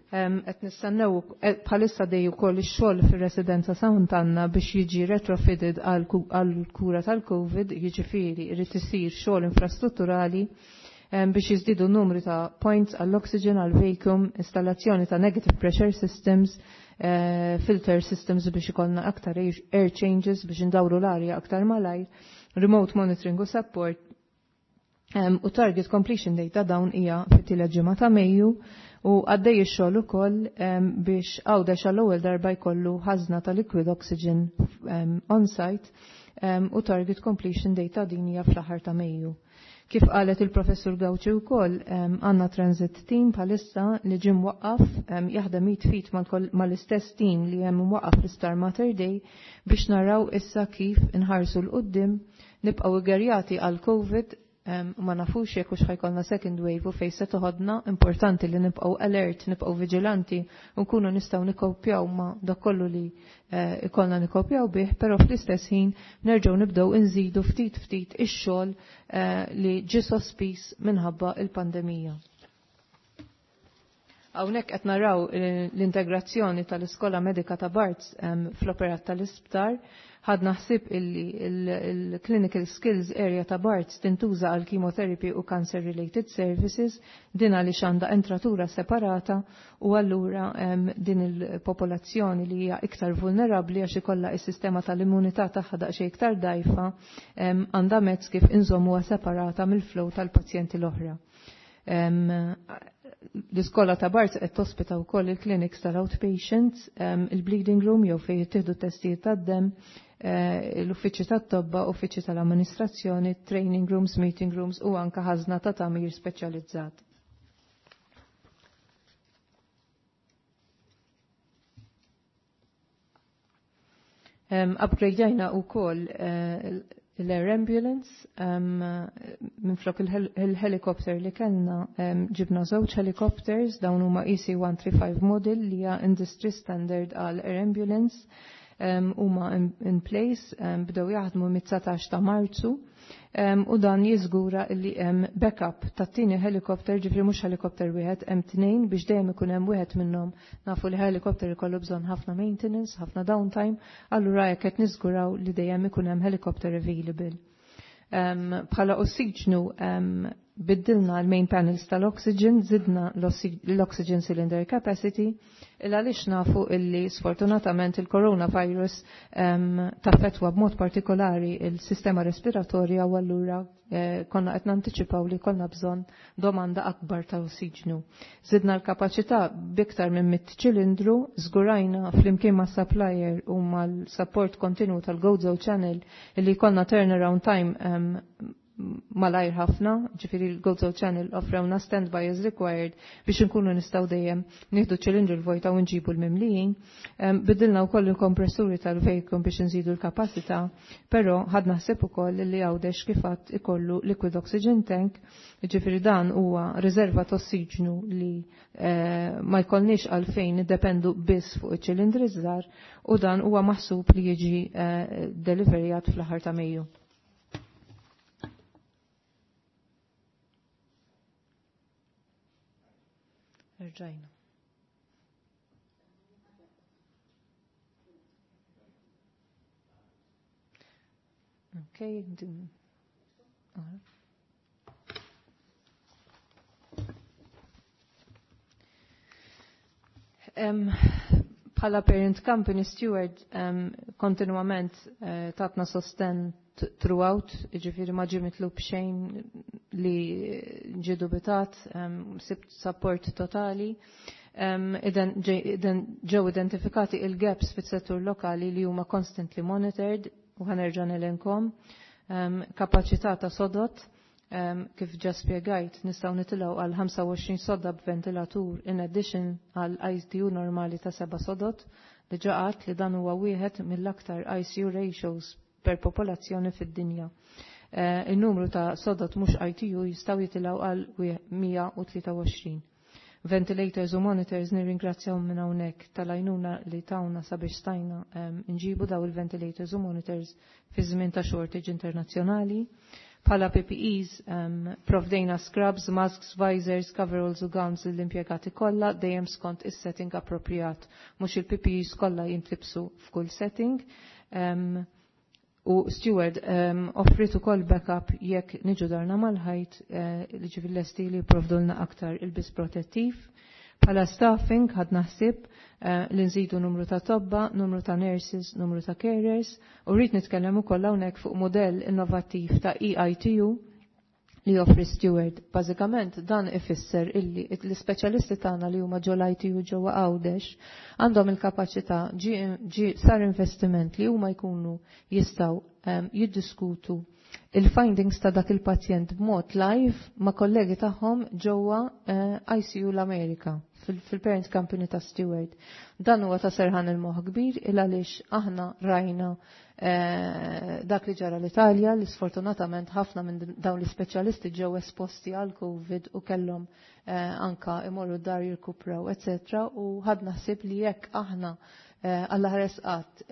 S8: Qed nistennew eh, bħalissa għaddej ukoll ix-xogħol fir-residenza Sant'Anna biex jiġi retrofitted għal kura tal-Covid, jiġifieri jrid isir xogħol infrastrutturali biex jiżdiedu numru ta' points għall-oxygen, għall-vacuum, installazzjoni ta' negative pressure systems, eh, filter systems biex ikollna aktar air changes biex indawru l-arja aktar malajr, remote monitoring u support, um, u target completion date ta' dawn hija fit-tielet ġimgħa ta' Mejju. U għaddej ix-xogħol ukoll um, biex Għawdex għall-ewwel darba jkollu ħażna ta' liquid oxygen um, on-site um, u target completion date ta' din hija fl-aħħar ta' Mejju. Kif qalet il-professur Gauci wkoll, għandna transit team bħalissa li ġie mwaqqaf um, jaħdem id f'id mal-istess team li hemm mwaqqaf fl-Isptar Mater Dei biex naraw issa kif inħarsu 'l quddiem, nibqgħu ggerjati għal Covid, ma nafux jekk hux ħa jkollna second wave u fejn se toħodna. Importanti li nibqgħu alert, nibqgħu vigilanti u nkunu nistgħu nikkopjaw ma dak kollu li eh, ikollna nikkopjaw bih, però fl-istess ħin nerġgħu nibdew inżidu ftit ftit ix-xogħol eh, li ġie sospiż minħabba il-pandemija. Hawnhekk qed naraw l-integrazzjoni tal-Iskola Medika ta' Barts fl-operat tal-isptar. Ħadna ħsieb illi il-clinical skills area ta' Barts tintuża għal chemotherapy u cancer related services, din għaliex għandha entratura separata u allura din il-popolazzjoni li hija iktar vulnerabbli għax ikollha is-sistema tal-immunità tagħha daqsxejn iktar dgħajfa, għandha mezz kif inżommuha separata mill-flow tal-pazjenti l-oħra. L-iskola ta' Barts qed tospita wkoll il-clinics tal-outpatients, il-bleeding room jew fejn jittieħdu testijiet tad-dem, eh, l-uffiċċju tat-tobba, uffiċċju tal-amministrazzjoni, training rooms, meeting rooms u anka ħażna ta' tagħmir speċjalizzat. Um, upgradeajna u koll uh, l-air ambulance, um, minflok il-helicopter li kellna um, ġibna żewġ helicopters, dawn huma E C one three five model li hija industry standard għal air ambulance, um, huma in, in place, um, bdew jaħdmu mit-dsatax ta' Marzu um, u dan jiżgura li hemm backup tat-tieni helicopter, ġifieri mhux helicopter wieħed, hemm tnejn biex dejjem ikun hemm wieħed minnhom. Nafu li helicopter ikollu bżonn ħafna maintenance, ħafna downtime, allura jekk qed niżguraw li dejjem ikun hemm helicopter available. Um, bħala ossiġnu um, biddilna l-main panels tal-oxygen, zidna l-oxygen cylinder capacity, il għaliex nafu illi sfortunatament il-coronavirus um, taffetwa b'mod partikolari il-sistema respiratorja u allura eh, konna qed nanticipaw li konna bżonn domanda akbar ta' ossiġnu. Zidna l-kapaċità biktar minn mitt ċilindru, żgurajna flimkien ma' supplier u mal-support kontinu tal-Gozo Channel illi konna turnaround time um, malajr ħafna, ġifieri l-Gozo Channel offrewna standby as required biex nkunu nistgħu dejjem nieħdu ċilindru l-vojta u nġibu l-mimlijin. Bidilna wkoll il-kompressuri tal-vacuum biex nżidu l-kapacità, però ħadna ħsieb ukoll li Għawdex kif għedt ikollu liquid oxygen tank, ġifieri dan huwa riserva ta' ossiġnu li eh, ma jkollniex għalfejn niddependu biss fuq iċ-ċilindri żgħar u dan huwa maħsub li jiġi eh, deliverjat fl-aħħar ta' Mejju. Rġajna. Okay. Din. Uh Um, bħala parent company Steward um, kontinuament uh, tatna sosten throughout, ġifieri ma ġie mitlub xejn li ġie dubitat, um, sibt support totali. Um, iden ġew identifikati il-gaps fis-settur lokali li huma constantly monitored u ħa nerġa' nelenkom. Um, kapaċità ta' sodot, um, kif ġa spjegajt, nistgħu nitilgħu għal ħamsa u għoxrin sodda b'ventilatur in addition għal I C U normali ta' seba' sodot. Diġà għedt li dan huwa wieħed mill-aktar I C U ratios per popolazzjoni fid-dinja. Eh, il-numru ta' sodod mhux I T U jistgħu jitilgħu għal mija u tlieta u għoxrin. Ventilators u monitors, nirringrazzjaw minn hawnhekk tal-għajnuna li tawna sabiex stajna nġibu daw il-ventilators u monitors fi żmien ta' shortage internazzjonali. Bħala P P Es um, provdejna scrubs, masks, visors, coveralls u gowns l-impjegati kollha, dejjem skont is-setting appropriat. Mhux il-P P Es kollha jintlibsu f'kull setting. Um, u Steward um, offrit ukoll backup jekk niġu darna mal-ħajt uh, li ġifieri lesti li jipprovdulna aktar ilbies protettiv. Bħala staffing ħadna ħsieb uh, li nżidu numru ta' tobba, numru ta' nurses, numru ta' carers, u rrid nitkellem ukoll hawnhekk fuq modell innovattiv ta' E I T U li joffri Steward. Bażikament dan ifisser illi l-ispeċjalisti tagħna li huma ġol I T U ġewwa Għawdex għandhom il-kapaċità, ġi sar investiment li huma jkunu jistgħu um, jiddiskutu il-findings ta' dak il-pazjent b'mod live ma' kollegi tagħhom ġewwa uh, I C U l-Amerika fil-parent company ta' Steward. Dan huwa ta' serħan il-moħ kbir il għaliex aħna rajna eh, dak li ġara l-Italja, li sfortunatament ħafna minn dawn l-ispeċjalisti ġew esposti għal Covid u kellhom eh, anka imorru dar jirkupraw, eccetera. U ħadna ħsieb li jekk aħna Alla ħares qatt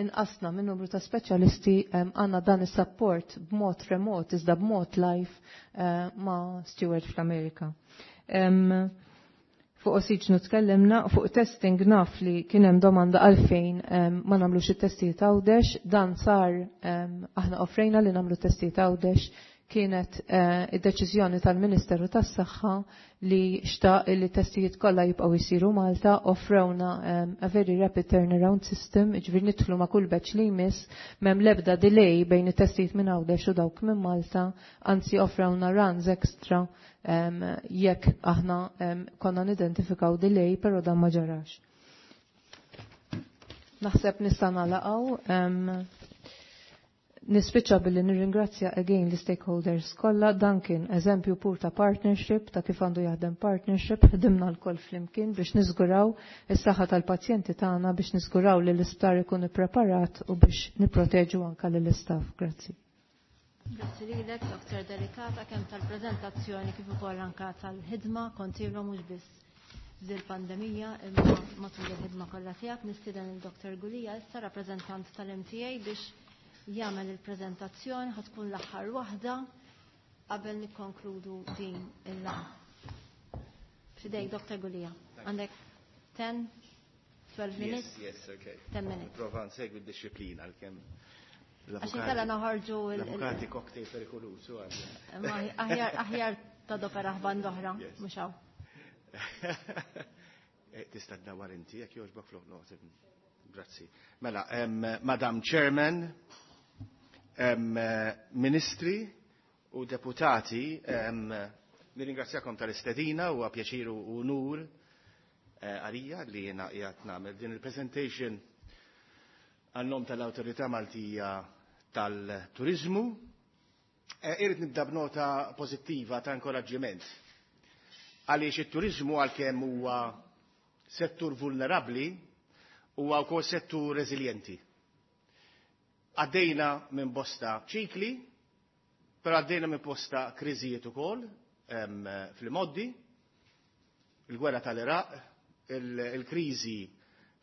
S8: inqasna minn numru ta' speċjalisti, għandna dan is-support b'mod remot iżda b'mod live ma' Steward fl-Amerika. Fuq ossiġnu tkellimna, fuq testing naf li kien hemm domanda għalfejn ma nagħmlux it-testijiet Għawdex, dan sar, aħna offrejna li nagħmlu testijiet Għawdex, kienet eh, id-deċiżjoni tal-Ministeru tas-Saħħa li xtaq li testijiet kollha jibqgħu jsiru Malta. Offrewna um, a very rapid turnaround system, ġifieri nidħlu ma' kull batch li jmiss, m'hemm l-ebda delay bejn it-testijiet minn Għawdex u dawk minn Malta, anzi offrewna runs extra um, jekk aħna um, konna nidentifikaw delay, però dan ma ġarax. Naħseb nista' nagħlaqgħu. Um, Nispiċċa billi nirringrazzja again l-stakeholders kollha. Dan kien eżempju pur ta' partnership, ta' kif għandu jaħdem partnership, ħdimna lkoll flimkien biex niżguraw is-saħħa tal-pazjenti tagħna, biex niżguraw li l-isptar ikun ippreparat u biex nipproteġu anka lill-istaff. Grazzi.
S1: Grazzi lilek, Doktor Delicata, kemm tal-preżentazzjoni kif ukoll anka tal-ħidma kontinwa, mhux biss dil-pandemija imma matul il-ħidma kollha tiegħek. Nistieden il-Doktor Gulia issa, rappreżentant tal-M T A, biex jagħmel il-preżentazzjoni. Ħa tkun l-aħħar waħda qabel nikkonkludu din il-laqgħa. Fidejk, Doktor Gulia. Għandek ten, twelve minutes?
S9: Yes, yes, okay.
S1: ten minutes.
S9: Prova nsegwi d-disciplina għalkemm
S1: Għax inkella noħorġu il-
S9: L-avukati cocktail perikolusu.
S1: Ma aħjar aħjar ta' dopera band oħra, mhux hawn.
S9: Eh, tista' ddawar inti jekk jogħġbok flok no. Grazzi. Mela, em, Madam Chairman, em, Ministri u deputati, em, nirringrazzjakom tal-istedina u pjaċir u unur eh, għalija li jena qiegħed nagħmel din il-presentation għan-nom tal-Awtorità Maltija tal-Turizmu. Eh, Irrid nibda b'nota pożittiva ta' inkoraġġiment. Għaliex it-turizmu, għalkemm huwa settur vulnerabbli, huwa wkoll settur reżiljenti. Għaddejna minn bosta ċikli, però għaddejna minn bosta kriżijiet ukoll fil-modi, il-gwerra tal-Iraq, il-kriżi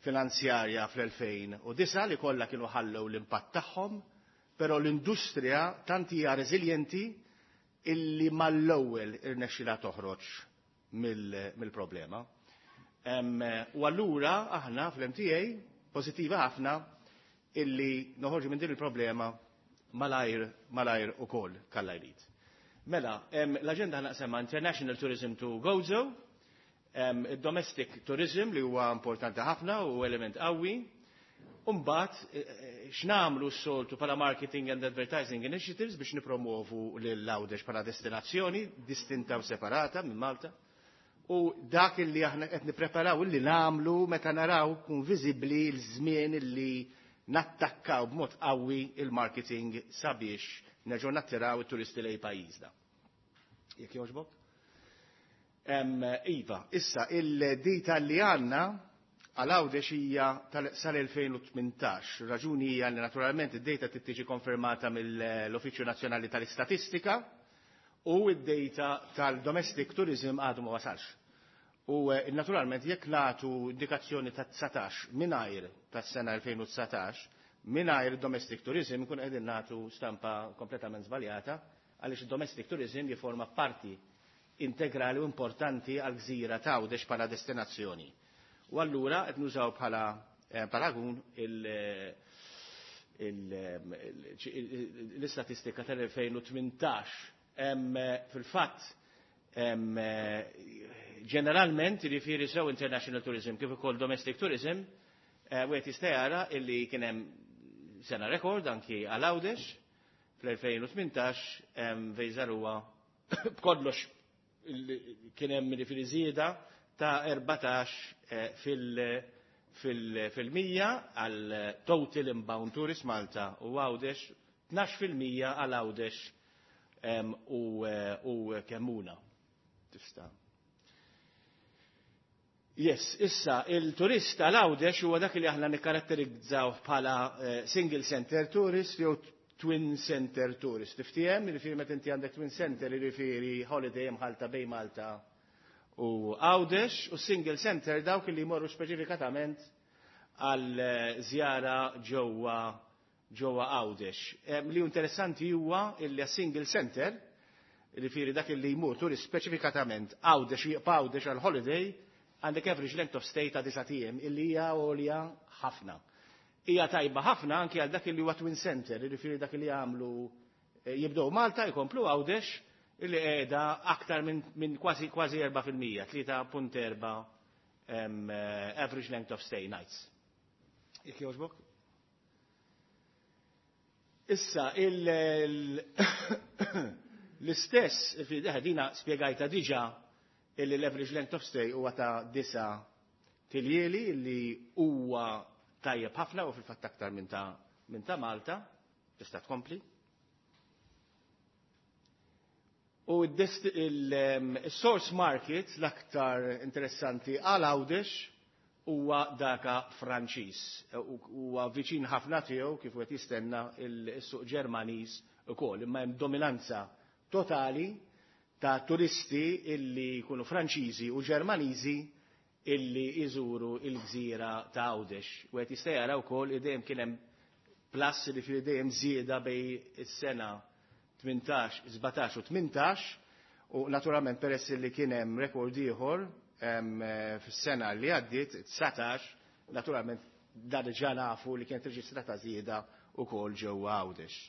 S9: finanzjarja fl-elfejn u disgħa, li kollha kienu ħallew l-impatt tagħhom, però l-industrija tant hija reżiljenti illi mal-ewwel irnexxilha toħroġ mill-problema. U allura aħna fl-M T A pożittiva ħafna illi noħorġu minn din il-problema malajr malajr ukoll kalla jrid. Mela, l-aġenda naqsema International Tourism to Gozo, domestic tourism li huwa importanti ħafna u element qawwi. Umbat, eh, eh, x'namlu s-soltu pala marketing and advertising initiatives biex nipromovu lil Għawdex pala destinazzjoni distinta u separata minn Malta. U dak li aħna qed nippreparaw li nagħmlu meta naraw kun viżibbli l-żmien li nattakkaw b'mod qawwi il-marketing sabiex nerġgħu nattiraw it-turisti lejn pajjiżna. Jekk jogħġbok? Iva, issa il-data li għandna għal Għawdex hija sal-elfejn u tmintax. Raġuni hija li naturalment id-data trid tiġi konfermata mill-Uffiċċju Nazzjonali tal-Istatistika u id-data tal-domestic tourism għadu ma wasalx. U naturalment jekk nagħtu indikazzjoni ta' dsatax mingħajr tas-sena elfejn u dsatax mingħajr domestic tourism kun qegħdin nagħtu stampa kompletament żbaljata għaliex domestic tourism jiforma parti integrali u importanti għal gżira ta' Għawdex bħala destinazzjoni. U allura qed nużaw bħala paragun l-istatistika tal-elfejn u tmintax. Fil-fatt, ġeneralment, jiġifieri sew international tourism kif ukoll domestic tourism, wieħed jista' jara illi kien hemm sena rekord anki għal Għawdex fl-elfejn u tmintax fejn żaruha b'kollox kien hemm jiġifieri żieda ta' erbatax fil-mija għal total inbound tourist Malta u Għawdex, tnax fil-mija għal Għawdex u Kemmuna. Tista'. Yes, issa il-turist għal Għawdex huwa dak li aħna nikkaratterizzaw bħala single center tourist jew twin center tourist. Tiftiem, jiġifieri meta inti għandek twin center jiġifieri holiday mħalta bejn Malta u Għawdex, u single center dawk li jmorru speċifikatament għal żjara ġewwa ġewwa Għawdex. Li interessanti huwa illi single center, jiġifieri dak li jmur turist speċifikatament Għawdex jibqa' Għawdex għal holiday, għandek average length of stay ta' disa' ijiem illi hija għolja ħafna. Hija tajba ħafna anki għal dak li huwa twin center, jiġifieri dak li jagħmlu jibdew Malta jkomplu Għawdex illi qiegħda aktar minn, minn kważi, kważi erba' fil-mija, tlieta punt erba', average length of stay nights. Jekk jogħġbok? Issa, l-istess, dina spjegajta diġà illi l-average length of stay huwa ta' disa' tiljieli illi huwa tajjeb ħafna u fil-fatt aktar minn ta', minn ta' Malta. Tista' tkompli. U il-source market l-aktar interessanti għal Għawdex huwa daka Franċiż. Huwa viċin ħafna tiegħu kif qed jistenna il-suq Ġermaniż ukoll, imma hemm dominanza totali ta' turisti illi jkunu Franċiżi u Ġermaniżi illi jżuru il-gżira ta' Għawdex. U qed jista' jara wkoll li dejjem kien hemm plus li fil dejjem żieda bej is-sena tmintax, sbatax u tmintax, u naturalment peress li kien hemm rekord ieħor fis-sena li għaddiet, dsatax, naturalment dan diġà nafu li kienet reġistrata żieda wkoll ġewwa Għawdex.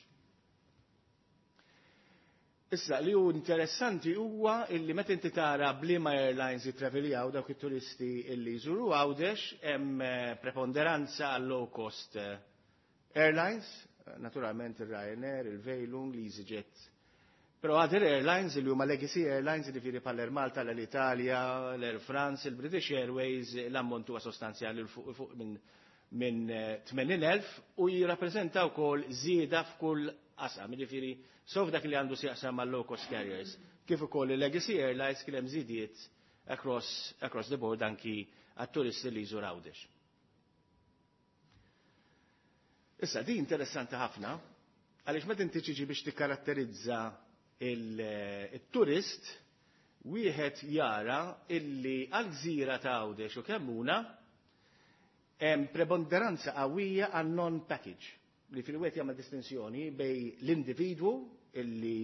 S9: Issa, li hu interessanti huwa illi meta inti tara b'liema airlines jittraveljaw dawk it-turisti illi jżuru Għawdex, hemm preponderanza għal low cost airlines, naturalment il-Ryanair, il-Vueling, l-EasyJet. Però other airlines li huma legacy airlines, jiġifieri bħal Air Malta, l-Italia, l-Air France, il-British Airways, l-ammont huwa sostanzjali fuq minn, minn tmenin elf u jirrappreżenta wkoll żieda f'kull qasam, jiġifieri sof dak li għandu x'jaqsam mal low cost carriers, kif ukoll il-legacy airlines kien hemm żidiet across, across the board anki għat-turisti li jżur Għawdex. Issa, di interessanti ħafna, għaliex meta inti tiġi biex tikkaratterizza il-turist, wieħed jara illi għal-gżira ta' Għawdex u Kemmuna hemm preponderanza qawwija għan non-package, li fil-wieħed jagħmel distinzjoni bej l-individwu illi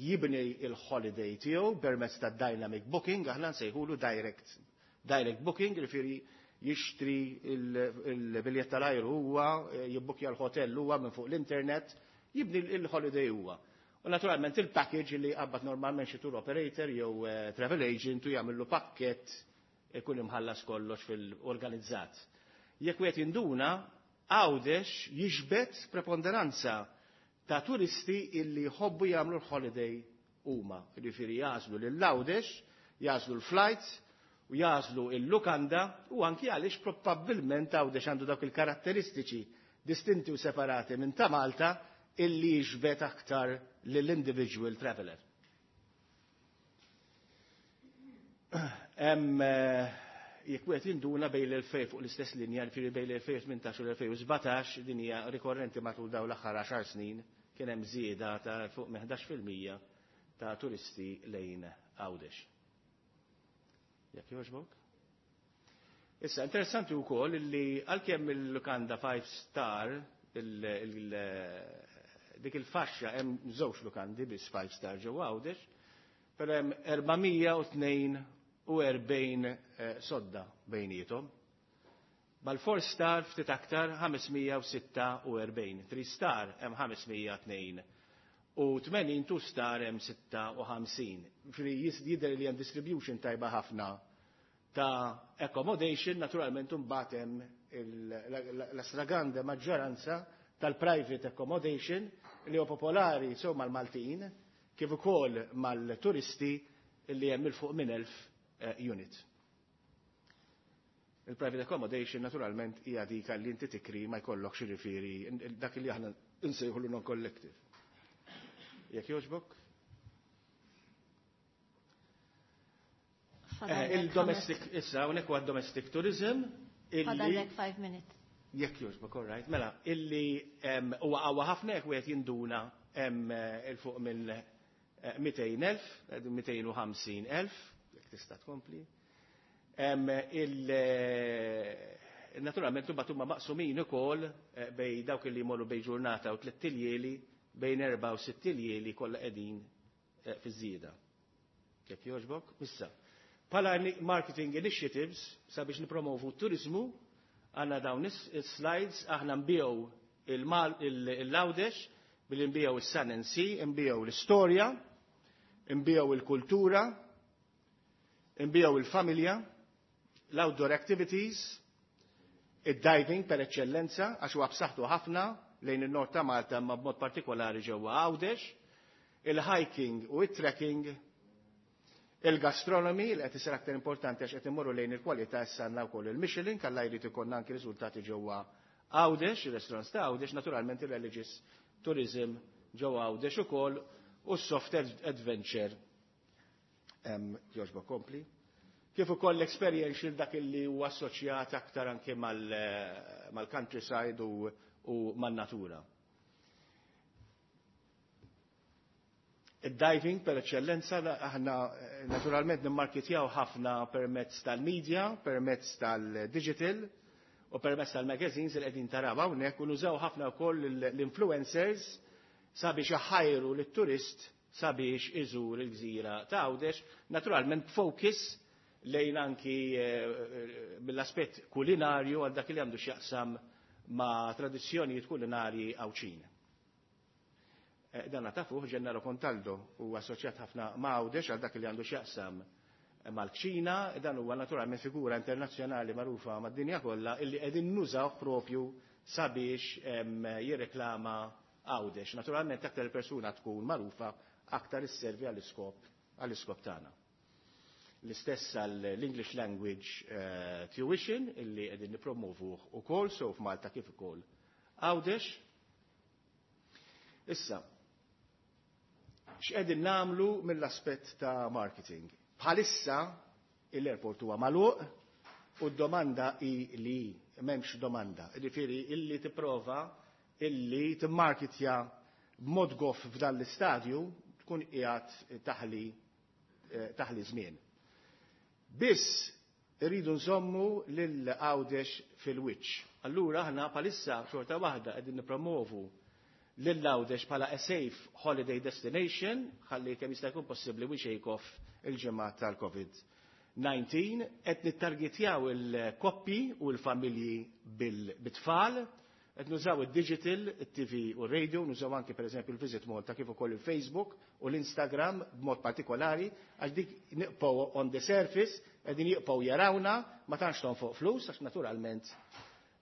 S9: jibni il-holiday tiegħu permezz ta' dynamic booking, aħna nsejħulu direct, direct booking, jiġifieri jixtri il-biljett tal-ajru huwa, jibbukja l-hotel huwa minn fuq l-internet, jibni il-holiday huwa. U naturalment il-package li qabad normalment xi tour operator jew, eh, travel agent u jagħmillu pakkett ikun imħallas kollox fil-organizzat. Jekk wieħed jinduna, Għawdex jiġbed preponderanza ta' turisti illi jħobbu jagħmlu l-holiday huma. Jiġifieri jażlu lil Għawdex, jażlu l-flights, u jażlu il-lukanda, u anki għaliex probabbilment Għawdex għandu dawk il-karatteristiċi distinti u separati minn ta' Malta illi jiġbed aktar lill-individual traveler. Hemm, eh, Jekk wieħed jinduna bejn l-elfejn fuq l-istess linja, jiġifieri bejn l-elfejn u tmintax u l-elfejn u sbatax, din hija rikorrenti matul dawn l-aħħar għaxar snin, kien hemm żieda ta' fuq minn ħdax fil-mija ta' turisti lejn Għawdex. Jekk jogħġbok? Issa, interessanti wkoll li għalkemm il-lukanda five star, dik il-faxxa hemm żewġ lukandi biss five star ġewwa Għawdex, però hemm erba' mija u tnejn u erbgħin sodda bejniethom. Mal-four star ftit aktar ħames mija u sitta u erbgħin, three star hemm ħames mija tnejn u tmenin, two star hemm sitta u ħamsin. Ġifieri jidher li hemm distribution tajba ħafna ta' accommodation, naturalment imbagħad hemm la stragrande maġġoranza tal-private accommodation li huwa popolari sew mal-Maltin kif ukoll mal-turisti li hemm il fuq minn elf unit. Il-private accommodation naturalment hija dik li inti tikri ma jkollokx jiġifieri dak li aħna nsejħulu non-collective. Jekk jogħġbok? Il-domestic, issa, hawnhekk huwa domestic tourism.
S1: Fadallek five minutes.
S9: Jekk jogħġbok, all right. Mela, illi huwa qawwa ħafna jekk wieħed jinduna hemm il fuq minn mitejn elf, mitejn u ħamsin elf, jekk tista' tkompli. Naturalment imbagħad huma maqsumin ukoll bej dawk li jmorru bej ġurnata u tliet iljieli, bejn erba' u sitt iljieli kollha qegħdin fiż-żieda. Jekk jogħġbok? Issa, bħala marketing initiatives sabiex nipromovu t-turizmu, għandna dawn is-slides, aħna nbiegħu il-Għawdex billi nbiegħu is-Sun and Sea, nbiegħu l-istorja, nbiegħu il-kultura, nbiegħu il-familja, l-outdoor activities, id-diving per eċċellenza, għax huwa b'saħħtu ħafna lejn in-nord ta' Malta imma b'mod partikolari ġewwa Għawdex, il-hiking u it-trekking, il-gastronomy li qed isir aktar importanti għax qed immorru lejn il-kwalità issa għandna wkoll il-Michelin, kalla jrid ikollna anki riżultati ġewwa Għawdex, il-restaurants ta' Għawdex, naturalment il-religious tourism ġewwa Għawdex ukoll u s-soft adventure. Jogħġbok kompli. Kif ukoll l-experiential dak li huwa assoċjat aktar anke mal-countryside u, u man-natura. Id-diving per eċċellenza aħna naturalment nimmarketjaw ħafna permezz tal-media, permezz tal-digital u permezz tal-magazines li qegħdin taraw hawnhekk u nużaw ħafna wkoll l-influencers sabiex iħajru lit-turist sabiex iżur il-gżira ta' Għawdex, naturalment focus lejn anki mill-aspett kulinarju għal dak li għandu x'jaqsam ma' tradizzjonijiet kulinarji Għawdxin. Dan tafuh Gennaro Contaldo huwa assoċjat ħafna ma' Għawdex għal dak li għandu x'jaqsam mal-kċina, dan huwa naturalment figura internazzjonali magħrufa mad-dinja kollha illi qegħdin nużaw propju sabiex jirreklama Għawdex. Naturalment aktar il-persuna tkun magħrufa aktar isservi għall-iskop għall-iskop tagħna. L-istess għall-English language uh, tuition illi qegħdin nippromovuh ukoll so f'Malta kif ukoll Għawdex. Issa, x'qegħdin nagħmlu mill-aspett ta' marketing? Bħalissa l-airport huwa magħluq u d-domanda hi li m'hemmx domanda. Jiġifieri illi tipprova illi timmarketja b'mod goff f'dan l-istadju tkun qiegħed taħli, taħli żmien. Biss irridu nżommu lil Għawdex fil-wiċċ. Allura aħna bħalissa xorta waħda qegħdin nippromovu lil Għawdex bħala a safe holiday destination, ħalli kemm jista' jkun possibbli we shake off il-ġimgħa tal-COVID nineteen, qed nittargetjaw il-koppji u l-familji bil-tfal, qed nużaw id-digital, it-T V u r-radio, nużaw anki pereżempju il-Visit Malta kif ukoll il-Facebook u l-Instagram b'mod partikolari, għax dik niqgħu on the surface, qegħdin jibqgħu jarawna, ma tantx tonfoq flus, għax naturalment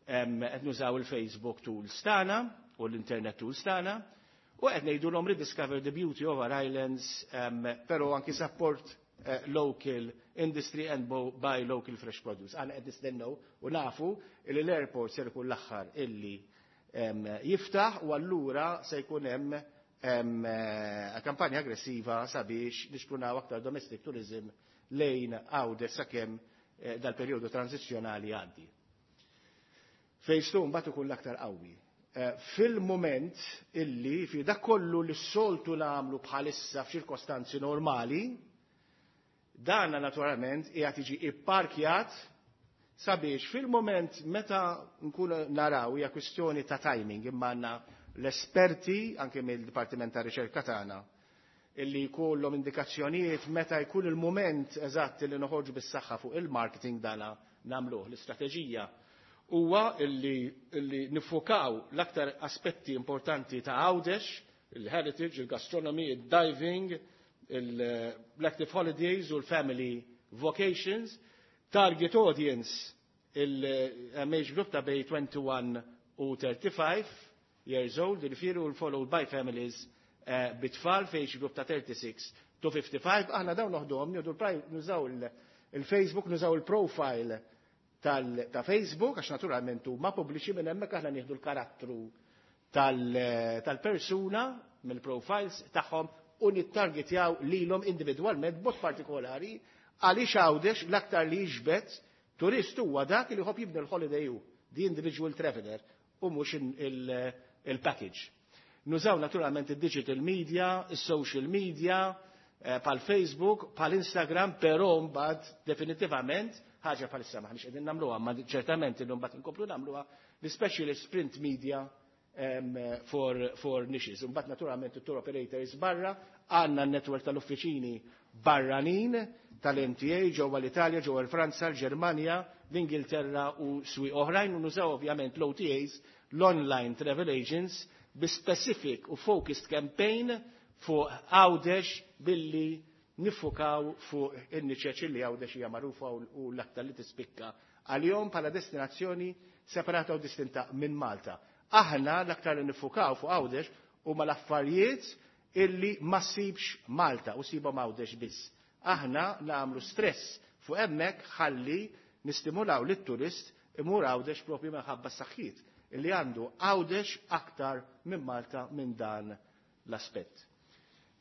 S9: qed nużaw il-Facebook tools tagħna u l-internet tools tagħna, u qed ngħidulhom rediscover the beauty of our islands, però anki support eh, local industry and buy local fresh produce. Aħna qed nistennew u nafu li l-airport ser ikun l-aħħar illi, em, jiftaħ u allura se jkun hemm, em, eh, kampanja aggressiva sabiex nixprunaw aktar domestic tourism lejn Għawdex sakemm dal-perjodu tranzizzjonali għaddi. Phase two mbagħad ikun l-aktar qawwi. Fil-moment illi fi dak kollu li s-soltu nagħmlu bħalissa f'ċirkostanzi normali, dana naturalment qiegħed jiġi ipparkjat sabiex fil-moment meta nkunu naraw hija kwistjoni ta' timing, imma għandna l-esperti anke mill-Dipartiment ta' Riċerka tagħna illi jkollhom indikazzjonijiet meta jkun il-moment eżatt li noħorġu bis-saħħa fuq il-marketing, dana nagħmluh. L-istrateġija huwa illi, illi nifokaw l-aktar aspetti importanti ta' Għawdex, il-heritage, il-gastronomy, il-diving, il-active holidays u l-family vacations, target audience il-age group ta' bejn wieħed u għoxrin u tletin years old, il-firu followed by families uh, bit-tfal f'age group ta' thirty-six to fifty-five. Aħna dawn noħduhom, nieħdu nużaw il-Facebook, nużaw il-profile ta' Facebook, għax naturalment huma pubbliċi, minn hemmhekk aħna nieħdu l-karattru tal-persuna mill-profiles tagħhom u nittargetjaw lilhom individwalment b'mod partikolari, għaliex Għawdex l-aktar li jiġbed turist huwa dak li jħobb jibni l-holiday hu, the individual traveler, u mhux il-package. Nużaw naturalment il-digital media, il-social media, eh, pal Facebook, pal Instagram, però mbagħad definitivament ħaġa bħalissa maħniex qegħdin nagħmluha, ma ċertament illum mbagħad inkomplu nagħmluha, l-specialist print media um, for, for niches. Mbagħad naturalment it-tour operators barra, għandna n-network tal-uffiċini barranin tal-M T A ġewwa l-Italja, ġewwa l-Franza, l-Ġermanja, l-Ingilterra u swieq oħrajn, u nużaw ovvjament l-O T As, l-online travel agents, bi specific u focused campaign fuq Għawdex billi nifukaw fuq in-niċeċ li Għawdex hija magħrufa u l-aktar li tispikka għalihom bħala destinazzjoni separata u distinta minn Malta. Aħna l-aktar li nifukaw fuq Għawdex huma l-affarijiet illi ma ssibx Malta u ssibhom Għawdex biss. Aħna nagħmlu stress fuq hemmhekk ħalli nistimulaw lit-turist imur Għawdex propju minħabba s-saħħiet illi għandu Għawdex aktar minn Malta minn dan l-aspett.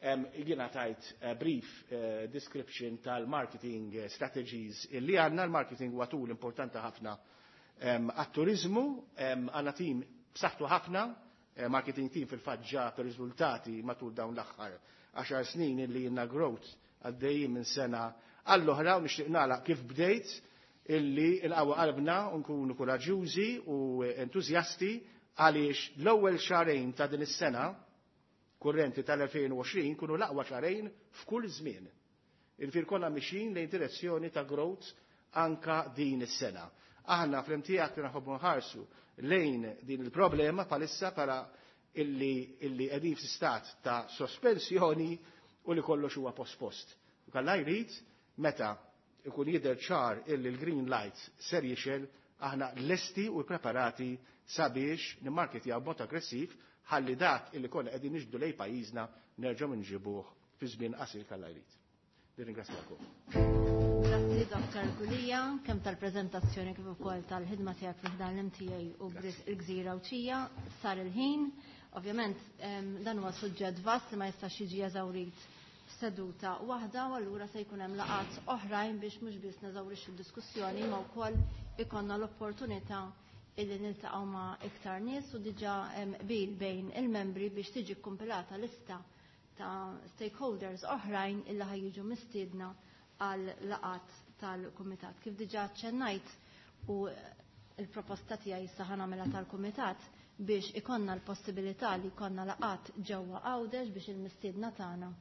S9: Jiena tajt uh, brief uh, description tal-marketing strategies illi għandna. L-marketing huwa tool importanti ħafna għat-turizmu, għandna team b'saħħtu ħafna, eh, marketing team fil-fatt ġab riżultati matul dawn l-aħħar għaxar snin illi jiena growth għaddejjin minn sena għall-oħra, u nixtieq nagħlaq kif bdejt, illi il-qawwa qalbna u nkunu kuraġjużi u entużjasti, għaliex l-ewwel xahrejn ta' din is-sena kurrenti tal-elfejn u għoxrin kunu l-aqwa xahrejn f'kull żmien. Il-fir konna mixin lejn direzzjoni ta' growth anka din is-sena. Aħna fl-M T A aktar nħobbu nħarsu lejn din il-problema palissa para illi, illi qegħdin f'stat ta' sospensjoni u li kollox huwa pospost. U Alla jrid, meta ikun jidher ċar illi l-green light ser jixgħel, aħna lesti u preparati sabiex nimmarketjaw b'mod aggressiv ħalli dak illi konna qegħdin niġbdu lejn pajjiżna nerġgħu nġibuh fi żmien qasir, Alla jrid. Nirringrazzjakom.
S1: Grazzi, Dottor Gulia, kemm tal-preżentazzjoni kif ukoll tal-ħidma tiegħek fi dan l-M T A u il-Gżira Għawdxija. Sar il-ħin. Ovvjament dan huwa suġġett vast li ma jistax jiġi eżawrit f'seduta waħda, u allura se jkun hemm laqgħat oħrajn biex mhux biss neżawrixxu d-diskussjoni ma wkoll ikollna l-opportunità illi niltaqgħu ma' iktar nies, u diġà qbil bejn il-membri biex tiġi kompilata lista ta' stakeholders oħrajn illi ħa jiġu mistiedna għal laqgħat tal-kumitat. Kif diġà ċennajt, u il-proposta tiegħi issa ħa nagħmilha tal-kumitat biex ikonna l-possibilità li jkollna laqgħat ġewwa Għawdex biex il-mistiedna tagħna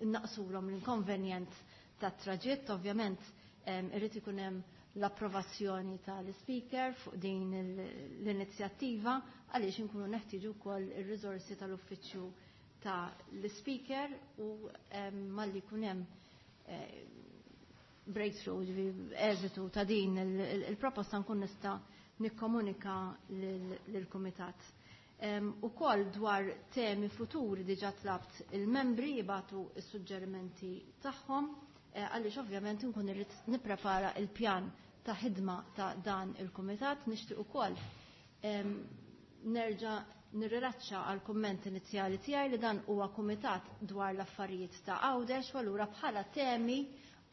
S1: naqsulhom l-inkonvenjent tat-traġitt. Ovvjament irrid ikun hemm l-approvazzjoni tal-speaker fuq din l-inizjattiva, għaliex inkunu neħtieġu wkoll ir-riżorsi tal-uffiċċju ta' l-speaker, u malli jkun hemm eh, breakthrough, eżitu ta' din il-proposta, nkun nista' nikkomunika lill-kumitat. U koll dwar temi futuri diġa tlabt il-membri jibagħtu il-suġġerimenti tagħhom, eh, għaliex ovvjament nkun irrid nipprepara il-pjan ta' ħidma ta' dan il-kumitat. Nixtieq ukoll nerġa' nirrilaċċa għal kumment inizjali tiegħi li dan huwa kumitat dwar l-affarijiet ta' Għawdex, u allura bħala temi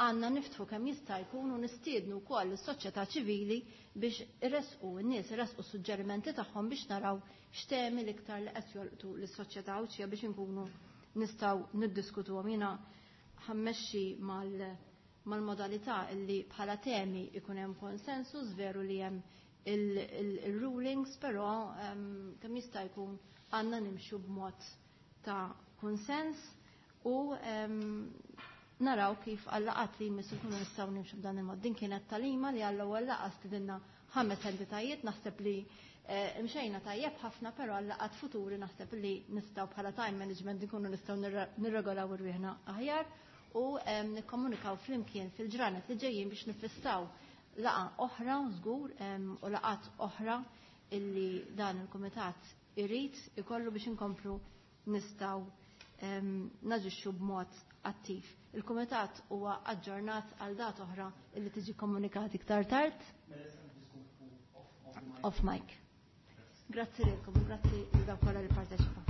S1: Għandna niftħu kemm jista' jkun u nistiednu wkoll is-soċjetà ċivili biex iressqu n-nies iressqu suġġerimenti tagħhom biex naraw x'temi l-iktar li qed jolqtu lis-soċjetà Għawdxija biex inkunu nistgħu niddiskutuhom. Jiena ħa mmexxi mal mal-modalità illi bħala temi ikun hemm konsensus, veru li hemm il-rulings, però kemm jista' jkun għandna nimxu b'mod ta' konsens u naraw kif għal-laqgħat li jmissu kunu nistgħu nimxu b'dan il-mod. Din kienet tagħlima li għall-ewwel laqgħa stidinna ħames entitajiet, naħseb li mxejna tajjeb ħafna, però għal-laqgħat futuri naħseb li nistgħu bħala time management nkunu nistgħu nirregolaw irwieħna aħjar u nikkomunikaw flimkien fil-ġranet li ġejjin biex nifissaw laqgħa oħra żgur u laqgħat oħra illi dan il-kumitat irid ikollu biex inkomplu nistgħu naġixxu b'mod attiv. Il-kumitat huwa aġġornat għal dat oħra illi tiġi komunikati iktar tard. Off mic. Grazzi lilkom, grazzi lil dawk kollha li parteċipaw.